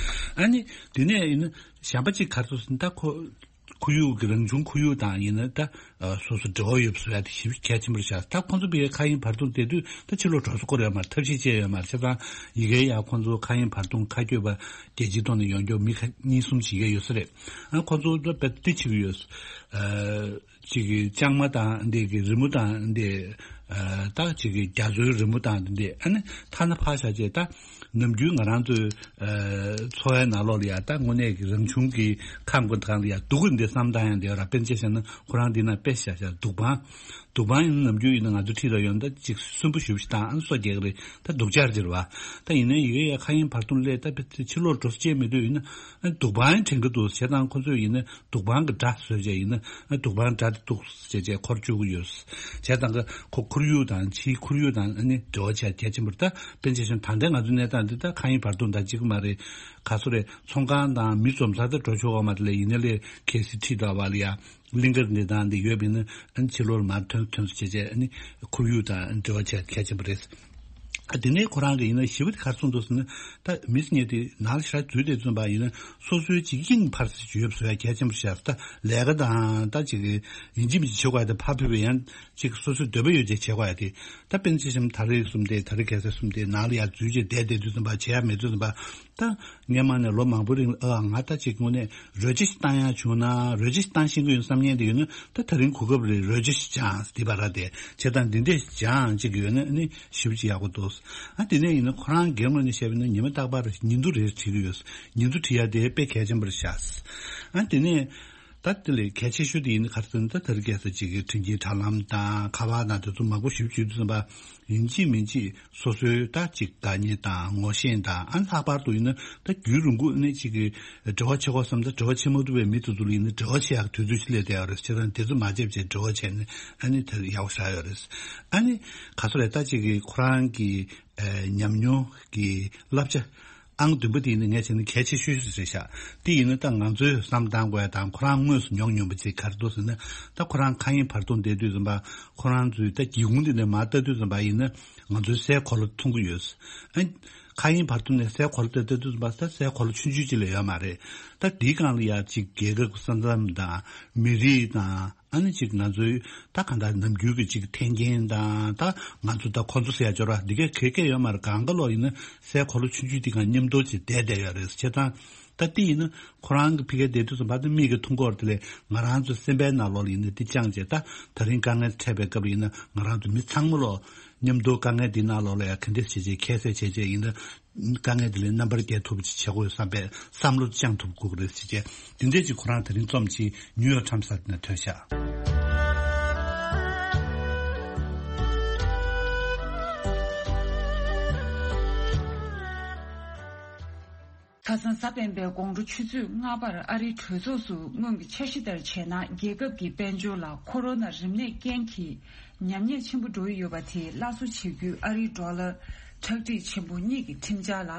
ཨ་ནི་དེ་ནས་ཡིན་ན་གཞན་པ་གཅིག་ག་རེ་ཟེར་ན་ད་ཁོ་ཁོར་ཡུག་གི་རང་བྱུང་ཁོར་ཡུག་དང་ཡིན་ན་ད་སོ་སོ་འབྲེལ་བ་ཡོད་པ་བཟོ་ཡ་དེ་ཞེ་པོ་གལ་ཆེན་པོ་རེད་ཤག་ད་ཁོང་ཚོ་བི་ཡའི་མཁའ་དབྱིངས་བར་སྟོང་བསྡད་དུས་ད་ཕྱི་ལོགས་འགྲོ་ས་ཁོ་ར་ཡོད་མ་རེད། ཐབས་ཤེས་བྱས་ཡོད་མ་རེད། བྱས་ཙང་ཡི་གེ་ཡ་ཁོང་ཚོ་མཁའ་དབྱིངས་བར་སྟོང་མཁའ་སྐྱོད་པ་རྒྱལ་སྤྱིའི་ཐོག་ནས་ཡོང་རྒྱུ་མི་ཁ་གཉིས་གསུམ་ཅིག་ཡི་གེ་ཡོད་ས་རེད། ཨ་ཁོང་ཚོ་ད་དཔེ་དེ་བྱེད་ཀྱི་ཡོད། ཨ་ཅིག་གི་ལྕང་མ་དང་འདི་གི་རི་མོ་དང་འདི་ཨ་ད་ཅིག་གི་རྒྱ་མཚོའི་རི་མོ་དང་འདི་ཨ་ནི་ཐ་ན་ཕར་བཞག་བྱས་ད། ནམ་རྒྱུན་ང་རང་ཚོའི་ཨ་འཚོ་བའི་ནང་ལོགས་ལ་ཡ་ད་དངོས་གནས་ཀྱི་རང་བྱུང་གི་ཁམས་ཀྱི་སྒང་ལ་ཡ་སྡུག་གི་འདི་བསམ་བཏང་ཡང་འདི་ར་དཔེར་ན་ཆ་བཞག་ན་ཁོ་རང་འདི་ན་དཔེ་བཞག་བཞག་སྡུག་པང་། སྡུག་པང་ཡིན་ན་ནམ་རྒྱུན་ཡིན་ན་ང་ཚོ་འཁྲིས་ལ་ཡོང་ད་ཅིག་སུན་པོ་ཞེ་པོ་ཞིག་བཏང་ཨ་ནི་སོ་རྒྱག་གི་རེད། ད་སྡུག་ཅག་ཅིག་རེད་བ། ད་ཡིན་ན་ཡི་གེ་ཡ་མཁའ་དབྱིངས་བར་སྟོང་སླེབས་ད་དཔེ་ཕྱི་ལོགས་འགྲོ་ས་ཅིག་མེད་དུས་ཡིན་ན་ཨ་ནི་སྡུག་པང་ཡང་དྲན་གི་འདུག་བྱས་ཙང་ཁོ་ཚོས་ཡིན་ན། སྡུག་པང་གི་སྒྲ་བཟོས་བྱས་ཡིན་ན་ཨ་སྡུག་པང་སྒྲ་དེ་འདུག་བྱས་བྱས་འཁོར་བཅུག་གི་ཡོད། བྱས་ཙང་གི་ཁོ་ཁོར་ཡུག་དང་ཕྱིའི་ཁོར་ཡུག་དང་ཨ་ནི་འབྲེལ་བ་བྱས་གལ་ཆེན་པོ་རེད། ད་དཔེར་ན་ཆ་བཞག་ན་ད་ལྟའི་ང་ཚོའི་གནས་སྟངས་འདི་ད་མཁའ་དབྱིངས་བར་སྟོང་དང་གཅིག་པ་མ་རེད། ག་ཚོད་རེད། ཚོང་ཁང་དང་མི་འཛོམས་ས་དེ་འགྲོ་ཆོག་གི་མ་རེད་ལས་ཡིན་ན་ལས་གལ་སྲིད་ཁྲིད་འདྲ་བ་ལ་ཡ་གླིང་གར་འདི་དང་འདི་ཡོད་པ་ཡིན་ན་ཨ་ནི་ཕྱི་ལོགས་ལ་མར་ཐོན་ཐོན་སོང་བྱས་བྱས་ཨ་ནི་ཁོར་ཡུག་དང་འབྲེལ་བ་བྱས་གལ་ཆེན་པོ་རེད། ཨ་དེ་ནས་ཁོ་རང་གི་ཡིན་ན་ཞི་བ་དེ་ག་རེ་གསུངས་འདུག་ཟེར་ན། ད་མི་སྙེ་དེ་ནང་ལ་ཞེ་དྲག་འཛུལ་བསྡད་ཙམ་པ་ཡིན་ན་སོ་སོའི་ཅིག་དབྱིངས་འཕར་ས་ཅིག་ཡོད་པ་བཟོ་ཡ་གལ་ཆེན་པོ་ཤར། ད་ལས་ཀ་དང་ད་ཅིག་ཡིན་གཅིག་མིན་གཅིག་བྱེད་དགོས་ཡ་དེ་ཕར་ཕུད་པའི་ཡང་ཅིག་སོ་སོའི་འདོད་པ་ཡོད་ཅིག་བྱེད་དགོས་ཡ་དེ། ད་དཔེར་ན་ཆ་བཞག་ན་ད་རེས་གསུམ་དེ་ད་རེས་ཁ་སང་གསུམ་དེ་ནང་ལ་ཡ་འཛུལ་བྱས་བསྡད་བསྡད་དུས་ཙམ་པ་བྱེད་ཡ་མེད་དུས་ཙམ་པ། ད་སྔོན་མ་ནས་ལོ་མང་པོའི་རིང་ལ་ཨ་ང་ད་ཅིག་དངོས་གནས་རོལ་ཆ་ཞིག་བཏང་ཡ་བྱུང་ན་རོལ་ཆ་ཞིག་བཏང་ཤེས་ཀྱི་ཡོད་བསམ་མཁན་དེ་ཡོད་ན་ད་དེ་རིང་གོ་སྐབས་རེད། རོལ་ཆ་ཞིག་སྦྱངས་དེ་བར་དེ་བྱེད་སྟངས་འདི་འདྲས་སྦྱངས་ཅིག་ཡོད་ན་ཨ་ནི་ཞེ་པོ་ཅིག་ཡག་པོ་འདུག་ཨ་དེ་ནས་ཡིན་ན་ཁོ་རང་སྒེར་ངོས་ནས་བཤད་པ་ཡིན་ན་ཉི་མ་རྟག་པར་ཉིན་ཐོ་རེ་བྲིས་ཀྱི་ཡོད། ཉིན་ཐོ་བྲིས་ཡ་དེ་དཔེ་གལ་ཆེན་པོ་རེད་ཤག་ཨ་དེ་ནས་ ད་དེ་ལས་གལ་ཆེ་ཤོས་དེ་ཡིན་ན་ག་རེ་ཟེར་ན། ད་དེ་རིང་ཁ་སང་ཅིག་གི་དྲིན་ཆེན་དྲ་ལམ་དང་ཁ་པར་དང་དེ་ཚོ་མང་པོ་ཞིབ་ཞིབ་དུས་ཙམ་པ་ཡིན་གཅིག་མིན་གཅིག་སོ་སོའི་ད་ཅིག་དགའ་ཉེ་དང་ངོ་ཤེས་དང་། ཨ་ནི་ལྷག་པར་དུ་ཡིན་ན་ད་རྒྱུན་རིང་པོ་ནས་ཅིག་གི་འབྲེལ་བ་བྱེད་དགོས་བསམ། ད་འབྲེལ་བ་བྱེད་མ་ཐུབ་པའི་མི་དེ་ཚོ་ལ་ཡིན་ན་འབྲེལ་བ་བྱེད་ཡག་དུས་ཚོད་ཅིག་སླེབས་བསྡད་ཡོད་རེད། བྱས་ཙང་དེ་ཚོ་མ་བརྗེད་བྱས་འབྲེལ་བ་བྱས་ནས་ཨ་ནི་དེ་ཡག་པོ་ཞེ་དྲག་ཡོད་རེད། ཨ་ནི་ག་ཚོད་རེད། ད་ཅིག་གི་ཁོ་རང་གི་ཨ་ཉམས་མྱོང་གི་བསླབ་བྱ་ཨང་བདུན་པ་དེ་ཡིན་ན་ངས་བྱས་ན་གལ་ཆེ་ཤོས་ཤིག་རེད་ཤག་དེ་ཡིན་ན་ད་ང་ཚོས་བསམ་བཏང་དགོས་ཡ་དང་། ཁོ་རང་དངོས་སུ་མྱོང་མྱོང་བ་ཅིག་ག་རེ་འདུག་ཟེར་ན། ད་ཁོ་རང་མཁའ་དབྱིངས་བར་སྟོང་བསྡད་དུས་ཙམ་པ་ཁོ་རང་ཚོའི་ད་སྒེའུ་ཁུང་དེ་ནས་མར་ལྟ་དུས་ཙམ་པ་ཡིན་ན་ང་ཚོའི་སའི་གོ་ལ་མཐོང་གི་ཡོད། ཨ་མཁའ་དབྱིངས་བར་སྟོང་ནས་སའི་གོ་ལ་ལྟ་ལྟ་དུས་ཙམ་པ་ད་སའི་གོ་ལ་ཆུང་ཆུང་ཅིག་ལས་ཡོད་མ་རེད། ད་དེའི་སྒང་ལ་ཡ་ཅིག་རྒྱལ་ཁབ་ས་མཚམས་དང་མི་རིགས་དང་། ཨ་ནི་ཅིག་ང་ཚོའི་ད་གང་ལྟར་ནམ་རྒྱུན་གྱི་ཅིག་འཐེན་འཁྱེར་དང་། ད་ང་ཚོ་ད་ཁོ་ཚོ་ཟེར་ཡ་འབྱོར་བ་འདི་གས་ག་གས་ཡོད་མ་རེད། གང་ག་ལོག་ཡིན་ན་སའི་གོ་ལ་ཆུང་ཆུང་འདི་སྒང་མཉམ་དུ་ཅིག་བསྡད་བསྡད་ཡོད་རེད། བྱས་ཙང་ད་འདི་ཡིན་ན་ཁོ་རང་གི་ཕ་གིར་བསྡད་དུས་ཙམ་པ་ད་མིག་གིས་མཐོང་གི་ཡོད་རེད། དེ་ལས་ང་རང་ཚོ་སེམས་པའི་ནང་ལོགས་ལ་ཡིན་ན་འདི་བཅངས་བྱས། ད་ད་རིང་དཀའ་ངལ་འཕྲད་པའི་སྐབས་ལ་ཡིན་ན་ང་རང་ཚོ་མི་ཚང་མ་ལོག་མཉམ་དུ་དཀའ་ངལ་འདི་ནང་ལོགས་ལ་ཡ་ག་འདྲ་བྱས་བྱས་ཁྱད་བསད་བྱས་བྱས་ཡིན་ན། དཀའ་ངལ་དེ་ལས་རྣམ་པར་རྒྱལ་ཐུབ་པ་ཅིག་བྱེད་དགོས་བསམ་པའི་བསམ་བློ་བཅངས་ཐུབ་དགོས་ཀྱི་རེད་ཟེར་བྱས། དེ་འདྲས་ཅིག་ཁོ་རང་དེ་རིང་རྩོམ་ཅིག་ནིའུ་ཡོག་ཊའིམ་ཟེར་དེ་ནས་ཐོན་ཤག་ཁ་སང་གཟའ་སྤེན་པའི་དགོང་དྲོ་ཆུ་ཚོད་ལྔ་པར་ཨ་རིའི་གྲོས་ཚོགས་སུ་སྔོན་གྱི་འཆར་གཞི་ལྟར་བྱས་ན། རྒྱལ་ཁབ་ཀྱི་དཔལ་འབྱོར་ལ་ཁོ་རོ་ན་རིམས་ནད་རྐྱེན་གྱིས་ཉམས་ཉེས་ཆེན་པོ་འགྲོ་ཡི་ཡོད་པ་དེ་སླར་གསོ་བྱེད་རྒྱུའི་ཨ་རིའི་ཌོ་ལར་ཁྲག་ཁྲིག་ཆེན་པོ་གཉིས་ཀྱི་ཁྲིམས་འཆར་ལ་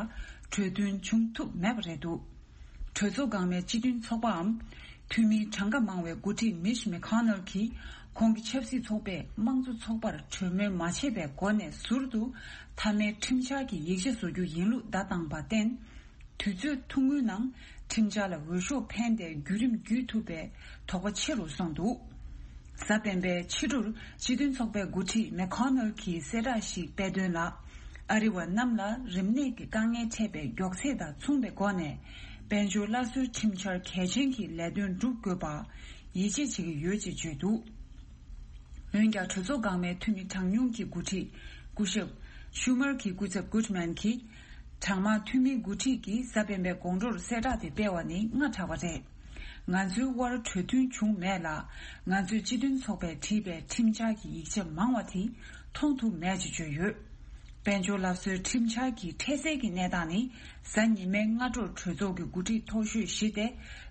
གྲོས་མཐུན་བྱུང་ཐུབ་མེད་པ་རེད་འདུག་གྲོས་ཚོགས་འགག་མའི་སྤྱི་མཐུན་ཚོགས་པའམ་འཐུས་མིའི་གྲངས་ཀ་མང་བའི་འགོ་ཁྲིད་མིཆ་མེ་ཁོ་ནལ་གྱིས་ཁོང་གི་ཆབ་སྲིད་ཚོགས་པས་དམངས་གཙོ་ཚོགས་པར་གྲོས་མོལ་མ་བྱས་པའི་སྒོ་ནས་ཟུར་དུ་མཐའ་མའི་ཁྲིམས་འཆར་གྱི་ཡིག་ཆ་བཟོ་རྒྱུ་ཡིན་ལུགས་བརྡ་བཏང་བར་བརྟེན། དུས་ཚོད་ཐུང་ངུའི་ནང་ཁྲིམས་འཆར་ལ་འོས་ཤོག་འཕེན་ཏེ་བརྒྱུད་རིམ་བརྒྱུད་ཐུབ་པའི་དོགས་པ་ཆེ་རུ་སོང་འདུག་གཟའ་སྤེན་པའི་ཕྱི་དྲོར་སྤྱི་མཐུན་ཚོགས་པའི་འགོ་ཁྲིད་མེ་ཁོ་ནལ་གྱིས་གསལ་བསྒྲགས་ཤིག་སྤེལ་དོན་ལ། ཨ་རི་བ་རྣམས་ལ་རིམས་ནད་ཀྱི་དཀའ་ངལ་འཕྲད་པའི་མགྱོགས་ཚད་དང་མཚུངས་པའི་སྒོ་ནས་དཔལ་འབྱོར་སླར་གསོའི་ཁྲིམས་འཆར་གལ་ཆེན་གྱི་ལས་དོན་སྒྲུབ་དགོས་པར་ཡིད་ཆེས་བྱེད་ཀྱི་ཡོད་ཅེས་བརྗོད་འདུག་འོན་ཀྱང་གྲོས་ཚོགས་འགག་མའི་འཐུས་མི་གྲངས་ཉུང་གི་འགོ་ཁྲིད་སྐུ་ཞབས་ཤུ་མར་གྱི་སྐུ་ཚབ་གུད་མན་གྱིས། གྲངས་མང་འཐུས་མིའི་འགོ་ཁྲིད་ཀྱིས་གཟའ་སྤེན་པའི་དགོང་དྲོར་གསལ་བསྒྲགས་དེ་སྤེལ་བ་ནི་སྔ་དྲགས་པ་རེད། ང་ཚོའི་དབར་གྲོས་མཐུན་བྱུང་མེད་ལ། ང་ཚོས་སྤྱི་མཐུན་ཚོགས་པས་བྲིས་པའི་ཁྲིམས་འཆར་གྱི་ཡིག་ཆ་མང་བ་དེ་མཐོང་ཐུབ་མེད་ཅེས་བརྗོད་ཡོད། དཔལ་འབྱོར་སླར་གསོའི་ཁྲིམས་འཆར་གྱི་འཕྲལ་སེལ་གྱི་གནས་སྟངས་ནི། གཟའ་ཉི་མའི་སྔ་དྲོར་གྲོས་ཚོགས་ཀྱི་འགོ་ཁྲིད་མཐོ་ཤོས་བཞི་སྟེ།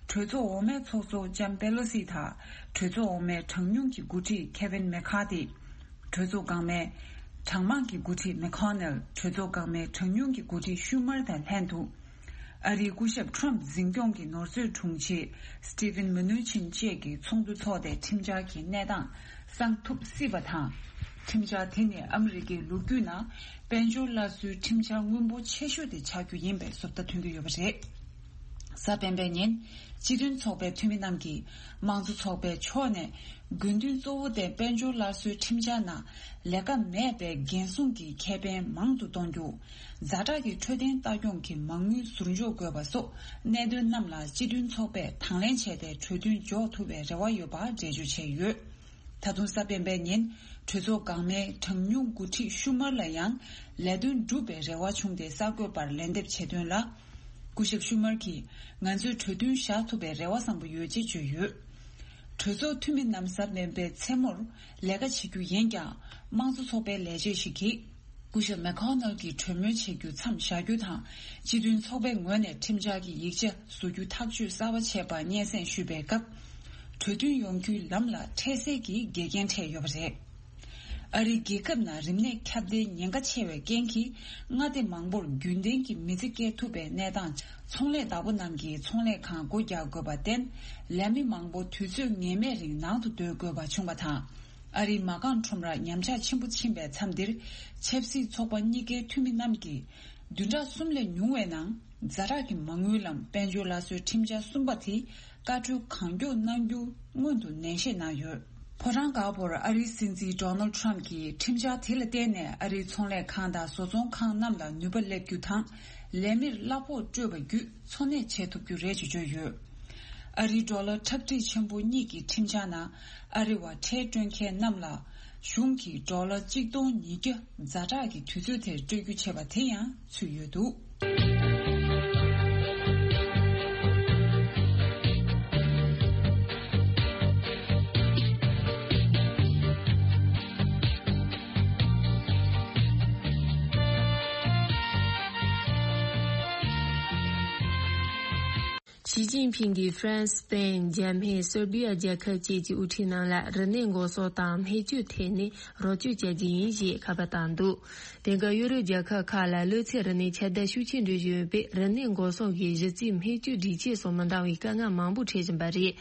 གྲོས་ཚོགས་འོག་མའི་ཚོགས་གཙོ་ལྕམ་པེ་ལོ་སི་དང་། གྲོས་ཚོགས་འོག་མའི་གྲངས་ཉུང་གི་འགོ་ཁྲིད་ཁེ་ཝིན་མེ་ཁ་ཐི། གྲོས་ཚོགས་འགག་མའི་གྲངས་མང་གི་འགོ་ཁྲིད་མེ་ཁོ་ནལ། གྲོས་ཚོགས་འགག་མའི་གྲངས་ཉུང་གི་འགོ་ཁྲིད་ཤུ་མར་དང་ལྷན་དུ། ཨ་རིའི་སྐུ་ཞབས་ཁྲོམ་འཛིན་སྐྱོང་གི་ནོར་སྲིད་དྲུང་ཆེ་སི་ཊི་ཝིན་མུ་ནུ་ཆིན་བཅས་ཀྱིས་ཚོགས་འདུ་འཚོགས་ཏེ་ཁྲིམས་འཆར་གྱི་གནས་སྟངས་གསང་ཐུབ་སྲིད་པ་དང་། ཁྲིམས་འཆར་དེ་ནི་ཨ་མི་རི་ཀའི་ལོ་རྒྱུས་ནང་དཔལ་འབྱོར་སླར་གསོའི་ཁྲིམས་འཆར་སྔོན་པོ་ཆེ་ཤོས་དེ་ཆགས་རྒྱུ་ཡིན་པའི་བཟོ་ལྟ་ཐོན་གྱི་ཡོད་པ་རེད། གཟའ་སྤེན་པའི་ཉིན། སྤྱི་མཐུན་ཚོགས་པའི་འཐུས་མི་རྣམས་ཀྱིས་དམངས་གཙོ་ཚོགས་པའི་ཕྱོགས་ནས། དགོས་འདུན་གཙོ་བོ་དེ་དཔལ་འབྱོར་སླར་གསོའི་ཁྲིམས་འཆར་ནང་ལས་ཀ་མེད་པའི་འགན་སྲུང་གི་ཁེ་ཕན་མང་དུ་གཏོང་རྒྱུ། ཛ་དྲག་གི་འཕྲོད་བསྟེན་ལྟ་སྐྱོང་གི་མ་དངུལ་ཟུར་འཇོག་དགོས་པ་སོགས་གནད་དོན་རྣམས་ལ་སྤྱི་མཐུན་ཚོགས་པས་དང་ལེན་བྱས་ཏེ་གྲོས་མཐུན་འཇོག་ཐུབ་པའི་རེ་བ་ཡོད་པ་འགྲེལ་བརྗོད་བྱས་ཡོད། ད་དུང་གཟའ་སྤེན་པའི་ཉིན་གྲོས་ཚོགས་འགག་མའི་གྲངས་ཉུང་འགོ་ཁྲིད་ཤུ་མར་ལ་ཡང་ལས་དོན་སྒྲུབ་པའི་རེ་བ་བྱུང་སྟེ། གསར་འགོད་པར་ལན་འདེབས་བྱས་དོན་ལ། སྐུ་ཞབས་ཤུ་མར་གྱིས་ང་ཚོས་གྲོས་མཐུན་བཞག་ཐུབ་པའི་རེ་བ་བཟང་པོ་ཡོད་ཅེས་བརྗོད་ཡོད། གྲོས་ཚོགས་འཐུས་མི་རྣམས་གཟའ་སྤེན་པའི་མཚན་མོར་ལས་ཀ་བྱེད་རྒྱུ་ཡིན་ཀྱང་། དམངས་གཙོ་ཚོགས་པའི་ལས་བྱེད་ཞིག་གིས། སྐུ་ཞབས་མེ་ཁོ་ནལ་གྱིས་གྲོས་མོལ་བྱེད་རྒྱུ་མཚམས་བཞག་རྒྱུ་དང་། སྤྱི་མཐུན་ཚོགས་པའི་ངོས་ནས་ཁྲིམས་འཆར་གྱི་ཡིག་ཆ་བཟོ་རྒྱུ་ཐག་གཅོད་གསར་པ་བྱས་པར་སྙན་སེང་ཞུས་པའི་སྐབས། གྲོས་མཐུན་ཡོང་རྒྱུའི་ལམ་ལ་འཕྲལ་སེལ་གྱི་འགལ་རྐྱེན་འཕྲད་ཡོད་པ་རེད། ཨ་རིའི་རྒྱལ་ཁབ་ནང་རིམས་ནད་ཁྱབ་གདལ་ཉེན་ཁ་ཆེ་བའི་རྐྱེན་གྱིས། མངའ་སྡེ་མང་པོར་རྒྱུན་ལྡན་གྱི་མི་ཚེ་སྐྱེལ་ཐུབ་པའི་གནས་སྟངས། ཚོང་ལས་བདག་པོ་རྣམས་ཀྱིས་ཚོང་ལས་ཁང་སྒོ་རྒྱག་དགོས་པར་བརྟེན། ལས་མི་མང་པོ་དུས་ཚོད་ངེས་མེད་རིང་ནང་དུ་སྡོད་དགོས་པ་བྱུང་བ་དང་། ཨ་རིའི་མ་རྐང་ཁྲོམ་ར་ཉམས་ཆག་ཆེན་པོ་ཕྱིན་པའི་མཚམས་འདིར། ཆབ་སྲིད་ཚོགས་པ་གཉིས་ཀའི་འཐུས་མི་རྣམས་ཀྱིས། བདུན་ཕྲག་གསུམ་ལས་ཉུང་བའི་ནང་། ཛ་དྲག་གི་མ་དངུལ་ལམ་དཔལ་འབྱོར་སླར་གསོའི་ཁྲིམས་འཆར་གསུམ་པ་དེ། བཀའ་འཁྲོལ་གང་མགྱོགས་གནང་རྒྱུ་སྔོན་དུ་ནན་བཤད་གནང་ཡོད། ཕོ་བྲང་དཀར་པོར་ཨ་རིའི་སྲིད་འཛིན་ཌོ་ནལ་ཌི་ཊརམ་ཕི་གྱིས་ཁྲིམས་འཆར་དེ་ལ་བརྟེན་ནས། ཨ་རིའི་ཚོང་ལས་ཁང་དང་བཟོ་ཚོང་ཁང་རྣམས་ལ་ནུས་པ་སླེབས་རྒྱུ་དང་། ལས་མིར་གླ་ཕོགས་སྤྲོད་པ་བརྒྱུད། འཚོ་གནས་བྱེད་ཐུབ་རྒྱུ་རེད་ཅེས་བརྗོད་ཡོད། ཨ་རིའི་ཌོ་ལར་ཁྲག་ཁྲིག་ཆེན་པོ་གཉིས་ཀྱི་ཁྲིམས་འཆར་ནང་། ཨ་རི་བ་ཁྲལ་སྤྲོད་མཁན་རྣམས་ལ། གཞུང་གིས་ཌོ་ལར་གཅིག་སྟོང་ཉིས་བརྒྱ་ཛ་དྲག་གི་དུས་ཚོད་དེར་སྤྲོད་རྒྱུ་བྱས་པ་དེ་ཡང་ཚུད་ཡོད་འདུག། ཞི་ཅིན་ཕིང་གིས་ཧྥ་རན་སི། སི་པེན། འཇར་མན། སེར་བྷི་ཡ་རྒྱལ་ཁབ་བཅས་ཀྱི་དབུ་ཁྲིད་རྣམས་ལ་རིམས་ནད་འགོག་སྲུང་དང་སྨན་བཅོས་ཐད་ནས་རོགས་སྐྱོར་བྱ་རྒྱུ་ཡིན་ཞེས་ཁ་པར་བཏང་འདུག་དེང་སྐབས་ཡུ་རོབ་རྒྱལ་ཁབ་ཁག་ལ་གློ་ཚད་རིམས་ནད་ཁྱབ་གདལ་ཤུགས་ཆེན་འགྲོ་བཞིན་ཡོད་པས། རིམས་ནད་འགོག་སྲུང་གི་གཞི་རྩའི་སྨན་བཅོས་སྒྲིག་ཆས་སོགས་མི་འདང་བའི་དཀའ་ངལ་མང་པོ་འཕྲད་བཞིན་པ་རེད།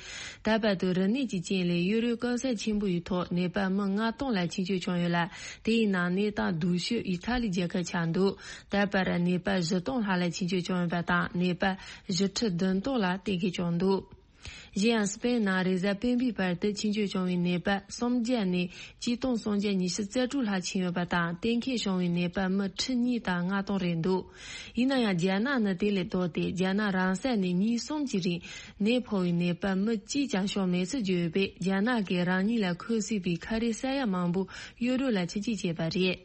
ད་བར་དུ་རིམས་ནད་ཀྱི་རྐྱེན་ལས་ཡུ་རོབ་གང་ས་ཆེན་པོ་ཡི་ཐོག་ནད་པ་མི་ལྔ་སྟོང་ལ་ཆེད་བཅོས་བྱུང་ཡོད་ལ། དེའི་ནང་ནད་རྟགས་སྡུག་ཤོས་ཨི་ཐ་ལི་རྒྱལ་ཁབ་ཆགས་འདུག་ད་བར་ནད་པ་བཞི་སྟོང་ལྷག་ལ་ཆེད་བཅོས་བྱུང་ཡོད་པ་དང་། ནད་པ་བཞི་ཁྲི་བདུན་སྟོང་ལ་གཏན་འཁེལ་བྱུང་འདུག་གཞན་ཡང་། སི་པེན་ནང་རེས་གཟའ་སྤེན་པའི་བར་དུ་ཆེད་བཅོས་བྱུང་བའི་ནད་པ་སུམ་བརྒྱ་ནས་གཅིག་སྟོང་སུམ་བརྒྱ་ཉི་ཤུ་རྩ་དྲུག་ལྷག་ཕྱིན་ཡོད་པ་དང་། གཏན་འཁེལ་བྱུང་བའི་ནད་པ་མི་ཁྲི་གཉིས་དང་ལྔ་སྟོང་རེད་འདུག་ཡིན་ན་ཡང་། རྒྱ་ནག་ནི་དེ་ལས་ལྡོག་སྟེ། རྒྱ་ནག་རང་ས་ནས་ཉིན་གསུམ་གྱི་རིང་ནད་ཕོག་པའི་ནད་པ་མི་གཅིག་ཀྱང་བྱུང་མེད་ཚུལ་བརྗོད་ཡོད་པས། རྒྱ་ནག་གིས་རང་ཉིད་ལ་འཁོར་སྲིད་པའི་ཁ་རས་ས་ཡ་མང་པོ་ཡུ་རོབ་ལ་ཕྱིར་སྐྱེལ་བྱས་པ་རེད།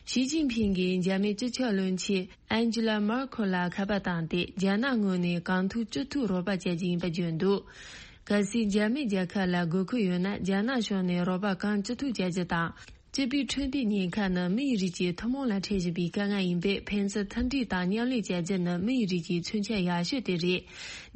ཞི་ཅིན་ཕིང་གིས་འཇར་མན་སྤྱི་ཁྱབ་བློན་ཆེན་ཨན་ཇི་ལ་མར་ཁོ་ལ་ཁ་པར་བཏང་སྟེ། རྒྱ་ནག་ངོས་ནས་གང་ཐུབ་ཅི་ཐུབ་རོགས་པ་བྱ་རྒྱུ་ཡིན་པ་བརྗོད་འདུག་གལ་སྲིད་འཇར་མན་རྒྱལ་ཁབ་ལ་དགོས་མཁོ་ཡོད་ན། རྒྱ་ནག་ཕྱོགས་ནས་རོགས་པ་གང་ཅི་ཐུབ་བྱ་རྒྱུ་དང་། སྤྱི་པའི་འཕྲོད་བསྟེན་ཉེན་ཁ་ནི་མིའི་རིགས་ཀྱི་ཐུན་མོང་ལ་འཕྲད་བཞིན་པའི་དཀའ་ངལ་ཡིན་པས། ཕན་ཚུན་མཐུན་སྒྲིལ་དང་མཉམ་ལས་བྱ་རྒྱུ་ནི་མིའི་རིགས་ཀྱི་མཚོན་ཆ་ཡག་ཤོས་དེ་རེད།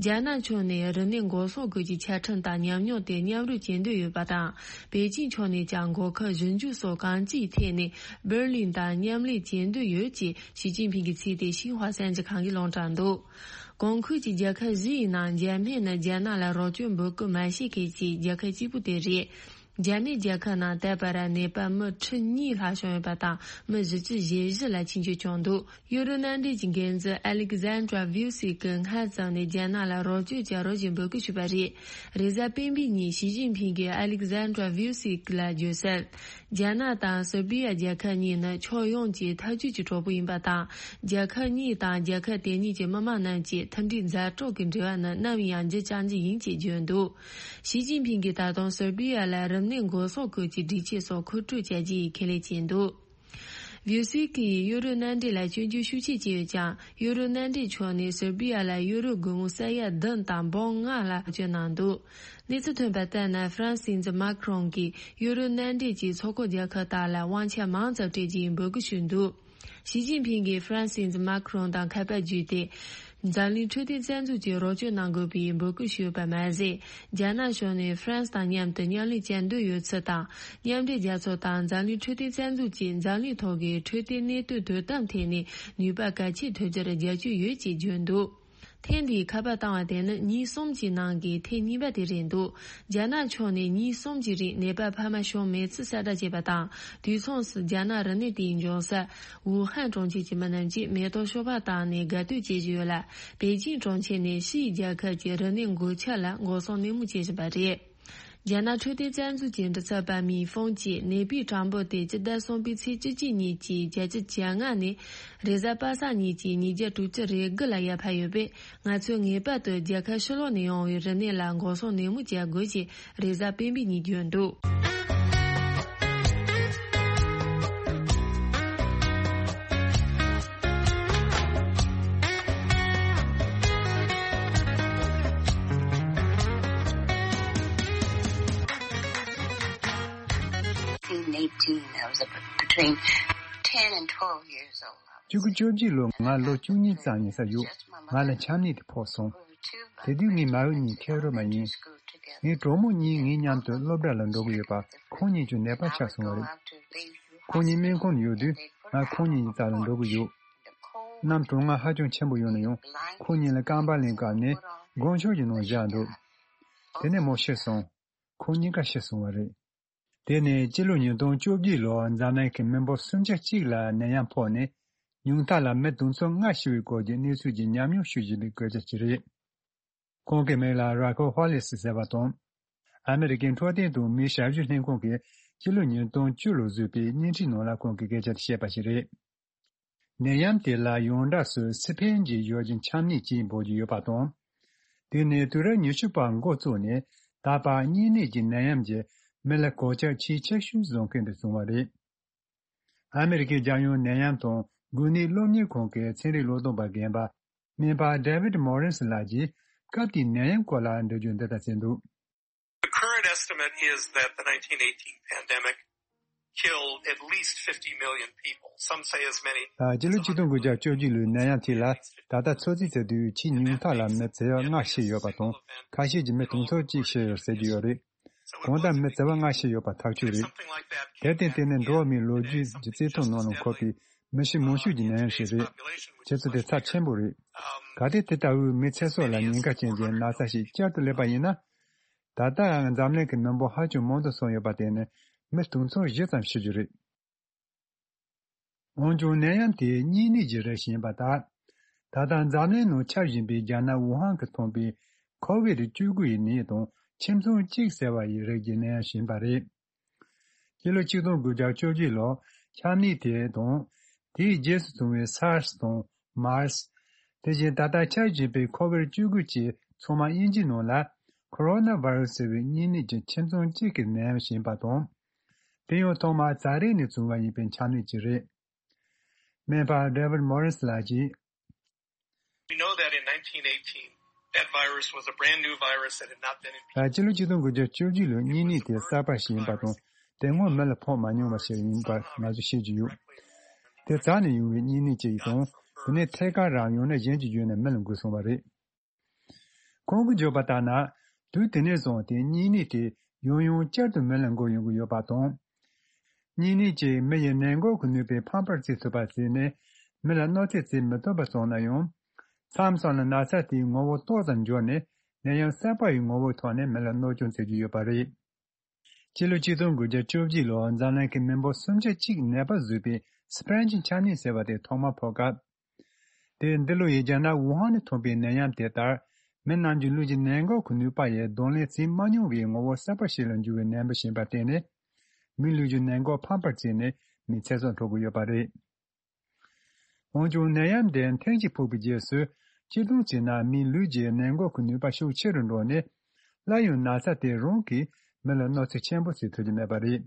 རྒྱ་ནག་ཕྱོགས་ནས་རིམས་ནད་འགོག་སྲུང་སྐོར་གྱི་ཆ་འཕྲིན་དང་ཉམས་མྱོང་དེ་མཉམ་རུབ་བྱེད་འདོད་ཡོད་པ་དང་། པེ་ཅིང་ཕྱོགས་ནས་ཀྱང་འགོག་ཁབ་ཞིབ་འཇུག་སོགས་གང་ཅིའི་ཐད་ནས་འབར་ལིན་དང་མཉམ་ལས་བྱེད་འདོད་ཡོད་ཅེས་ཞི་ཅིན་ཕིང་གིས་ཚིག་དེ་ཤིན་ཧྭ་གསར་འགྱུར་ཁང་གིས་ལུང་དྲངས་འདུག་གོང་ཁུལ་གྱི་རྒྱལ་ཁབ་བཞི་ཡི་ནང་འཇར་མན་ནི་རྒྱ་ནག་ལ་རོགས་སྐྱོར་འབོད་སྐུལ་མ་བྱེད་མཁན་གྱི་རྒྱལ་ཁབ་གཅིག་པུ་དེ་རེད། འཇར་མན་རྒྱལ་ཁབ་ནང་ད་བར་ནད་པ་མི་ཁྲི་གཉིས་ལྷག་བྱུང་ཡོད་པ་དང་། མི་བཞི་བཅུ་ཞེ་བཞི་ལ་ཆེད་བཅོས་བྱུང་འདུག་ཡུ་རོབ་མནའ་འབྲེལ་གྱི་འགན་འཛིན་ཨ་ལེག་ཟན་དྲ་ཝིའུ་སི་ཀིས་སྔ་ཙམ་ནས་རྒྱ་ནག་ལ་རོགས་སྐྱོར་བྱ་རོགས་ཞེས་འབོད་སྐུལ་ཞུས་པ་རེད། རེས་གཟའ་སྤེན་པའི་ཉིན་ཞི་ཅིན་ཕིང་གིས་ཨ་ལེག་ཟན་དྲ་ཝིའུ་སི་ཀི་ལ་བརྗོད་གསལ། རྒྱ་ནག་དང་སེར་བྷི་ཡ་རྒྱལ་ཁབ་གཉིས་ནི་ཕྱོགས་ཡོངས་ཀྱི་འཐབ་ཇུས་ཀྱི་གྲོགས་པོ་ཡིན་པ་དང་། རྒྱལ་ཁབ་གཉིས་དང་རྒྱལ་ཁབ་དེ་གཉིས་ཀྱི་མི་དམངས་རྣམས་ཀྱི་མཐུན་སྒྲིལ་མཛའ་གྲོགས་ཀྱི་འབྲེལ་བ་ནི་ནམ་ཡང་འགྱུར་བཅོས་རྒྱུ་ཡིན་ཅེས་བརྗོད་འདུག་ཞི་ཅིན་ཕིང་གིས་ད་དུང་སེར་བྷི་ཡ་ལ་རིམས་ནད་འགོག་སྲུང་སྐོར་གྱི་སྒྲིག་ཆས་སོགས་མཁོ་སྤྲོད་བྱ་རྒྱུ་ཡི་ཁས་ལེན་བྱས་འདུག་ཝིའུ་སི་ཀིས་ཡུ་རོབ་མནའ་འབྲེལ་ལ་སྐྱོན་བརྗོད་ཤུགས་ཆེ་བྱས་ཡོད་ཀྱང་། ཡུ་རོབ་མནའ་འབྲེལ་ཕྱོགས་ནས་སེར་བྷི་ཡ་ལ་ཡུ་རོ་སྒོར་མོ་ས་ཡ་བདུན་དང་འབུམ་ལྔ་ལ་བཀོལ་སྤྱོད་གནང་འདུག་གནས་ཚུལ་ཐོན་པ་ལྟར་ན། ཧྥ་རན་སིའི་སྲིད་འཛིན་མཱ་ཁི་རོང་གིས་ཡུ་རོབ་མནའ་འབྲེལ་གྱི་ཚོགས་ཁག་རྒྱལ་ཁབ་དག་ལ་དབང་ཆ་མང་ཙམ་སྤྲད་རྒྱུའི་འབོད་སྐུལ་ཞུས་འདུག་ཞི་ཅིན་ཕིང་གིས་ཧྥ་རན་སིའི་སྲིད་འཛིན་མཱ་ཁི་རོང་དང་ཁ་པར་བརྒྱུད་དེ། འཛམ་གླིང་འཕྲོད་བསྟེན་རྩ་འཛུགས་ཀྱིས་རོགས་སྐྱོར་གནང་དགོས་པའི་འབོད་སྐུལ་ཞུས་པ་མ་ཟད། རྒྱ་ནག་ཕྱོགས་ནས་ཧྥ་རན་སི་དང་མཉམ་དུ་མཉམ་ལས་བྱ་འདོད་ཡོད་ཚུལ་དང་། མཉམ་འབྲེལ་རྒྱལ་ཚོགས་དང་འཛམ་གླིང་འཕྲོད་བསྟེན་རྩ་འཛུགས་ཀྱིས་འཛམ་གླིང་ཐོག་གི་འཕྲོད་བསྟེན་གནས་སྟངས་དོ་དམ་ཐད་ནས་ནུས་པ་གལ་ཆེན་ཐོན་རྒྱུར་རྒྱབ་སྐྱོར་ཡོད་ཅེས་བརྗོད་འདུག་ཐེངས་འདིའི་ཁ་པར་བཏང་བ་དེ་ནི་ཉིན་གསུམ་གྱི་ནང་གི་ཐེངས་གཉིས་པ་དེ་རེད་འདུག་རྒྱ་ནག་ཕྱོགས་ནས་ཉིན་གསུམ་གྱི་རིང་ནད་པ་ཕལ་མ་བྱུང་མེད་ཚུལ་གསལ་བསྒྲགས་བྱས་པ་དང་། དུས་མཚུངས་སུ་རྒྱ་ནག་རིམས་ནད་དེའི་འབྱུང་ས་ཝུ་ཧན་གྲོང་ཁྱེར་གྱི་མི་རྣམས་ཀྱིས་མེ་ཏོག་ཤོག་སྦག་བཏང་ནས་དགའ་སྟོན་བྱེད་བཞིན་ཡོད་ལ། པེ་ཅིང་གྲོང་ཁྱེར་ནས་ཕྱིའི་རྒྱལ་ཁབ་ཀྱི་རིམས་ནད་འགོས་ཁྱབ་ལ་འགོག་སྲུང་ནན་མོ་བྱེད་བཞིན་པ་རེད། རྒྱ་ནག་འཕྲོད་བསྟེན་རྩ་འཛུགས་ཀྱི་མགྲིན་ཚབ་པ་མིན་ཧྥུང་གིས། ནད་པའི་གྲངས་འབོར་དེ་སྤྱི་ཟླ་གསུམ་པའི་ཚེས་བཅུ་གཅིག་ཉིན་གྱི་བརྒྱད་ཅུ་གྱ་ལྔ་ནས་རེས་གཟའ་པ་སངས་ཉིན་གྱི་ཉིས་བརྒྱ་དྲུག་ཅུ་རེ་དགུ་ལ་ཡར་འཕར་ཡོད་པས། ང་ཚོས་ངེས་པར་དུ་རྒྱལ་ཁབ་ཕྱི་ལོགས་ནས་ཡོང་བའི་རིམས་ནད་ལ་འགོག་སྲུང་ནན་མོ་བྱ་དགོས་ཞེས་རེས་གཟའ་སྤེན་པའི་ཉིན་བརྗོད་འདུག eighteen, I was between ten and twelve years old. བཅུ་དགུ་བཅོ་བརྒྱད་ལོ་ང་ལོ་བཅུ་གཉིས་ཙམ་ཡིན་ས་ཡོད། ང་ལ་ཆམ་ནད་དེ་ཕོག་སོང་། དེ་དུས་ངའི་མ་བུ་གཉིས་ཁེར་རོ་མ་ཡིན། ངའི་གྲོགས་མོ་གཉིས་ངའི་མཉམ་དུ་སློབ་གྲྭ་ལ་འགྲོ་གི་ཡོད་པ་ཁོང་གཉིས་ཀྱི་ནད་པ་ཆགས་སོང་བ་རེད། ཁོང་གཉིས་སྨན་ཁང་དུ་ཡོད་དུས་ང་ཁོང་གཉིས་ཀྱི་རྩ་ལ་འགྲོ་གི་ཡོད། གནམ་གྲང་ངར་ཧ་ཅང་ཆེན་པོ་ཡོད་ན་ཡང་ཁོང་གཉིས་ལ་རྐང་པ་ལེན་སྐབས་ནས་སྒོ་མཆོག་གི་ནང་བཞག་འདུག་དེ་ནས་མོ་ཤི་སོང་། ཁོང་གཉིས་ཀ་ཤི་སོང་བ་རེད། དེ་ནས་སྤྱི་ལོ་ཉིས་སྟོང་བཅོ་བརྒྱད་ལོར་འཛམ་གླིང་གི་མི་འབོར་སུམ་ཆ་གཅིག་ལ་ནད་ཡམས་ཕོག་ནས་ཉུང་མཐའ་ལ་མི་དུང་ཕྱུར་ལྔ་ཤི་བའི་སྐོར་གྱི་གནས་ཚུལ་གྱི་ཉམས་མྱོང་ཞུ་བཞིན་པའི་སྐད་ཆ་ཞིག་རེད། ཁོང་གི་མིང་ལ་ར་ཁོ་ཧོ་ལེ་སི་ཟེར་བ་དང་། ཨ་མེ་རི་ཀའི་འཕྲོད་བསྟེན་དང་མིའི་ཞབས་ཞུ་ལྷན་ཁང་གིས་སྤྱི་ལོ་ཉིས་སྟོང་བཅུ་ལོར་བཟོས་པའི་བརྙན་འཕྲིན་ནང་ལ་ཁོང་གིས་སྐད་ཆ་དེ་བཤད་པ་ཞིག་རེད། ནད་ཡམས་དེ་ལ་ཡོངས་གྲགས་སུ་སི་ཕན་གྱི་ཡོ་བྱད་ཆམ་ནད་ཅེས་འབོད་ཀྱི་ཡོད་པ་དང་། དེ་ནི་དུས་རབས་ཉི་ཤུ་པར་འགོ་བཙུགས་ནས་ད་བར་གཉན་ནད་ཀྱི་ནད་ཡམས་ཀྱིས་མི་ལ་གོད་ཆག་ཆེས་ཆེ་ཤོས་བཟོ་མཁན་དུ་བྱུང་བ་རེད། ཨ་མེ་རི་ཁའི་རྒྱལ་ཡོངས་ནད་ཡམས་དང་འགོས་ནད་སློབ་གཉེར་ཁང་གི་ཚན་རིག་བློས་གཏོང་པ་རྒན་པ་སྨན་པ་David Morrison ལགས་ཀྱིས་སྐབས་དེའི་ནད་ཡམས་སྐོར་ལ་འགྲེལ་བརྗོད་འདི་ལྟར་བྱས་འདུག The current estimate is that the nineteen eighteen pandemic killed at least fifty million people. Some say as many. ཨ། སྤྱི་ལོ་ཆིག་སྟོང་དགུ་བརྒྱ་བཅོ་བརྒྱད་ལོའི་ནད་ཡམས་དེ་ལ་ད་ལྟ་ཚོད་རྩིས་བྱས་དུས་ཕྱིའི་ཉུང་མཐའ་ལ་མི་བྱེ་བ་ལྔ་ཤི་ཡོད་པ་དང་། ཁ་ཤས་ཀྱིས་མི་དུང་ཕྱུར་གཅིག་ཤི་ཡོད་ཟེར་གྱི་ཡོད་རེད། གང་ལྟར་མི་བྱེ་བ་ལྔ་ཤི་ཡོད་པ་ཐག་ཆོད་རེད། དེར་བརྟེན་དེ་ནི་འགྲོ་བ་མིའི་ལོ་རྒྱུས་ཀྱི་རྩིས་ཐོ་ནང་ལ་འཁོད་པའི་མི་ཤི་མང་ཤོས་ཀྱི་ནད་ཡམས་ཤིག་རེད། ཁྱེད་ཚོ་དེ་ཚབས་ཆེན་པོ་རེད། གལ་ཏེ་དེ་ལྟ་བུའི་མི་ཚེ་སྲོག་ལ་ཉེན་ཁ་ཅན་གྱི་ན་ཚ་ཞིག་བསྐྱར་དུ་སླེབས་པ་ཡིན་ན། ད་ལྟའང་འཛམ་གླིང་གི་མི་འབོར་ཧ་ཅང་མང་དུ་སོང་ཡོད་པ་དེ་ནི་མི་དུང་ཕྱུར་བཞི་ཙམ་ཤི་རྒྱུ་རེད། འོན་ཀྱང་ནད་ཡམས་དེ་གཉན་ནད་ཀྱི་རིགས་ཤིག་ཡིན་པ་དང་། ད་ལྟ་འཛམ་གླིང་ནང་ཁྱབ་བཞིན་པའི་རྒྱ་ནག་ཝུ་ཧན་གྱིས་ཐོན་པའི་ཁོ་བིད་བཅུ་དགུ་ཡི་ནད་དང་ཁྱིམ་ཚང་གཅིག་ཟེར་བ་ཡི་རིགས་ཀྱི་ནད་ཡམས་ཤིག་ཡིན་པ་རེད། སྤྱི་ལོ་ཆིག་སྟོང་དགུ་བརྒྱ་བཅོ་བརྒྱད་ལོར་ཆམ་ནད་དེ་དང་། དེའི་རྗེས་སུ་བྱུང་བའི་སཱར་སི་དང་མཱར་སི། དེ་བཞིན་ད་ལྟ་ཁྱབ་བཞིན་པའི་ཁོ་བིད་བཅུ་དགུ་བཅས་ཚང་མ་དབྱིན་ཇིའི་ནང་ལ་ཁོ་རོ་ན་ཝི་རུ་སི་ཟེར་བའི་གཉན་ནད་ཀྱི་ཁྱིམ་ཚང་གཅིག་གི་ནད་ཡམས་ཤིག་ཡིན་པ་དང་། དེ་ཡང་ཐོག་མར་ཛ་རེག་ནས་བྱུང་བ་ཡིན་པའི་ཆམ་ནད་ཅིག་རེད། སྨན་པ་David Morris ལགས་ཀྱིས། We know that in nineteen eighteen, that virus was a brand new virus that had not been in people. ཨ། སྤྱི་ལོ་ཆིག་སྟོང་དགུ་བརྒྱ་བཅུ་བཞི་ལོའི་གཉན་ནད་དེ་གསར་པ་ཞིག་ཡིན་པ་དང་། དེ་སྔོན་མི་ལ་ཕོག་མ་མྱོང་བ་ཞིག་ཡིན་པ་ང་ཚོས་ཤེས་ཀྱི་ཡོད། དེ་རྩ་ནས་ཡོང་བའི་གཉན་ནད་ཅིག་དང་། དེ་ནས་ཐད་ཀར་རང་ཡང་ན་གཞན་གྱི་བརྒྱུད་ནས་མི་ལ་འགོས་སོང་བ་རེད། ཁོང་གིས་བརྗོད་པ་ལྟར་ན། དུས་དེ་ནས་བཟུང་སྟེ་གཉན་ནད་དེ་ཡང་ཡང་བསྐྱར་དུ་མི་ལ་འགོས་ཡོང་གི་ཡོད་པ་དང་། གཉན་ནད་ཀྱིས་མི་ཡི་ནད་འགོག་གི་ནུས་པའི་ཕམ་པར་བརྩི་ཐུབ་པ་བྱས་ནས་མི་ལ་གནོད་འཚེ་བྱེད་མི་ཐུབ་པ་སོང་ན་ཡང་། མཚམས་མཚམས་ལ་ན་ཚ་དེའི་ངོ་བོ་ཏོག་ཙམ་འགྱུར་ནས་ནད་ཡམས་གསར་པ་ཡི་ངོ་བོའི་ཐོག་ནས་མི་ལ་གནོད་སྐྱོན་བྱེད་ཀྱི་ཡོད་པ་རེད། སྤྱི་ལོ་ཆིག་སྟོང་དགུ་བརྒྱ་བཅོ་བརྒྱད་ལོར་འཛམ་གླིང་གི་མི་འབོར་སུམ་ཆ་གཅིག་ནད་པ་བཟོས་པའི་སི་པན་གྱི་ཆམ་ནད་ཟེར་བ་དེ་ཐོག་མར་ཕོག་སྐབས། དེ་འདི་ལོ་ཡི་རྒྱ་ནག་ཝུ་ཧན་ནས་ཐོན་པའི་ནད་ཡམས་དེ་ལྟར། མི་རྣམས་ཀྱི་ལུས་ཀྱི་ནད་འགོག་གི་ནུས་པ་ཡིས་གདོང་ལེན་བྱེད་མ་མྱོང་བའི་ངོ་བོ་གསར་པ་ཞིག་ལ་འགྱུར་བའི་ནད་འབུ་ཞིག་ཡིན་པར་བརྟེན་ནས། མིའི་ལུས་ཀྱི་ནད་འགོག་ཕམ་པར་བྱས་ནས་མི་ཚེ་སྲོག་འཕྲོག་གི་ཡོད་པ་རེད། འོན་ཀྱང་ནད་ཡམས་དེ་ཐེངས་གཅིག་ཕོག་པའི་རྗེས་སུ་སྤྱིར་བཏང་བྱས་ན་མིའི་ལུས་ཀྱི་ནད་འགོག་གི་ནུས་པ་ཤུགས་ཆེ་རུ་འགྲོ་ནས། སླར་ཡང་ན་ཚ་དེ་རང་གིས་མི་ལ་གནོད་འཚེ་ཆེན་པོ་བྱེད་ཐུབ་ཀྱི་མེད་པ་རེད།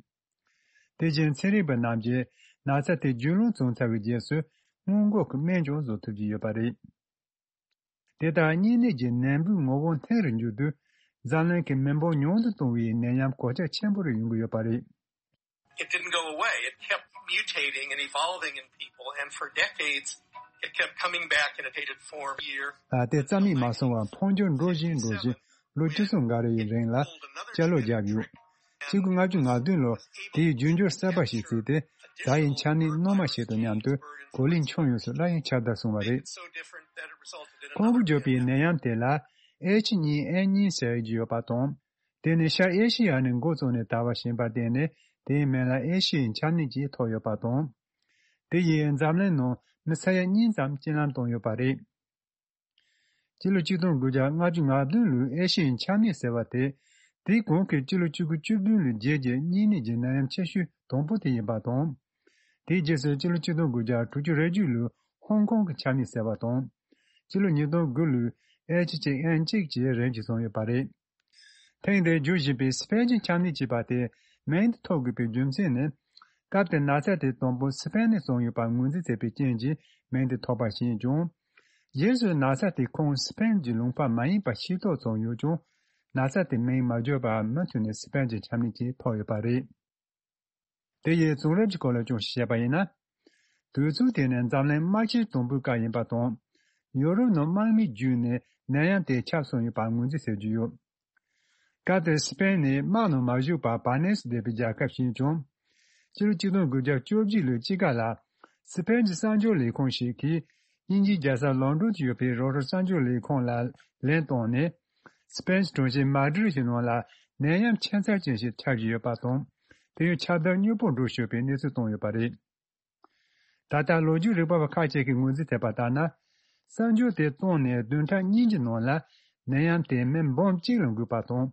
དེ་བཞིན་ཚན་རིག་པ་རྣམས་ཀྱིས་ན་ཚ་དེ་རྒྱུན་ལམ་བྱུང་ཚར་བའི་རྗེས་སུ་སྔོན་འགོག་གི་སྨན་ཀྱང་བཟོ་ཐུབ་ཀྱི་ཡོད་པ་རེད། དེ་ལྟར་གཉན་ནད་ཀྱི་ནད་འབུའི་ངོ་བོ་འཐེན་རུ་འགྱུར་དུས། འཛམ་གླིང་གི་མི་འབོར་ཉུང་དུ་གཏོང་བའི་ནད་ཡམས་གོད་ཆག་ཆེན་པོ་རེ་ཡོང་གི་ཡོད་པ་རེད། It didn't go away. It kept mutating and evolving in people, and for decades, it kept coming back in a mutated form year. ཨ། དེ་རྩ་མེད་མ་སོང་བར་འཕོ་འགྱུར་འགྲོ་བཞིན་འགྲོ་བཞིན་ལོ་བཅུ་གསུམ་འགའ་རེ་ཡི་རིང་ལ་བསྐྱར་ལོག་བརྒྱབ་ཡོད། ཆིག་སྟོང་ལྔ་བརྒྱ་ང་བདུན་ལོར་དེའི་རྒྱུ་འགྱུར་གསར་པ་ཞིག་བྱས་ཏེ། ཛ་ཡི་ཆམ་ནད་རྣོ་མ་ཞིག་དང་མཉམ་དུ་གོ་ལའི་ཁྱོན་ཡོངས་སུ་སླར་ཡང་ཁྱབ་གདལ་སོང་བ་རེད། ཁོང་གིས་བརྗོད་པའི་ནད་ཡམས་དེ་ལ་ཨེཆ་གཉིས་ཨེན་གཉིས་ཟེར་གྱི་ཡོད་པ་དང་། དེ་ནི་ཤར་ཨེ་ཤི་ཡ་ནས་འགོ་བཙུགས་ནས་དར་བ་ཞིག་ཡིན་པར་བརྟེན་ནས་དེའི་མིང་ལ་ཨེ་ཤི་ཡའི་ཆམ་ནད་ཅེས་ཐོགས་ཡོད་པ་དང་། དེ་ཡིས་འཛམ་གླིང་ནང་མི་ས་ཡ་གཉིས་ཙམ་རྐྱེན་ལམ་བཏང་ཡོད་པ་རེད། སྤྱི་ལོ་ཆིག་སྟོང་དགུ་བརྒྱ་ལྔ་བཅུ་ང་བདུན་ལོའི་ཨེ་ཤི་ཡའི་ཆམ་ནད་ཟེར་བ་དེ། དེའི་གོང་གི་སྤྱི་ལོ་ཆིག་སྟོང་དགུ་བརྒྱ་བཅུ་བདུན་ལོའི་རྗེས་ཀྱི་གཉན་ནད་ཀྱི་ནད་ཡམས་ཆེ་ཤོས་དང་པོ་དེ་ཡིན་པ་དང་། དེའི་རྗེས་སུ་སྤྱི་ལོ་ཆིག་སྟོང་དགུ་བརྒྱ་དྲུག་ཅུ་རེ་གཅིག་ལོའི་ཧོང་ཀོང་གི་ཆམ་ནད་ཟེར་བ་དང་། སྤྱི་ལོ་ཉིས་སྟོང་དགུ་ལོའི་ཨེཆ་གཅིག་ཨེན་གཅིག་བཅས་རིམ་གྱིས་བྱུང་ཡོད་པ་རེད། ཐེངས་འདིར་འགྱུར་བཞིན་པའི་སི་པན་གྱི་ཆམ་ནད་ཅེས་པ་དེ་མིང་དེ་ཐོགས་དགོས་པའི་རྒྱུ་མཚན་ནི། སྐབས་དེར་ན་ཚ་དེ་དང་པོ་སི་པན་ནས་བྱུང་ཡོད་པར་ངོས་འཛིན་བྱས་པའི་རྐྱེན་གྱིས་མིང་དེ་ཐོགས་པ་ཞིག་ཡིན་ཀྱང་། རྗེས་སུ་ན་ཚ་དེ་ཁོངས་སི་པན་གྱི་ལུང་པ་མ་ཡིན་པ་ཤེས་རྟོགས་བྱུང་ཡོད་ཀྱང་། ན་ཚ་དེ་མིང་མ་བརྗོད་པར་མུ་མཐུད་ནས་སི་པན་གྱི་ཆམ་ནད་ཅེས་ཐོགས་ཡོད་པ་རེད། དེ་ཡི་བྱུང་རབས་ཀྱི་སྐོར་ལ་ཅུང་ཞིག་བཤད་པ་ཡིན་ན། དུས་ཚོད་དེ་ནི་འཛམ་གླིང་དམག་ཆེན་དང་པོའི་སྐབས་ཡིན་པ་དང་། ཡོ་རོབ་ནང་དམག་མི་བརྒྱུད་ནས་ནད་ཡམས་དེ་ཁྱབ་སོང་ཡོད་པར་ངོས་འཛིན་བྱེད་ཀྱི་ཡོད། སྐབས་དེར་སི་པན་ནི་དམག་ནང་མ་ཞུགས་པར་བར་ནེ་སུ་བསྡད་པའི་རྒྱལ་ཁབ་ཞིག་ཡིན་ཀྱང་། སྤྱི་ལོ་ཆིག་སྟོང་དགུ་བརྒྱ་བཅོ་བརྒྱད་ལོའི་དཔྱིད་ཀ་ལ། སི་པན་གྱི་གསར་འགྱུར་ལས་ཁུངས་ཤིག་གིས་དབྱིན་ཇིའི་རྒྱལ་ས་ལོན་ཌོན་དུ་ཡོད་པའི་རོའི་ཊར་གསར་འགྱུར་ལས་ཁུངས་ལ་ལན་བཏང་ནས། སི་པན་གྱི་གྲོང་ཁྱེར་མ་ཌི་རིད་ཀྱི་ནང་ལ་ནད་ཡམས་ཁྱད་མཚར་ཅན་ཞིག་ཁྱབ་བཞིན་ཡོད་པ་དང་། དེ་ཡང་ཁྱབ་གདལ་མྱུར་པོ་འགྲོ་སྲིད་པའི་གནས་ཚུལ་བཏོན་ཡོད་པ་རེད། ད་ལྟ་ལོ་རྒྱུས་རིག་པ་བ་ཁག་ཅིག་གིས་ངོས་འཛིན་བྱས་པ་ལྟར་ན། གསར་འགྱུར་དེ་བཏང་ནས་བདུན་ཕྲག་གཉིས་ཀྱི་ནང་ལ་ནད་ཡམས་དེ་མི་འབུམ་གཅིག་ལ་འགོས་པ་དང་།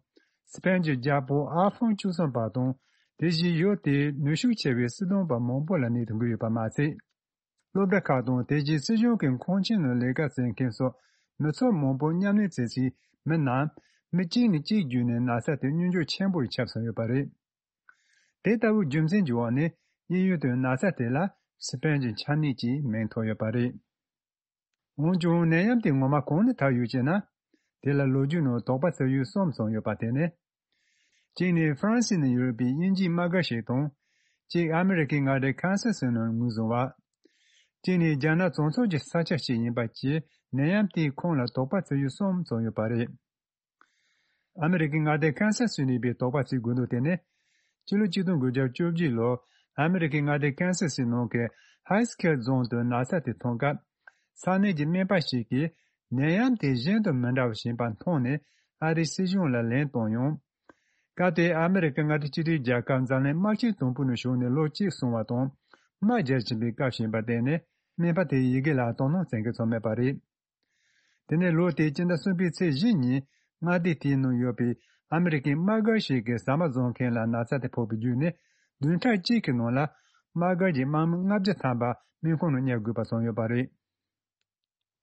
སི་པན་གྱི་རྒྱལ་པོ་ཨལ་ཧྥོང་བཅུ་གསུམ་པ་དང་། དེ་བཞིན་ཡུལ་དེའི་ནུས་ཤུགས་ཆེ་བའི་སྲིད་དོན་པ་མང་པོ་ལ་ནད་དེ་འགོས་ཡོད་པ་མ་ཟད། སློབ་གྲྭ་ཁག་དང་དེ་རྗེས་སྲིད་གཞུང་གི་ཁང་ཆེན་ནང་ལས་ཀ་བྱེད་མཁན་སོགས་མི་ཚོགས་མང་པོ་མཉམ་གནས་བྱེད་སའི་མི་རྣམས་མི་གཅིག་ནས་གཅིག་བརྒྱུད་ནས་ན་ཚ་དེ་སྙོམས་འཇུག་ཆེན་པོ་ཞིག་ཁྱབ་སོང་ཡོད་པ་རེད། དེ་ལྟ་བུའི་རྒྱུ་མཚན་གྱི་འོག་ནས་དབྱིན་ཡུལ་དུ་ན་ཚ་དེ་ལ་སི་པན་གྱི་ཆམ་ནད་ཅེས་མིང་ཐོགས་ཡོད་པ་རེད། འོན་ཀྱང་ནད་ཡམས་དེ་ངོ་མ་གང་ནས་དར་ཡོད་ཅེ་ན། དེ་ལ་ལོ་རྒྱུས་ནང་དོགས་པ་ཟ་ཡུལ་གསུམ་ཙམ་ཡོད་པ་དེ་ནི། གཅིག་ནི་ཧྥ་རན་སི་ནས་ཡོད་པའི་དབྱིན་ཇིའི་དམག་སྒར་ཞིག་དང་། གཅིག་ཨ་མི་རི་ཀའི་མངའ་སྡེ་ཁན་སཱ་སི་ནང་ངོས་བཟུང་བ། གཅིག་ནི་རྒྱ་ནག་གྲོང་ཚོ་གི་ས་ཆ་ཞིག་ཡིན་པ་བཅས་ནད་ཡམས་དེའི་ཁོངས་ལ་དོགས་པ་བྱེད་ཡུལ་གསུམ་ཙམ་ཡོད་པ་རེད། ཨ་མི་རི་ཀའི་མངའ་སྡེ་ཁན་སཱ་སི་ནས་པའི་དོགས་པ་བྱེད་དགོས་འདུག་དེ་ནི། ཕྱི་ལོ་ཆིག་སྟོང་དགུ་བརྒྱ་བཅོ་བརྒྱད་ལོར་ཨ་མི་རི་ཀའི་མངའ་སྡེ་ཁན་སཱ་སི་ནང་གི་ཧའི་སི་ཁེལ་རྫོང་དུ་ན་ཚ་དེ་ཐོན་སྐབས། ས་གནས་ཀྱི་སྨན་པ་ཞིག་གིས་ནད་ཡམས་དེ་གཞན་དང་མི་འདྲ་བ་ཞིག་ཡིན་པ་མཐོང་ནས་ཨ་རིའི་སྲིད་གཞུང་ལ་ལན་བཏང་ཡང་། སྐབས་དེའི་ཨ་མི་རི་ཀ་མངའ་སྡེ་སྤྱི་མཐུན་རྒྱལ་ཁབ་འཛམ་གླིང་དམག་ཆེན་དང་པོ་ནས་བྱུང་ནས་ལོ་གཅིག་སོང་བ་དང་། དམག་རྒྱག་བཞིན་པའི་སྐབས་ཤིག་ཡིན་པར་བརྟེན་ནས་སྨན་པ་དེའི་ཡི་གེ་ལ་དོ་སྣང་བྱེད་མཁན་ཙམ་མེད་པ་རེད། དེ་ནས་ལོ་དེའི་སྤྱི་ཟླ་གསུམ་པའི་ཚེས་བཞི་ཉིན་མངའ་སྡེ་དེའི་ནང་ཡོད་པའི་ཨ་མི་རི་ཀའི་དམག་སྒར་ཞིག་གི་ཟ་མ་བཟོ་མཁན་ལ་ན་ཚ་དེ་ཕོག་པའི་བརྒྱུད་ནས། བདུན་ཕྲག་གཅིག་གི་ནང་ལ་དམག་སྒར་གྱི་དམག་མི་ལྔ་བརྒྱ་ཐམ་པ་སྨན་ཁང་ནང་བསྙལ་དགོས་པ་བྱུང་ཡོད་པ་རེད།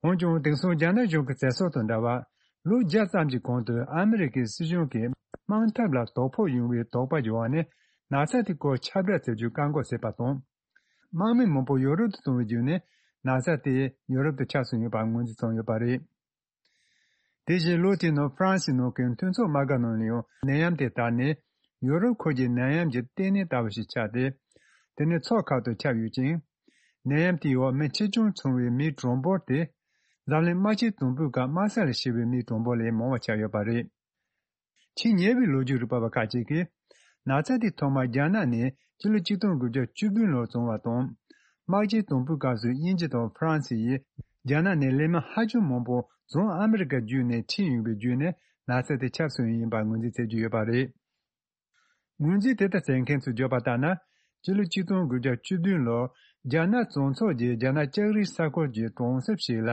འོན་ཀྱང་དེང་སང་རྒྱ་ནག་གཞུང་གི་བྱེད་ཕྱོགས་དང་འདྲ་བར། ལོ་བརྒྱ་ཙམ་གྱི་གོང་དུ་ཨ་མི་རི་ཀའི་སྲིད་གཞུང་གིས་དམག་འཐབ་ལ་དོ་ཕོག་ཡོང་བའི་དོགས་པ་བྱུང་བ་ནས་ན་ཚ་དེའི་སྐོར་ཁྱབ་བསྒྲགས་བྱེད་རྒྱུ་བཀག་འགོག་བྱས་པ་དང་། དམག་མི་མང་པོ་ཡོ་རོབ་ཏུ་བཏང་བའི་བརྒྱུད་ནས་ན་ཚ་དེ་ཡོ་རོབ་ཏུ་ཁྱབ་སོང་ཡོད་པ་ངོས་འཛིན་བྱུང་ཡོད་པ་རེད། དེ་བཞིན་ལོ་དེའི་ནང་ཧྥ་རན་སིའི་ནང་གི་མཐུན་ཚོགས་དམག་སྒར་ནང་ལ་ཡང་ནད་ཡམས་དེ་དར་ནས་ཡོ་རོབ་ཁུལ་གྱི་ནད་ཡམས་ཀྱི་ལྟེ་གནས་ལྟ་བུ་ཞིག་ཆགས་ཏེ། དེ་ནི་ཕྱོགས་ཁག་ཏུ་ཁྱབ་ཡོད་ཅིང་། ནད་ཡམས་དེའི་འོག་མི་ཆེ་ཆུང་ཚང་བའི་མིའི་གྲངས་འབོར་དེ། འཛམ་གླིང་དམག་ཆེན་དང་པོའི་སྐབས་དམག་ས་ལ་ཤི་བའི་མིའི་གྲངས་འབོར་ལས་མང་བ་ཆགས་ཡོད་པ་རེད། ཆེས་ཉེ་བའི་ལོ་རྒྱུས་རིག་པ་བ་ཁག་ཅིག་གིས། ན་ཚ་དེ་ཐོག་མར་རྒྱ་ནག་ནས་ཕྱི་ལོ་ཆིག་སྟོང་དགུ་བརྒྱ་བཅུ་བདུན་ལོར་བྱུང་བ་དང་། དམག་ཆེན་དང་པོའི་སྐབས་སུ་དབྱིན་ཇི་དང་ཧྥ་རན་སི་ཡིས་རྒྱ་ནག་ནས་ལས་སྨན་ཧ་ཅང་མང་པོ་བྱང་ཨ་མི་རི་ཀར་བརྒྱུད་ནས་ཁྲིད་ཡོང་བའི་བརྒྱུད་ནས་ན་ཚ་དེ་ཁྱབ་སོང་ཡིན་པར་ངོས་འཛིན་བྱེད་ཀྱི་ཡོད་པ་རེད། ངོས་འཛིན་དེ་ལྟར་བྱེད་མཁན་ཚོས་བརྗོད་པ་ལྟར་ན། སྤྱི་ལོ་ཆིག་སྟོང་དགུ་བརྒྱ་བཅུ་བདུན་ལོར་རྒྱ་ནག་གྲོང་ཚོ་རྒྱལ་རྒྱ་ནག་ལྕགས་རིའི་ས་ཁུལ་གྱི་གྲོང་གསེབ་ཞིག་ལ་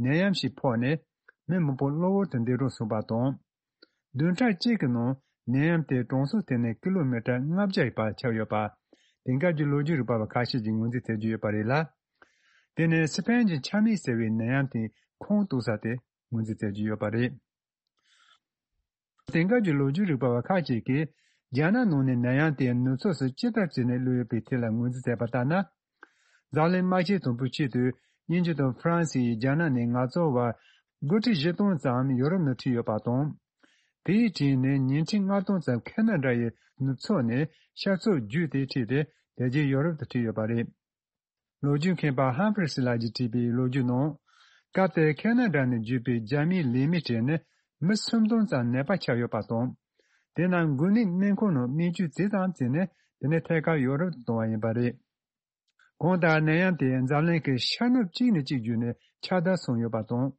ནད་ཡམས་ཤིག་ཕོག་ནས་མི་མང་པོ་གློ་བུར་དུ་འདས་གྲོངས་སོང་བ་དང་། བདུན་ཕྲག་གཅིག་གི་ནང་ནད་ཡམས་དེ་གྲོང་གསེབ་དེ་ནས་ཀི་ལོ་མི་ཊར་ལྔ་བརྒྱ་བར་ཁྱབ་ཡོད་པ། དེང་སྐབས་ཀྱི་ལོ་རྒྱུས་རིག་པ་བ་ཁ་ཤས་ཀྱིས་ངོས་འཛིན་བྱེད་ཀྱི་ཡོད་པ་རེད་ལ། དེ་ནི་སི་པན་གྱི་ཆ་མེད་ཟེར་བའི་ནད་ཡམས་དེའི་ཁུངས་གཏུགས་ས་དེ་ངོས་འཛིན་བྱེད་ཀྱི་ཡོད་པ་རེད། དེང་སྐབས་ཀྱི་ལོ་རྒྱུས་རིག་པ་བ་ཁག་ཅིག་གིས་རྒྱ་ནག་ནང་ནས་ནད་ཡམས་དེ་ནུབ་ཕྱོགས་སུ་ཅི་ལྟར་བྱས་ནས་བླུགས་ཡོད་པའི་ཐད་ལ་ངོས་འཛིན་བྱས་པ་ལྟར་ན། འཛམ་གླིང་དམག་ཆེན་དང་པོའི་ཆེད་དུ་དབྱིན་ཇི་དང་ཧྥ་རན་སི་ཡིས་རྒྱ་ནག་ནས་ངལ་རྩོལ་བ་སྒོར་ཁྲི་བཞི་སྟོང་ཙམ་ཡོ་རོབ་ནང་ཁྲིད་ཡོད་པ་དང་། དེའི་གྲས་ནས་ཉིས་ཁྲི་ལྔ་སྟོང་ཙམ་ཁེ་ན་ཌ་ཡི་ནུབ་ཕྱོགས་ནས་ཤར་ཕྱོགས་བརྒྱུད་དེ་ཁྲིད་དེ་དེ་རྗེས་ཡོ་རོབ་ཏུ་ཁྲིད་ཡོད་པ་རེད། ལོ་རྒྱུས་མཁས་པ་ཧམ་ཕི་རི་སི་ལགས་ཀྱིས་བྲིས་པའི་ལོ་རྒྱུས་ནང་། སྐབས་དེར་ཁེ་ན་ཌ་ནས་བརྒྱུད་པའི་རྒྱ་མིའི་ལས་མིའི་གྲས་ནི་མི་སུམ་སྟོང་ཙམ་ནད་པ་ཆགས་ཡོད་པ་དང་། དེ་རྣམས་འགོས་ནད་སྨན་ཁང་ནང་སྨན་བཅོས་ཇི་ཙམ་བྱས་ནས་དེ་ནས་ཐད་ཀར་ཡོ་རོབ་ཏུ་བཏང་བ་ཡིན་པ་རེད། གང་ལྟར་ནད་ཡམས་དེ་འཛམ་གླིང་གི་ཤར་ནུབ་གཅིག་ནས་གཅིག་བརྒྱུད་ནས་ཁྱབ་གདལ་སོང་ཡོད་པ་དང་།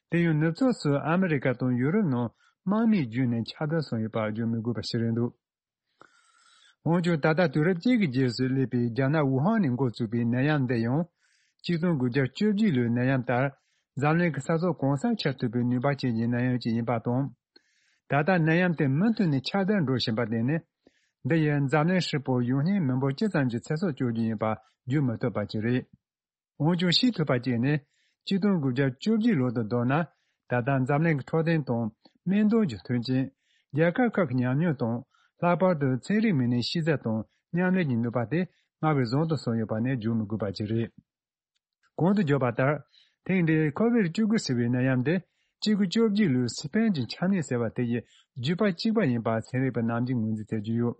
དེ་ཡང་ནུབ་ཕྱོགས་སུ་ཨ་མི་རི་ཀ་དང་ཡུ་རོབ་ནང་དམག་མིས་བརྒྱུད་ནས་ཁྱབ་གདལ་སོང་ཡོད་པ་བརྗོད་མི་དགོས་པ་ཞིག་རེད་འདུག་འོན་ཀྱང་ད་ལྟ་དུས་རབས་བཅུ་གི་རྗེས་སུ་སླེབས་པའི་རྒྱ་ནག་ཝུ་ཧན་ནས་འགོ་བཙུགས་པའི་ནད་ཡམས་འདི་ཡང་། ཆིག་སྟོང་དགུ་བརྒྱ་བཅོ་བརྒྱད་ལོའི་ནད་ཡམས་ལྟར། འཛམ་གླིང་གི་ས་ཕྱོགས་གང་སར་ཁྱབ་ཐུབ་པའི་ནུས་པ་ཅན་གྱི་ནད་ཡམས་ཅིག་ཡིན་པ་དང་། ད་ལྟ་ནད་ཡམས་དེ་མུ་མཐུད་ནས་ཁྱབ་གདལ་འགྲོ་བཞིན་པར་བརྟེན་ནས། འདི་ཡིས་འཛམ་གླིང་ཧྲིལ་པོར་ཡོང་སྙིང་མི་འབོར་ཅི་ཙམ་གྱི་ཚེ་སྲོག་གཅོད་རྒྱུ་ཡིན་པ་བརྗོད་མི་ཐུབ་པ་ཅིག་རེད། འོན་ཀྱང་ཤེས་ཐུབ་པ་གཅིག་ནི། ཆིག་སྟོང་དགུ་བརྒྱ་བཅོ་བརྒྱད་ལོ་དང་བསྡུར་ན། ད་ལྟ་འཛམ་གླིང་གི་འཕྲོད་བསྟེན་དང་སྨན་དོན་གྱི་མཐུན་རྐྱེན། རྒྱལ་ཁབ་ཁག་གི་ཉམས་མྱོང་དང་། ལྷག་པར་དུ་ཚན་རིག་མི་སྣའི་ཤེས་ཚད་དང་མཉམ་ལས་ཀྱི་ནུས་པ་དེ་སྔར་བས་བཟང་དུ་སོང་ཡོད་པ་ནི་བརྗོད་མི་དགོས་པ་ཅིག་རེད། གོང་དུ་བརྗོད་པ་ལྟར། ཐེངས་འདིའི་ཁོ་བིཌ་བཅུ་དགུ་ཟེར་བའི་ནད་ཡམས་དེ། ཆིག་སྟོང་དགུ་བརྒྱ་བཅོ་བརྒྱད་ལོའི་སི་པན་གྱི་ཆ་མེད་ཟེར་བ་དེ་ཡི་བརྒྱུད་པ་གཅིག་པ་ཡིན་པ་ཚན་རིག་པ་རྣམས་ཀྱིས་ངོས་འཛིན་མཛད་ཀྱི་ཡོད།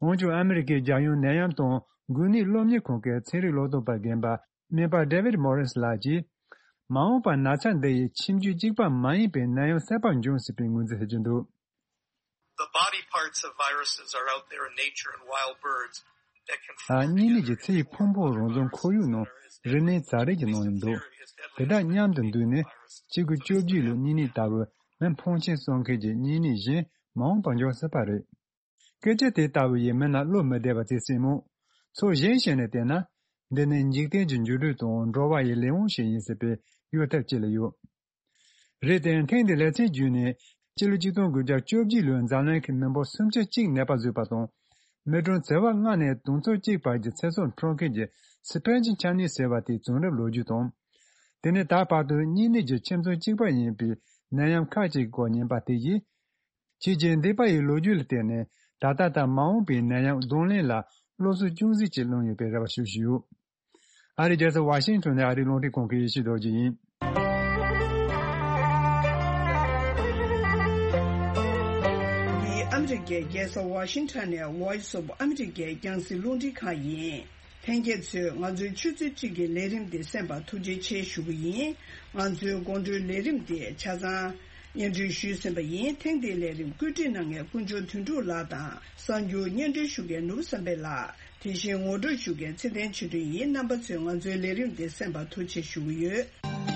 འོན་ཀྱང་ཨ་མི་རི་ཀའི་རྒྱལ་ཡོངས་ནད་ཡམས་དང་འགོས་ནད་སློབ་གཉེར་ཁང་གི་ཚན་རིག་བློ་སྦྱོང་པ་རྒན་པ་སྨན་པ་ཌེ་ཝིཌ་མོ་རིས་ལགས་ཀྱིས། མ་འོངས་པར་ན་ཚ་འདི་ཡི་ཁྱིམ་རྒྱུད་གཅིག་པ་མ་ཡིན་པའི་ནད་ཡམས་གསར་པ་འབྱུང་སྲིད་པའི་ངོས་འཛིན་བྱེད་ཀྱི་འདུག། The body parts of viruses are out there in nature, and wild birds that can form. ཨ། གཉན་ནད་ཀྱི་ཚེ་ཡི་ཕུང་པོ་རང་བྱུང་ཁོར་ཡུག་ནང་རིགས་ལྔའི་ཛ་རིགས་ཀྱི་ནང་ནས་འདུག། དེ་དག་མཉམ་དུ་འདུས་ནས་ཆིག་སྟོང་དགུ་བརྒྱ་བཅོ་བརྒྱད་ལོའི་གཉན་ནད་ལྟ་བུ་མི་འཕོངས་ཆེན་གསོ་མཁན་གྱི་གཉན་ནད་གཞན་མ་འོངས་པར་འབྱུང་སྲིད་པ་རེད། སྐད་ཆ་དེ་ལྟ་བུ་ཡིས་མི་རྣམས་བློ་མི་བདེ་བ་བྱེད་སྲིད་མོད། ཕྱོགས་གཞན་ཞིག་ནས་བལྟས་ན། འདི་ནི་འཇིག་རྟེན་གྱི་འགྱུར་འགྲོས་དང་འགྲོ་བ་ཡི་ལས་དབང་ཞིག་ཡིན་སྲིད་པའི་གཡོ་ཐབས་ཅིག་ལ་ཡོད། རེད་དེ་ཐེངས་འདིའི་ལེ་ཚན་བརྒྱུད་ནས་སྤྱི་ལོ་ཆིག་སྟོང་དགུ་བརྒྱ་བཅོ་བརྒྱད་ལོའི་འཛམ་གླིང་གི་མི་འབོར་སུམ་ཆ་གཅིག་ནད་པ་བཟོས་པ་དང་། མི་གྲངས་བྱེ་བ་ལྔ་ནས་དུང་ཕྱུར་གཅིག་བར་གྱི་ཚེ་སྲོག་འཕྲོག་མཁན་གྱི་སི་པན་གྱི་ཆ་ནད་ཟེར་བ་དེའི་བྱུང་རབས་ལོ་རྒྱུས་དང་། དེ་ནས་ད་བར་དུ་གཉན་ནད་ཀྱི་ཁྱིམ་ཚང་གཅིག་པ་ཡིན་པའི་ནད་ཡམས་ཁག་ཅིག་གི་སྐོར་ཉན་པ་དེ་ཡིས། ཁྱེད་ཀྱིས་འདས་པ་ཡི་ལོ་རྒྱུས་ལ་བལྟས་ནས་ད་ལྟ་དང་མ་འོངས་པའི་ནད་ཡམས་གདོང་ལེན་ལ་སློབ་གསོ་ཅུང་ཟད་ཅིག་བླངས་ཡོད་པའི་རེ་བ་ཞུ་བཞིན་ཡོད། ཨ་རིའི་རྒྱལ་ས་ཝ་ཤིང་ཊོན་ནས་ཨ་རིའི་རླུང་འཕྲིན་ཁང་གི་ཡེ་ཤེས་རྡོ་རྗེ་ཡིན། The American རི་ཀའི་རྒྱལ་ས་ཝ་ཤིང་ཊོན་ནས་Voice of America རྒྱང་སྲིང་རླུང་འཕྲིན་ཁང་ཡིན། ལྷན་རྒྱས་ཚོས་ང་ཚོའི་ཆུ་ཚོད་གཅིག་གི་ལས་རིམ་འདི་གསན་པར་ཐུགས་རྗེ་ཆེ་ཞུ་གི་ཡིན། ང་ཚོའི་དགོང་དྲོའི་ལས་རིམ་འདི་ཆ་ཚང་སྙན་སྒྲོན་ཞུས་ཟིན་པ་ཡིན། ཐེངས་འདིའི་ལས་རིམ་བཀོད་སྒྲིག་གནང་མཁན་དཀོན་མཆོག་དོན་གྲུབ་ལགས་དང་། གསར་འགྱུར་སྙན་སྒྲོན་ཞུ་མཁན་ནོར་བུ་བསམ་འཕེལ་ལགས། དེ་བཞིན་ངོ་སྤྲོད་ཞུ་མཁན་ཚེ་བརྟན་ཆོས་སྒྲོན་ཡིན། རྣམ་པ་ཚོས་ང་ཚོའི་ལས་རིམ་འདི་གསན་པར་ཐུགས་རྗེ་ཆེ་ཞུ་གི་ཡོད།